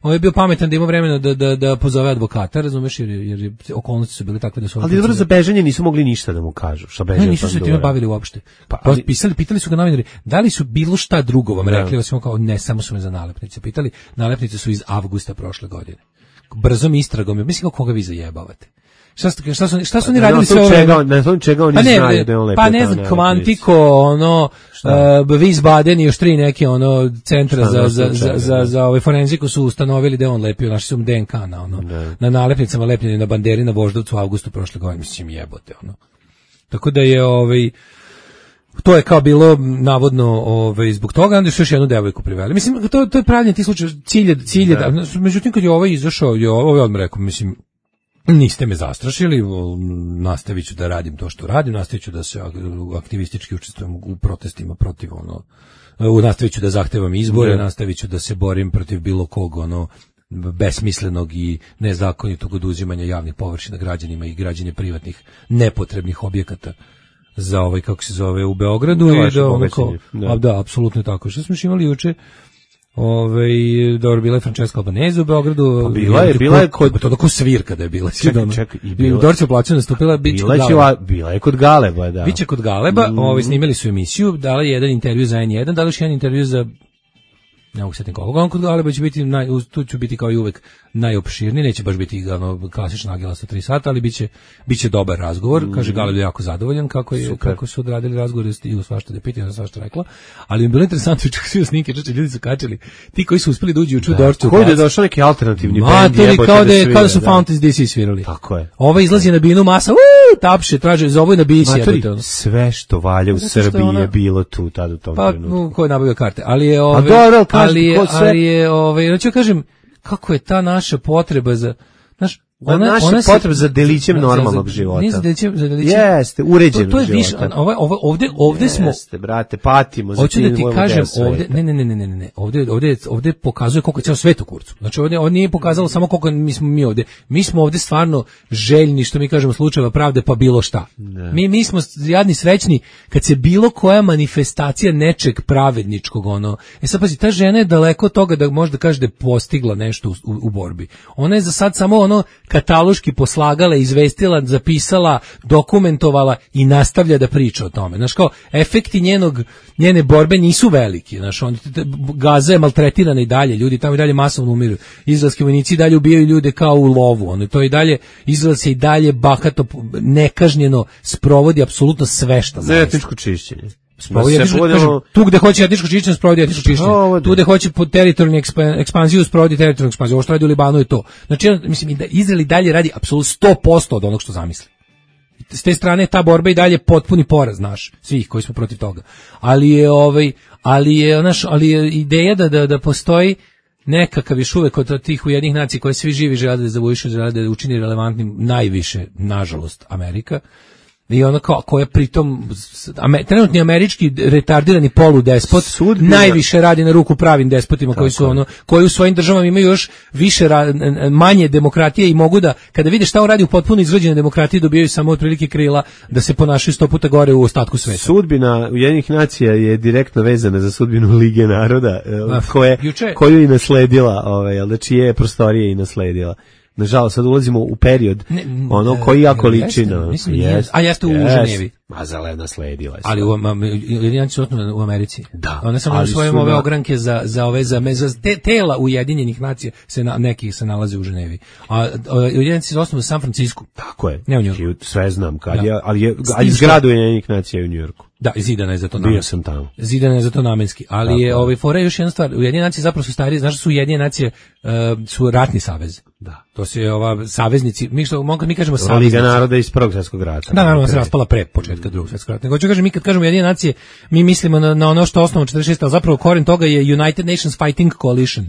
je bio pametan da ima vremena da pozove advokata, razumeš, jer okolnosti su bile takve da su. Ali dobro, za bežanje nisu mogli ništa da mu kažu, šta beže. Nisu se time bavili uopšte. Pitali su ga novinari, da li su bilo šta drugo vam rekli, osim kao ne, samo su me za nalepnice pitali. Nalepnice su iz avgusta prošle godine. Brzom istragom, mislim kako koga vi zajebavate. Šta su oni radili sve ove? Na čega oni znaju da je on lepio? Pa ne znam, Kvantiko, Wiesbaden i još 3 neke centra za forenziku su ustanovili da je on lepio, našli su DNK na nalepnicama lepljeni na banderi na Voždovcu u avgustu prošle godine, mislim jebote Tako da je to je kao bilo navodno zbog toga, onda su još jednu devojku priveli. Mislim, to je pravljen ti slučaj, cilj je da, međutim kad je izašao, odmah rekao, mislim, niste me zastrašili, nastavit ću da radim to što radim, nastavit ću da se aktivistički učestvujem u protestima protiv nastavit ću da zahtevam izbore, nastavit ću da se borim protiv bilo kog besmislenog i nezakonitog oduzimanja javnih površina građanima i građenja privatnih nepotrebnih objekata za kako se zove u Beogradu i da apsolutno je tako. Što smo imali juče? Dobro, bila je Francesca Albanese u Beogradu. Bila je kod to tako svirka da je bila. Čekaj, i Dorce plaću nastupila bila je kod Galeba, da. Biće kod Galeba, snimali su emisiju, dali jedan intervju za N1, dali još jedan intervju za ne mogu setim koga, kod Galeba će biti, tu ću biti kao i uvek najopširniji, neće baš biti klasična agila sa 3 sata, ali biće dobar razgovor, kaže Galeb je jako zadovoljan kako su odradili razgovor i svašta da pitaju, svašta rekla, ali mi je bilo interesantno čak svi snimke, ljudi su kačili, ti koji su uspeli da uđu u Dorču. Koji je došao neki alternativni bend, kao da su Fountains DC svirali. Tako je. Ova izlazi na binu masa, tapše, traže, zovu na bisi. Sve što valja u Srbiji je bilo tu tad u tom trenutku. Pa, ko je nabavio karte, ali je hoću kažem, kako je ta naša potreba za, naša potreba za delićem normalnog života. Nije za delićem. Jeste, uređenog života. Ovde smo... Jeste, brate, patimo za hoću da ti kažem, ne. Ovde pokazuje koliko je ceo svet u kurcu. Znači, ovde nije pokazalo samo koliko mi ovde. Mi smo ovde stvarno željni, što mi kažemo, slučajeva pravde, pa bilo šta. Mi smo jadni srećni kad se bilo koja manifestacija nečeg pravedničkog, sad pazi, ta žena je daleko od toga da može da kaže da je postigla nešto u borbi. Ona je za sad samo kataloški poslagala, izvestila, zapisala, dokumentovala i nastavlja da priča o tome. Znaš, kao, efekti njene borbe nisu veliki. Znaš, Gaza je maltretirana i dalje, ljudi tamo i dalje masovno umiru. Izraelski vojnici i dalje ubijaju ljude kao u lovu. To i dalje, Izrael se i dalje bahato, nekažnjeno sprovodi apsolutno sve što za etničko čišćenje. Tu gde hoće etničko čišćenje sprovodi etničko čišćenje. Tu gde hoće teritorijalnu ekspanziju sprovodi teritorijalnu ekspanziju. Ovo što radi u Libanu je to. Znači, mislim, da Izrael i dalje radi apsolutno 100% od onog što zamisli. S te strane ta borba i dalje potpuni poraz naš, svih koji smo protiv toga. Ali je ideja da postoji nekakav još uvek od tih Ujedinjenih nacija koje svi živi žele da zavujušu, žele da učini relevantnim najviše, nažalost, Amerika. I ona koja pritom trenutni američki retardirani poludespot najviše radi na ruku pravim despotima koji u svojim državama imaju još više manje demokratije i mogu da, kada vide šta on radi u potpuno izgrađenoj demokratiji, dobijaju samo otprilike krila da se ponašaju 100 puta gore u ostatku sveta. Sudbina Ujedinjenih nacija je direktno vezana za sudbinu Lige naroda, koju i nasledila, čije je prostorije i nasledila. Nažalost, sad ulazimo u period koji jako liči na... A jeste u Ženevi. A zelena sledila je. Ali Ujedinjenici su osnovne u Americi. Da. One sam svojim ove ogranke za tela Ujedinjenih nacija, neki se nalaze u Ženevi. A Ujedinjenici su osnovne u San Francisku. Tako je. Ne u Njujorku. Sve znam kad je, ali zgradu Ujedinjenih nacija u Njujorku. Da, zidana je za to namenski. Bio sam tamo. Zidana je za to namenski. Ali je fore još jedna stvar. Ujedinjene nacije zapravo su starije. Znaš da su Ujedinjene nacije su ratni savez. Da. To su saveznici. Mi kažemo saveznici. Liga naroda iz Prvog svjetskog rata. Da, naravno se raspala pre početka Drugog svjetskog rata. Nego ću kažem, mi kad kažemo Ujedinjene nacije, mi mislimo na ono što je osnovno 46, ali zapravo koren toga je United Nations Fighting Coalition.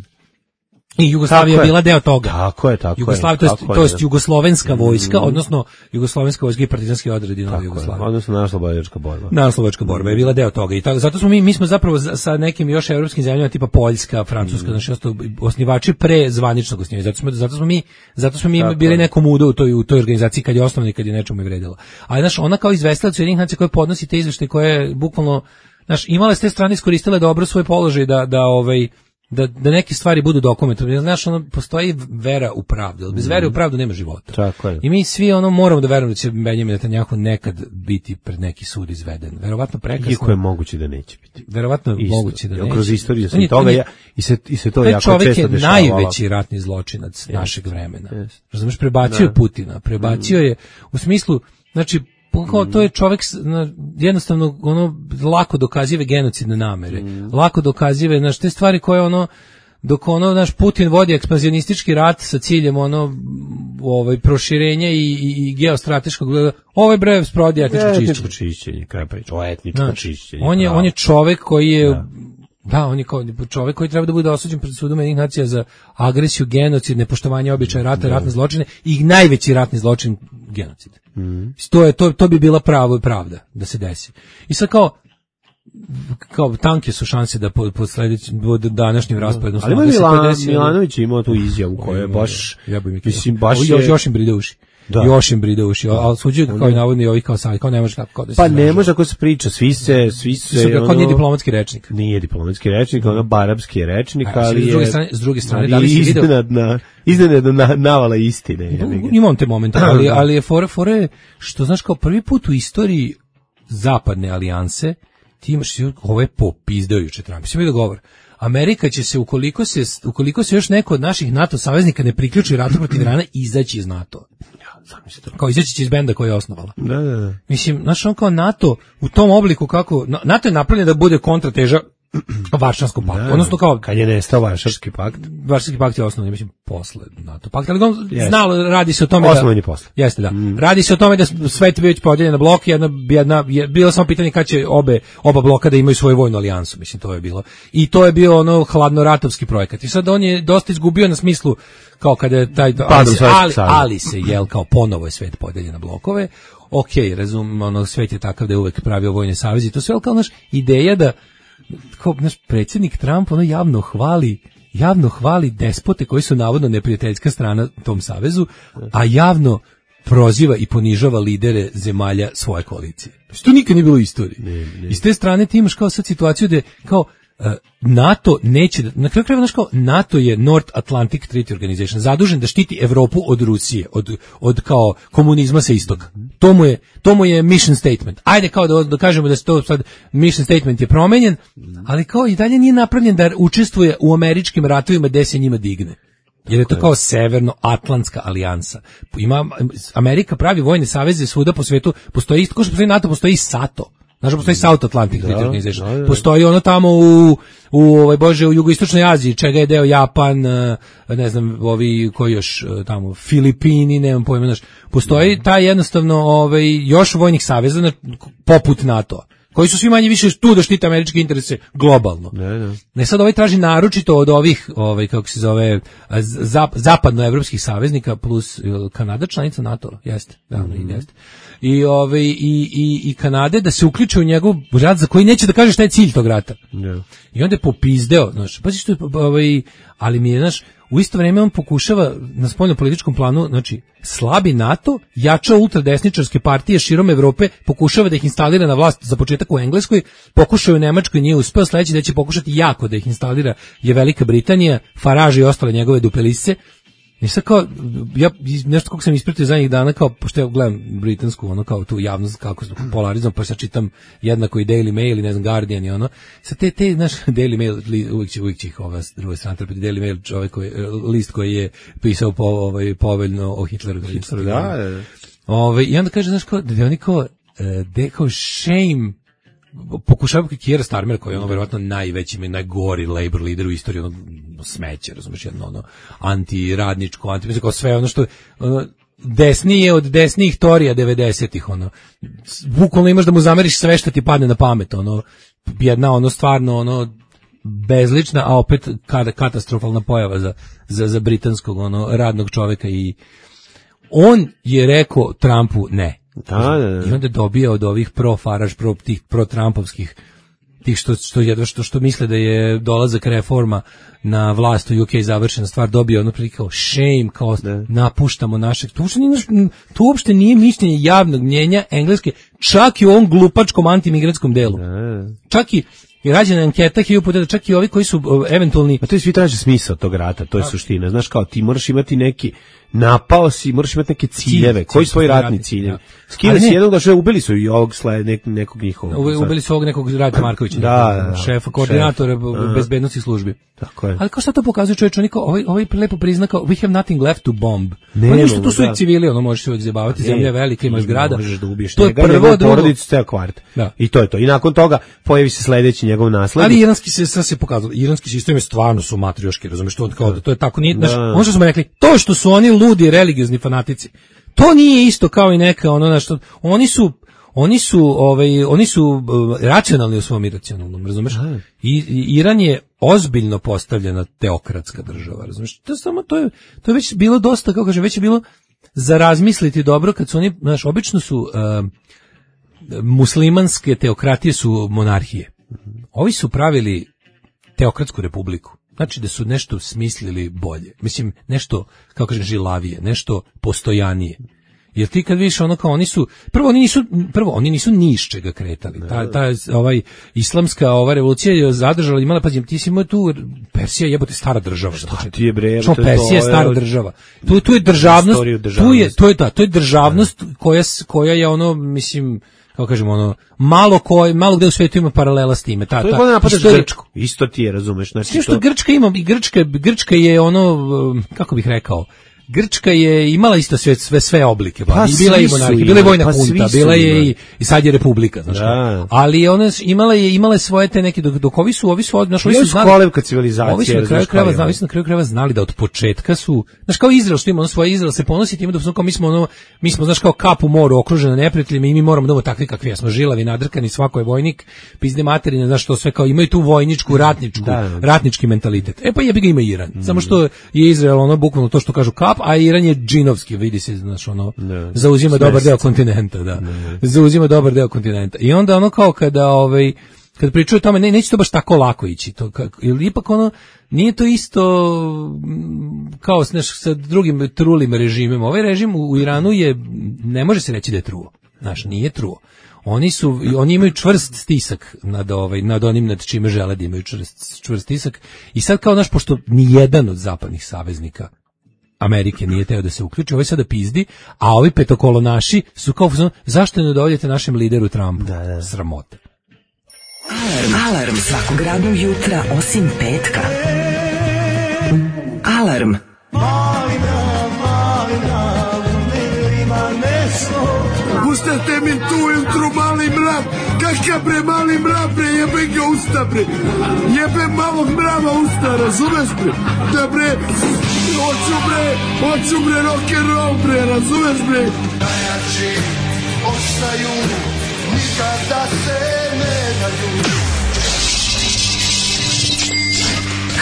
I Jugoslavija je bila deo toga. Tako je. To je jugoslovenska vojska, odnosno jugoslovenska vojska i partizanski odredi Nove Jugoslavije. Odnosno narodnooslobodilačka borba. Narodnooslobodilačka borba je bila deo toga. I zato smo mi smo zapravo sa nekim još evropskim zemljama tipa Poljska, Francuska, znači osnivači pre zvaničnog osnivanja. Zato smo mi bili nekom udo u toj organizaciji kad je osnovna i kad je nečemu i vredila. Ali znaš, ona kao izvestilac Ujedinjenih nacija koja podnosi te izveštaje, koje je bukvalno, znaš, imala s te strane iskoristila dobro svoj položaj da neke stvari budu dokumentovane. Znaš, postoji vera u pravdu. Bez vere u pravdu nema života. Tako je. I mi svi moramo da verujemo da će Benjamin Netanjahu nekad biti pred neki sud izveden. Verovatno prekasno. Iako je moguće da neće biti. Verovatno je moguće da neće. Kroz istoriju sam toga i se to jako često dešava. Čovjek je najveći ratni zločinac našeg vremena. Razumeš, prebacio je Putina. Prebacio je u smislu, znači, to je čovjek jednostavno lako dokazive genocidne namere, lako dokazive, znaš, te stvari koje dok naš Putin vodi ekspanzionistički rat sa ciljem proširenja i geostrateškog, brev sprovodi etničko čišćenje. Kaj priča o etničko čišćenje? On je čovjek koji je on je čovjek koji treba da bude osuđen pred sudom Ujedinjenih nacija za agresiju, genocid, nepoštovanje običaja rata, ratne zločine i najveći ratni zločin genocid. To bi bila pravda da se desi. I sad kao tanke su šanse da po današnjim rasporedom ali Milanović imao tu izjavu koja je baš još im bride uši. Još im bride uši, ali suđuju kao i navodni ovi kao sad, kao ne može tako da se... Pa ne može ako se priča, svi se... Kao nije diplomatski rečnik. Nije diplomatski rečnik, barabski rečnik, ali je... S druge strane, da li si vidio... Iznenadna navala istine. Imam te momente, ali je fore što, znaš, kao prvi put u istoriji zapadne alijanse, ti imaš, ovo je popizdeo juče Trump, si mi da govor. Amerika će se, ukoliko se još neko od naših NATO saveznika ne priključi ratu protiv Irana, izaći iz NATO. Kao izaći će iz benda koji je osnovala. Da. Mislim, znaš, kao NATO u tom obliku kako... NATO je napravljen da bude kontrateža Varšavskom paktu. Odnosno kao kad je nestao Varšavski pakt. Varšavski pakt je osnovni, mislim, posle NATO pakta, ali znalo, radi se o tome osnovni posle. Jeste, da. Radi se o tome da svet bio već podeljen na blok, bilo samo pitanje kad će oba bloka da imaju svoju vojnu alijansu, mislim, to je bilo. I to je bio ono hladnoratovski projekat. I sad on je dosta izgubio na smislu kao kada je taj ali se jel kao ponovo je svet podeljen na blokove. Okej, razumem, ono svet je takav da je uvek pravio vojne saveze i to sve, ali kao naš ideja da kao naš predsjednik Trump ono javno hvali despote koji su navodno neprijateljska strana tom savezu, a javno proziva i ponižava lidere zemalja svoje koalicije. Što nikad nije bilo u istoriji. I s te strane ti imaš kao sad situaciju da je kao NATO neće, na kraju krajeva, znaš kao, NATO je North Atlantic Treaty Organization, zadužen da štiti Evropu od Rusije, od kao komunizma sa istoka. To mu je mission statement. Ajde kao da kažemo da se to sad, mission statement je promenjen, ali kao i dalje nije napravljen da učestvuje u američkim ratovima gde se njima digne. Jer je to kao severno-atlantska alijansa. Amerika pravi vojne saveze svuda po svetu, postoji isto, kao što postoji NATO, postoji i SATO. Znaš, postoji South Atlantic Treaty Organization. Postoji ono tamo u jugoistočnoj Aziji, čega je deo Japan, ne znam, ovi koji još tamo, Filipini, nemam pojma, znaš. Postoji taj jednostavno još vojnih saveza poput NATO-a, koji su svi manje više tu da štite američke interese globalno. Ne sad traži naročito od ovih, kako se zove, zapadnoevropskih saveznika plus Kanada članica NATO-a, jeste, jeste. I Kanade da se uključe u njegov rat za koji neće da kaže šta je cilj tog rata. I onda je popizdeo, znaš, pazi što je, ali mi je, znaš, u isto vrijeme on pokušava na spoljnopolitičkom planu, znači, slabi NATO, jača ultradesničarske partije širom Evrope, pokušava da ih instalira na vlast za početak u Engleskoj, pokušao u Nemačkoj, nije uspeo, sledeći da će pokušati jako da ih instalira je Velika Britanija, Farage i ostale njegove dupelisce. I sad kao, ja nešto kako sam ispratio zadnjih dana, kao, pošto ja gledam britansku, ono kao tu javnost, kako se polarizam, pa sad čitam jednako i Daily Mail i ne znam Guardian i ono. Sad te naš Daily Mail, uvijek će ih ova druga strana trpiti, Daily Mail, list koji je pisao poveljno o Hitleru. I onda kaže, znaš, kao, da oni kao shame, pokušava Keir Starmer, koji je ono verovatno najveći, najgori labor leader u istoriji, ono smeće, razumiješ, jedno antiradničko, mislim, kao sve ono što desnije od desnijih torija 90-ih, ono, bukvalno imaš da mu zameriš sve što ti padne na pamet, ono, jedna, ono, stvarno, ono, bezlična, a opet katastrofalna pojava za britanskog, ono, radnog čoveka i on je rekao Trumpu ne. I onda dobija od ovih pro-Farage, pro-Trumpovskih, tih što misle da je dolazak reforma na vlast u UK završena stvar, dobio ono prilike kao shame, kao napuštamo našeg. To uopšte nije mišljenje javnog mnjenja Engleske, čak i u ovom glupačkom antimigratskom delu. Čak i rađena anketa 1000 puta da čak i ovi koji su eventualni... A to je svi traže smisao tog rata, to je suština. Znaš, kao ti moraš imati neki, napao si, moraš imati neke ciljeve. Koji su tvoji ratni ciljevi? Skida si jednog, da ubili su i ovog nekog njihovog. Ubili su ovog nekog Rajka Markovića, šefa, koordinatora bezbednosti službi. Tako je. Ali kao sad to pokazuje čovječ, ovaj lepo prizna kao we have nothing left to bomb. Ništa, tu su i civili, ono možeš se uvijek zabavati, zemlja je velika, imaš grada. Možeš da ubiješ njega, njegovu porodicu, ceo kvart. I to je to. I nakon toga pojavi se sledeći njegov naslednik. Ali iranski se sad se pokazalo, iranski sistem je stvarno su matrioški, razumeš, to je tako, nije, ono što smo rekli, to što su oni ludi religiozni fanatici, to nije isto kao i neka ono što oni su racionalni u svom iracionalnom, razumeš? I Iran je ozbiljno postavljena teokratska država, razumeš? To je već bilo dosta, kako kažem, već je bilo za razmisliti dobro kad su oni, znaš, obično su muslimanske teokratije su monarhije. Ovi su pravili teokratsku republiku. Znači da su nešto smislili bolje. Mislim, nešto, kako kažem, žilavije, nešto postojanije. Jer ti kad vidiš ono kao oni nisu ni iz čega kretali. Ta islamska revolucija je zadržala, imala, pazi, ti si imao tu, Persija jebote stara država. Šta ti je bre? Persija je stara država. Tu je državnost, to je državnost koja je ono, mislim, kako kažemo, ono, malo gde u svetu ima paralela s time. To je kada napadaš Grčku. Isto ti je, razumeš. Znači, što Grčka ima, i Grčka je ono, kako bih rekao, Grčka je imala isto sve oblike, pa bila je monarhija, bila je vojna hunta, bila je i sad je republika, znači. Ali ona imala svoje te neke dok ovi su kolevka civilizacije. Ovi su na kraju krajeva znali da od početka su, znaš, kao Izrael što ima ono svoje, Izrael se ponosi time da su kao mi smo znaš kao kap u moru okruženi neprijateljima i mi moramo da budemo takvi kakvi jesmo, žilavi, nadrkani, svako je vojnik, pizde materine, znaš, što sve kao imaju tu vojničku, ratnički mentalitet. Pa jebi ga ima Iran. Samo što je Izrael ono bukvalno to što kažu kap, a Iran je džinovski, vidi se, znaš, ono zauzima dobar deo kontinenta, da. Zauzima dobar deo kontinenta. I onda ono kao kada pričaju o tome, neće to baš tako lako ići. Ili ipak ono, nije to isto kao sa drugim trulim režimima. Ovaj režim u Iranu ne može se reći da je truo. Znaš, nije truo. Oni imaju čvrst stisak nad onim nad čime žele da imaju čvrst stisak. I sad kao, znaš, pošto nijedan od zapadnih saveznika Amerike nije teo da se uključi, ovaj sada pizdi, a ovi petokolonaši su kao, zašto ne dovoljete našem lideru Trumpu? Da. Sramota. Alarm svakog radnog jutra osim petka. Alarm. Pustate mi tu ujutru mali mrav, kakav bre mali mrav bre, jebe ga usta bre, jebe malog mrava usta, razumeš bre, da bre, hoću bre rock'n'roll bre, razumeš bre. Najjači ostaju, nikada se ne daju.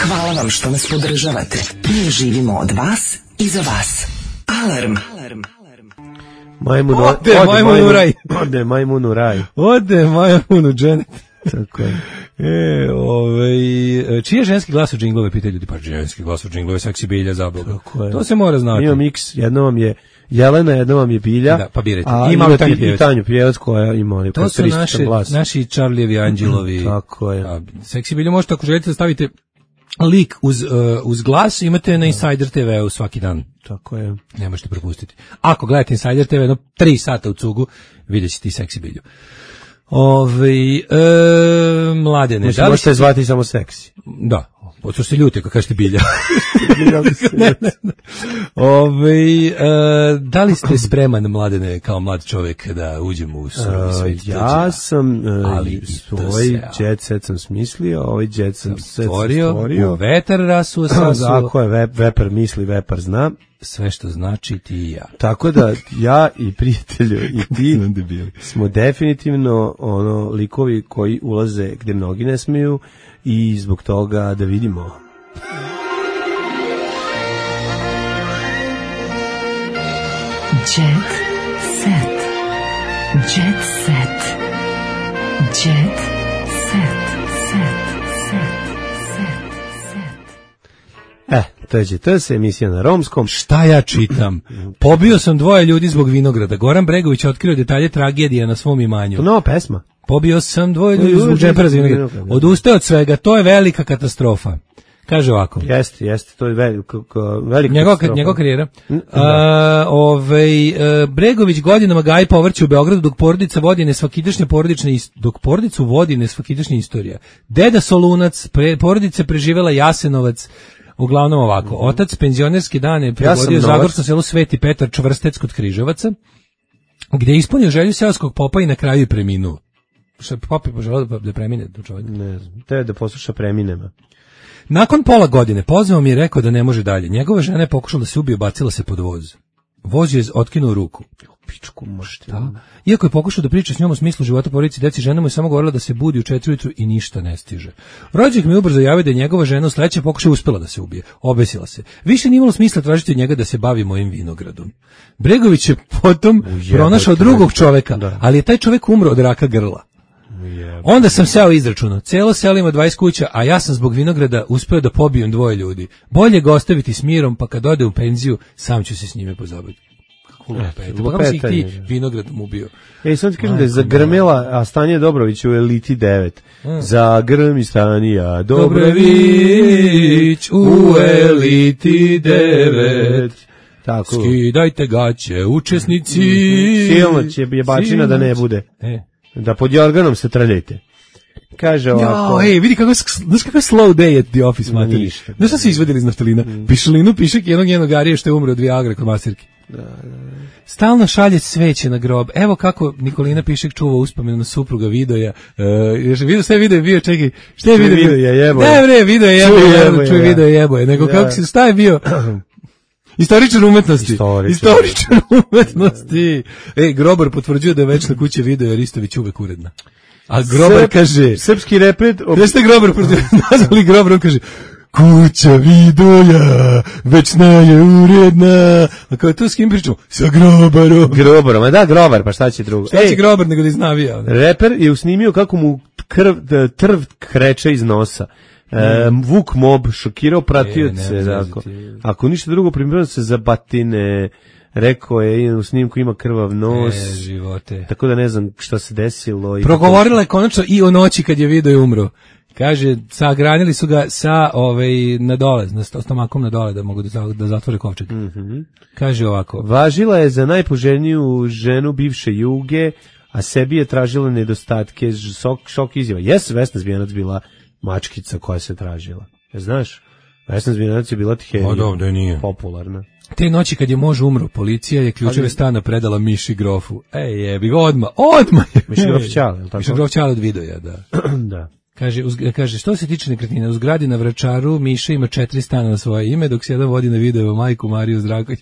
Hvala vam što nas podržavate. Mi živimo od vas i za vas. Alarm. Ode majmun u raj. Ode majmun u raj. Ode majmun u dženet. Tako je. Čiji je ženski glas u džinglove, pitaju ljudi, pa ženski glas u džinglove, seksi Bilja, zabloga. To se mora znati. Ima miks, jedno vam je Jelena, jedno vam je Bilja. Da, pa birajte. I Tanju Pjevac koja ima to su naši Charlijevi anđelovi. Tako je. Seksi Bilja možete, ako želite da stavite lik uz glas, imate na Insider TV-u svaki dan. Tako je. Ne možete propustiti. Ako gledate Insider TV 3 sata u cugu, vidjet ćete i seksi Bilju. Mladene. Možete zvati samo seksi. Da. Oto se ljuti, kako kažete Bilja. Da li ste spreman, Mladene, kao mlad čovjek, da uđemo u svijet? Ja sam svoj jet set sam smislio, ovaj jet sam stvorio. U vetar rasuo sasuo. Ako je vepar misli, vepar zna. Sve što znači ti i ja. Tako da ja i prijatelju i ti smo definitivno likovi koji ulaze gdje mnogi ne smiju i zbog toga da vidimo. Jet set. Jet set. Jet set. To je emisija na romskom. Šta ja čitam? Pobio sam 2 ljudi zbog vinograda. Goran Bregović otkrio detalje tragedije na svom imanju. To nova pesma. Pobio sam 2 ljudi zbog džempera za vinograd. Odustao od svega, to je velika katastrofa. Kaže ovako. Jeste, to je velika katastrofa. Njegova karijera. Bregović godinama gaji povrće u Beogradu dok porodica vodi nesvakidašnja istorija. Deda Solunac, porodica preživela Jasenovac. Uglavnom ovako, otac penzionerske dane prevodio u zagorskom selu Sveti Petar Čvrstec kod Križevaca, gdje je ispunio želju seoskog popa i na kraju je preminuo. Što je pop je poželao da premine do čovjeka? Ne znam, te da posluša preminema. Nakon pola godine pozvao mi je rekao da ne može dalje. Njegova žena je pokušala da se ubije, bacila se pod voz. Voz je otkinuo ruku. Pičku možete. Iako je pokušao da priča s njom u smislu života, porodici, deci, žena mu je samo govorila da se budi u 4 ujutru i ništa ne stiže. Rođak mi ubrzo javio da je njegova žena u sledećem pokušaju uspela da se ubije. Obesila se. Više nije imalo smisla tražiti od njega da se bavi mojim vinogradom. Bregović je potom pronašao drugog čoveka, ali je taj čovek umro od raka grla. Onda sam seo izračunao. Celo selo ima 20 kuća, a ja sam zbog vinograda uspeo da pobijem 2 ljudi. Bolje ga ostaviti s mirom, pa kad ode u penziju, sam ću se s njime pozabaviti. Kako si ih ti vinogradom ubio? Sad ti kažem da je zagrmela, a Stanija Dobrović u Eliti 9. Zagrmi Stanija Dobrović u Eliti 9. Tako. Skidajte gaće, učesnici. Silno će jebačina da ne bude. Da pod jorganom se trljajte. Kaže ovako. Ej, vidi kako slow day at the office, materi. Znaš šta se izvadili iz naftalina? Pišlinu, pišek jednog njenog što je umro od Viagra kod masirke. Stalno šalje sveće na grob. Evo kako Nikolina Pišek čuva uspomenu na supruga Vidoja. Sve video je bio, čekaj, šta je video? Ne bre, video je jeboje, čuj video je jeboje, nego kako se, šta je bio? Istoričar umetnosti. Istoričar umetnosti. Grobar potvrđuje da je večna kuća Vidoja Ristović uvek uredna. A Grobar kaže... Srpski repred... Gde ste Grobar nazvali Grobar, on kaže... Kuća Vidoja, večna je uredna. A kao to s kim pričamo? Sa Grobarom. Grobarom, a da, Grobar, pa šta će drugo? Šta će Grobar nego da iznavija? Reper je usnimio kako mu trv kreće iz nosa. Vuk Mob šokirao pratioce. Ako ništa drugo, primjerno se za batine. Rekao je, u snimku ima krvav nos. Živote. Tako da ne znam šta se desilo. Progovorila je konačno i o noći kad je Vidoje umro. Kaže, sagranili su ga sa na dole, na stomakom na dole da mogu da zatvore kovčeg. Kaže ovako. Važila je za najpoželjniju ženu bivše Juge, a sebi je tražila nedostatke, šok izjava. Jes, Vesna Zmijanac bila mačkica koja se tražila. Znaš, Vesna Zmijanac je bila popularna. Te noći kad je muž umro, policija je ključeve stana predala Miši Grofu. Jebi ga, odmah je. Miši Grof Ćale, je li tako? Miši Grof Ćale od Vidoja, da. Da. Kaže, što se tiče nekretnina, u zgradi na Vračaru Miša ima 4 stana na svoje ime, dok se jedan vodi na video majku Mariju Zdravković.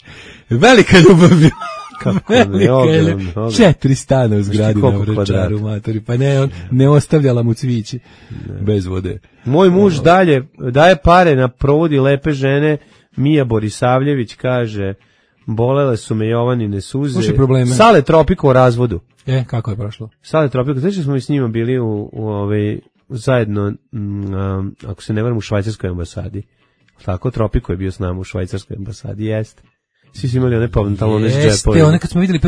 Velika ljubav bila. Velika 4 stana u zgradi na Vračaru, matori. Pa ne, on ne ostavljala mu cvići bez vode. Moj muž daje pare na provodi lepe žene. Mija Borisavljević kaže, bolele su me Jovanine suze. Sale Tropiko u razvodu. Kako je prošlo? Sale Tropiko, znači smo mi s njima bili zajedno, ako se ne varam, u švajcarskoj ambasadi. Tako, Tropiko je bio s nama u švajcarskoj ambasadi, jeste. Svi su imali one pantalone s džepovima. Jeste, one kad smo vidjeli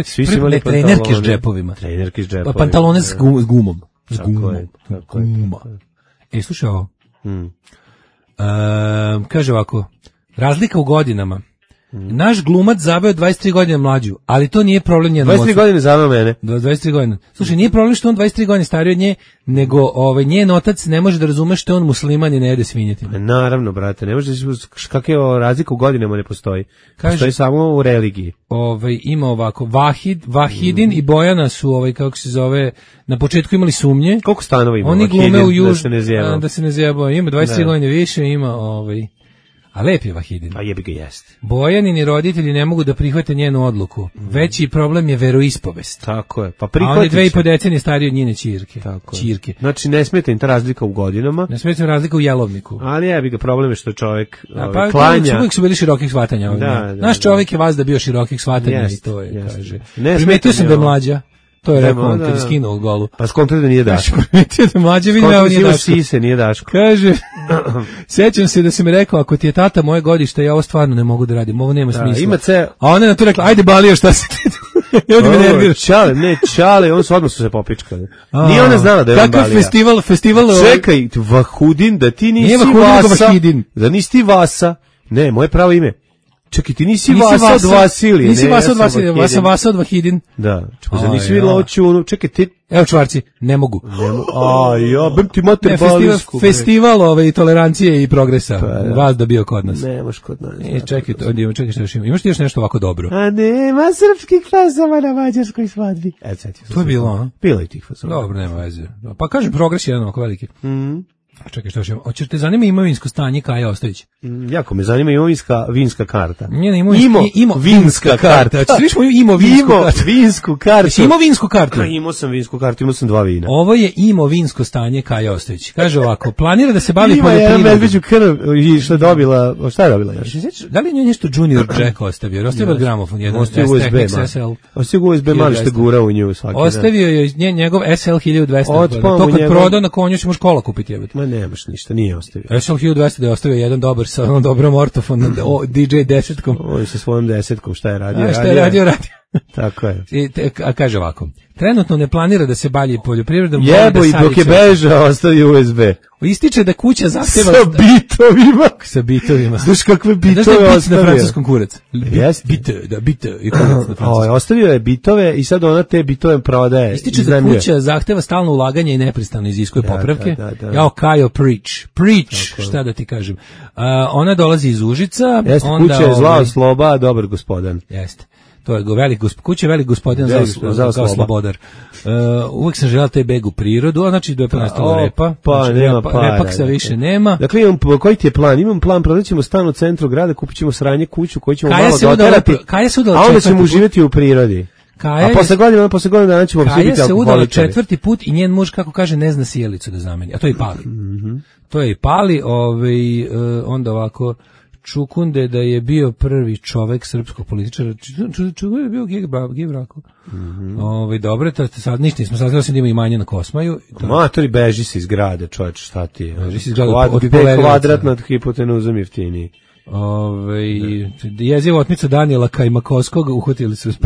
trenerke s džepovima. Trenerke s džepovima. Pantalone s gumom. Guma. Slušaj ovo. Kaže ovako, razlika u godinama. Naš glumac zaveo 23 godine mlađu, ali to nije problem njenom ocu. 23 godine zaveo mene. 23 godine. Slušaj, nije problem što on 23 godine stariji od nje, nego njen otac ne može da razume što je on musliman i ne jede svinjetinu. Naravno, brate, ne može da kakve razlika u godinama ne postoji. Postoji samo u religiji. Ima ovako, Vahidin i Bojana su, kako se zove, na početku imali sumnje. Koliko stanova ima? Oni glume u da se ne zjebao. Ima 23 godine više, ima a lep je Vahidin. A jebi ga jeste. Bojanini roditelji ne mogu da prihvate njenu odluku. Veći problem je veroispovest. Tako je. Pa a on je 2,5 decenije stariji od njene ćirke. Tako je. Znači ne smeta im ta razlika u godinama. Ne smeta im razlika u jelovniku. Ali jebi ga, problem je što čovjek klanja. Uvijek su bili širokih shvatanja. Naš čovjek je vazda bio širokih shvatanja i to je, kaže. Primetio sam da je mlađa. To je rekao on kad je skinuo golu. Pa skontrio da nije Daško. Primetio da mlađe vidio da nije Daško. Sise, nije Daško. Kaže, sećam se da si mi rekao, ako ti je tata moje godište, ja ovo stvarno ne mogu da radim, ovo nema smisla. A ona je na to rekla, ajde Balio, šta si ti? Čale, on su odmah se popičkali. Nije ona znala da je on Balija. Kakav festival... Čekaj, Vahudin, da ti nisi Vasa. Da nisi ti Vasa. Ne, moje pravo ime. Čekaj, ti nisi Vasa od Vasilije. Nisi Vasa od Vasilije, Vasa od Vahidin. Da, čekaj, nisi vidjela očunu. Čekaj, ti... Evo čvarci, ne mogu. Bem ti mater Balijsku. Festival tolerancije i progresa. Vas da bio kod nas. Nemaš kod nas. Čekaj što još ima. Imaš ti još nešto ovako dobro? A nema srpskih fazova na mađarskoj svadbi. To je bilo, a? Bilo i tih fazova. Dobro, nema veze. Pa kažem, progres je jedan ovako veliki. Čekaj, što još imamo? Hoćeš te zanima imovinsko stanje Kaja Ostojić? Jako me zanima vinska karta. Vinska karta. Hoćeš vinsku kartu? Imao vinsku kartu? Imao sam vinsku kartu, imao sam 2 vina. Ovo je imovinsko stanje Kaja Ostojić. Kaže ovako, planira da se bavi poljoprivredom. Ima jedan medveđu krv i šta je dobila još? Da li je nešto Junior Jack ostavio? Ostavio gramofon, jedan STX Ostavio USB mali što gura u nju svaki dan. Ostavio je njegov SL 1200. To kad prodao na konju ćemo škola kupiti. Nemaš ništa, nije ostavio. SL 1200 da je ostavio jedan dobar sa onom dobrom ortofonom DJ 10-kom. On sa svojom 10-kom šta je radio? Šta je radio? Tako je. A kaže ovako, trenutno ne planira da se bavi poljoprivredom. Jebo i dok je bežao, ostavi USB. Ističe da kuća zahteva... Sa bitovima. Znaš kakve bitove ostavio? Znaš da je bit na francuskom kurac? Bite. Ostavio je bitove i sad ona te bitove prodaje. Ističe da kuća zahteva stalno ulaganje i neprestano iziskuje popravke. Jao, Kajo, preach, šta da ti kažem. Ona dolazi iz Užica. Jeste, kuća je zlao sloba, dobar gospodan. Jeste. To je kuća je velik gospodin kao slobodar. Uvijek sam želeo taj beg u prirodu, znači da je ponestalo repa. Nema para. Repak se više nema. Dakle, koji ti je plan? Imam plan, prodat ćemo stan u centru grada, kupit ćemo sranje kuću koju ćemo malo doterati, a onda ćemo živjeti u prirodi. A posle godine dana ćemo svi biti alkoholičari. Kaja se udala 4. put i njen muž, kako kaže, ne zna sjelicu da zameni. A to je i pali. To je i pali, onda ovako... Čukunde da je bio prvi čovek srpskog političara. Čukunde je bio gej brako. Dobro, sad ništa nismo saznali da ima imanje na Kosmaju. Matori, beži se iz grade, čovječ, šta ti je? Beži se iz grade od kvadrat nad hipotenuzom jeftiniji. Jeziva otmica Danijela Kajmakovskog uhvatili su za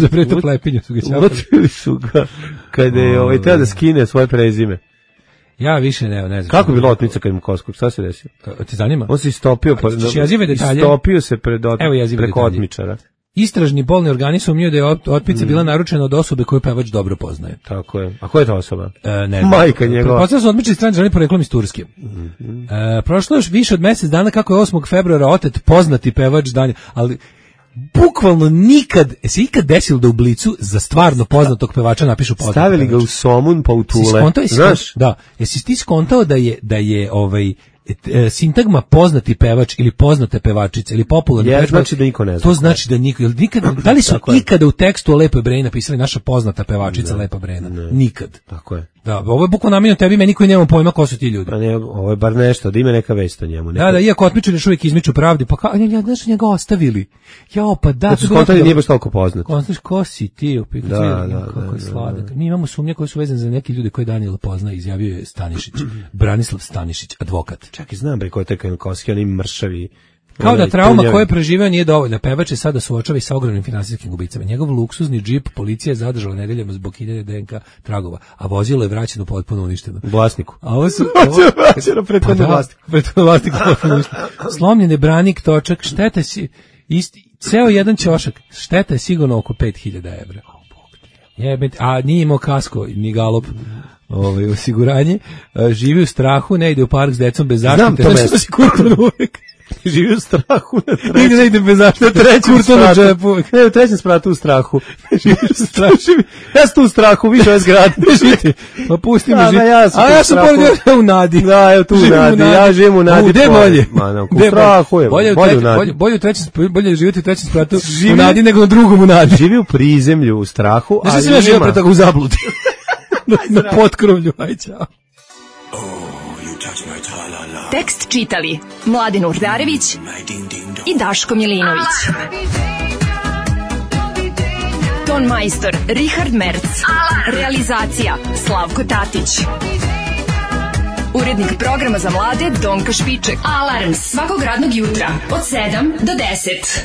preto plepinju. Uhvatili su ga kada je teo da skine svoje prezime. Ja više ne znam. Kako je bilo otmica Kajmakovskog? Šta se desilo? Ti zanima? On se istopio preko otmičara. Istražni bolni organi sumnjaju da je otmica bila naručena od osobe koju pevač dobro poznaje. Tako je. A ko je ta osoba? Ne znam. Majka njegova. Pretpostavljam su otmičari strani državni poreklom iz Turske. Prošlo još više od mjesec dana kako je 8. februara otet poznati pevač Danijel, ali bukvalno nikad, se ikad desilo da u Blicu za stvarno poznatog pevača napišu poznati pevač. Stavili ga u Somun pa u Tule. Znaš? Da. Jesi ti skontao da je sintagma poznati pevač ili poznate pevačice ili popularni pevač, znači da niko ne zna. To znači da niko, da li su ikada u tekstu o Lepoj Breni napisali naša poznata pevačica Lepa Brena? Nikad. Tako je. Da, ovo je bukvalno namenjeno tebi, meni koji nemamo pojma ko su ti ljudi. Pa ne, ovo je bar nešto, da ima neka vest o njemu. Da, iako otmičari još uvijek izmiču pravdi, pa znaš, njega ostavili. Jao, pa da. Su skontali nije baš toliko poznat. Znaš, ko si ti? Kako je sladak. Mi imamo sumnje koje su vezane za neke ljude koje Danijela pozna, izjavio je Stanišić, Branislav Stanišić, advokat. Čak i znam bre ko je taj Kajmakovski, oni mršavi. Kao da trauma koje je preživeo nije dovoljna. Pevač je sada suočava i sa ogromnim finansijskim gubicama. Njegov luksuzni džip policija je zadržala nedeljama zbog 1000 DNK tragova, a vozilo je vraćeno potpuno uništeno. Vlasniku. A ovo su prethodno vlasniku. Slomljen je branik, točak, šteta si ceo jedan ćošak, šteta je sigurno oko 5000 evra. A nije imao kasko ni galop. Osiguranje, živi u strahu, ne ide u park s decom bez zaštite. Znam to mesto. Živi u strahu na trećem. Nigde ne ide bez zaštite. U trećem spratu u strahu. Živi u strahu. Ja sam tu u strahu, više ove zgrade. Pa pusti me živiti. Ja sam pored u nadi. Da, evo tu u nadi. Ja živim u nadi. Gde bolje? U strahu je. Bolje živjeti u trećem spratu u nadi nego na drugom u nadi. Živi u prizemlju u strahu. Znaš da sam ja živio pre toga u zabludi. Na potkrovlju. Aj, čao. Tekst čitali Mladin Urdarević i Daško Milinović. Ton majstor Richard Merc. Realizacija Slavko Tatić. Urednik programa za mlade Donka Špiček. Alarms svakog radnog jutra od 7 do 10.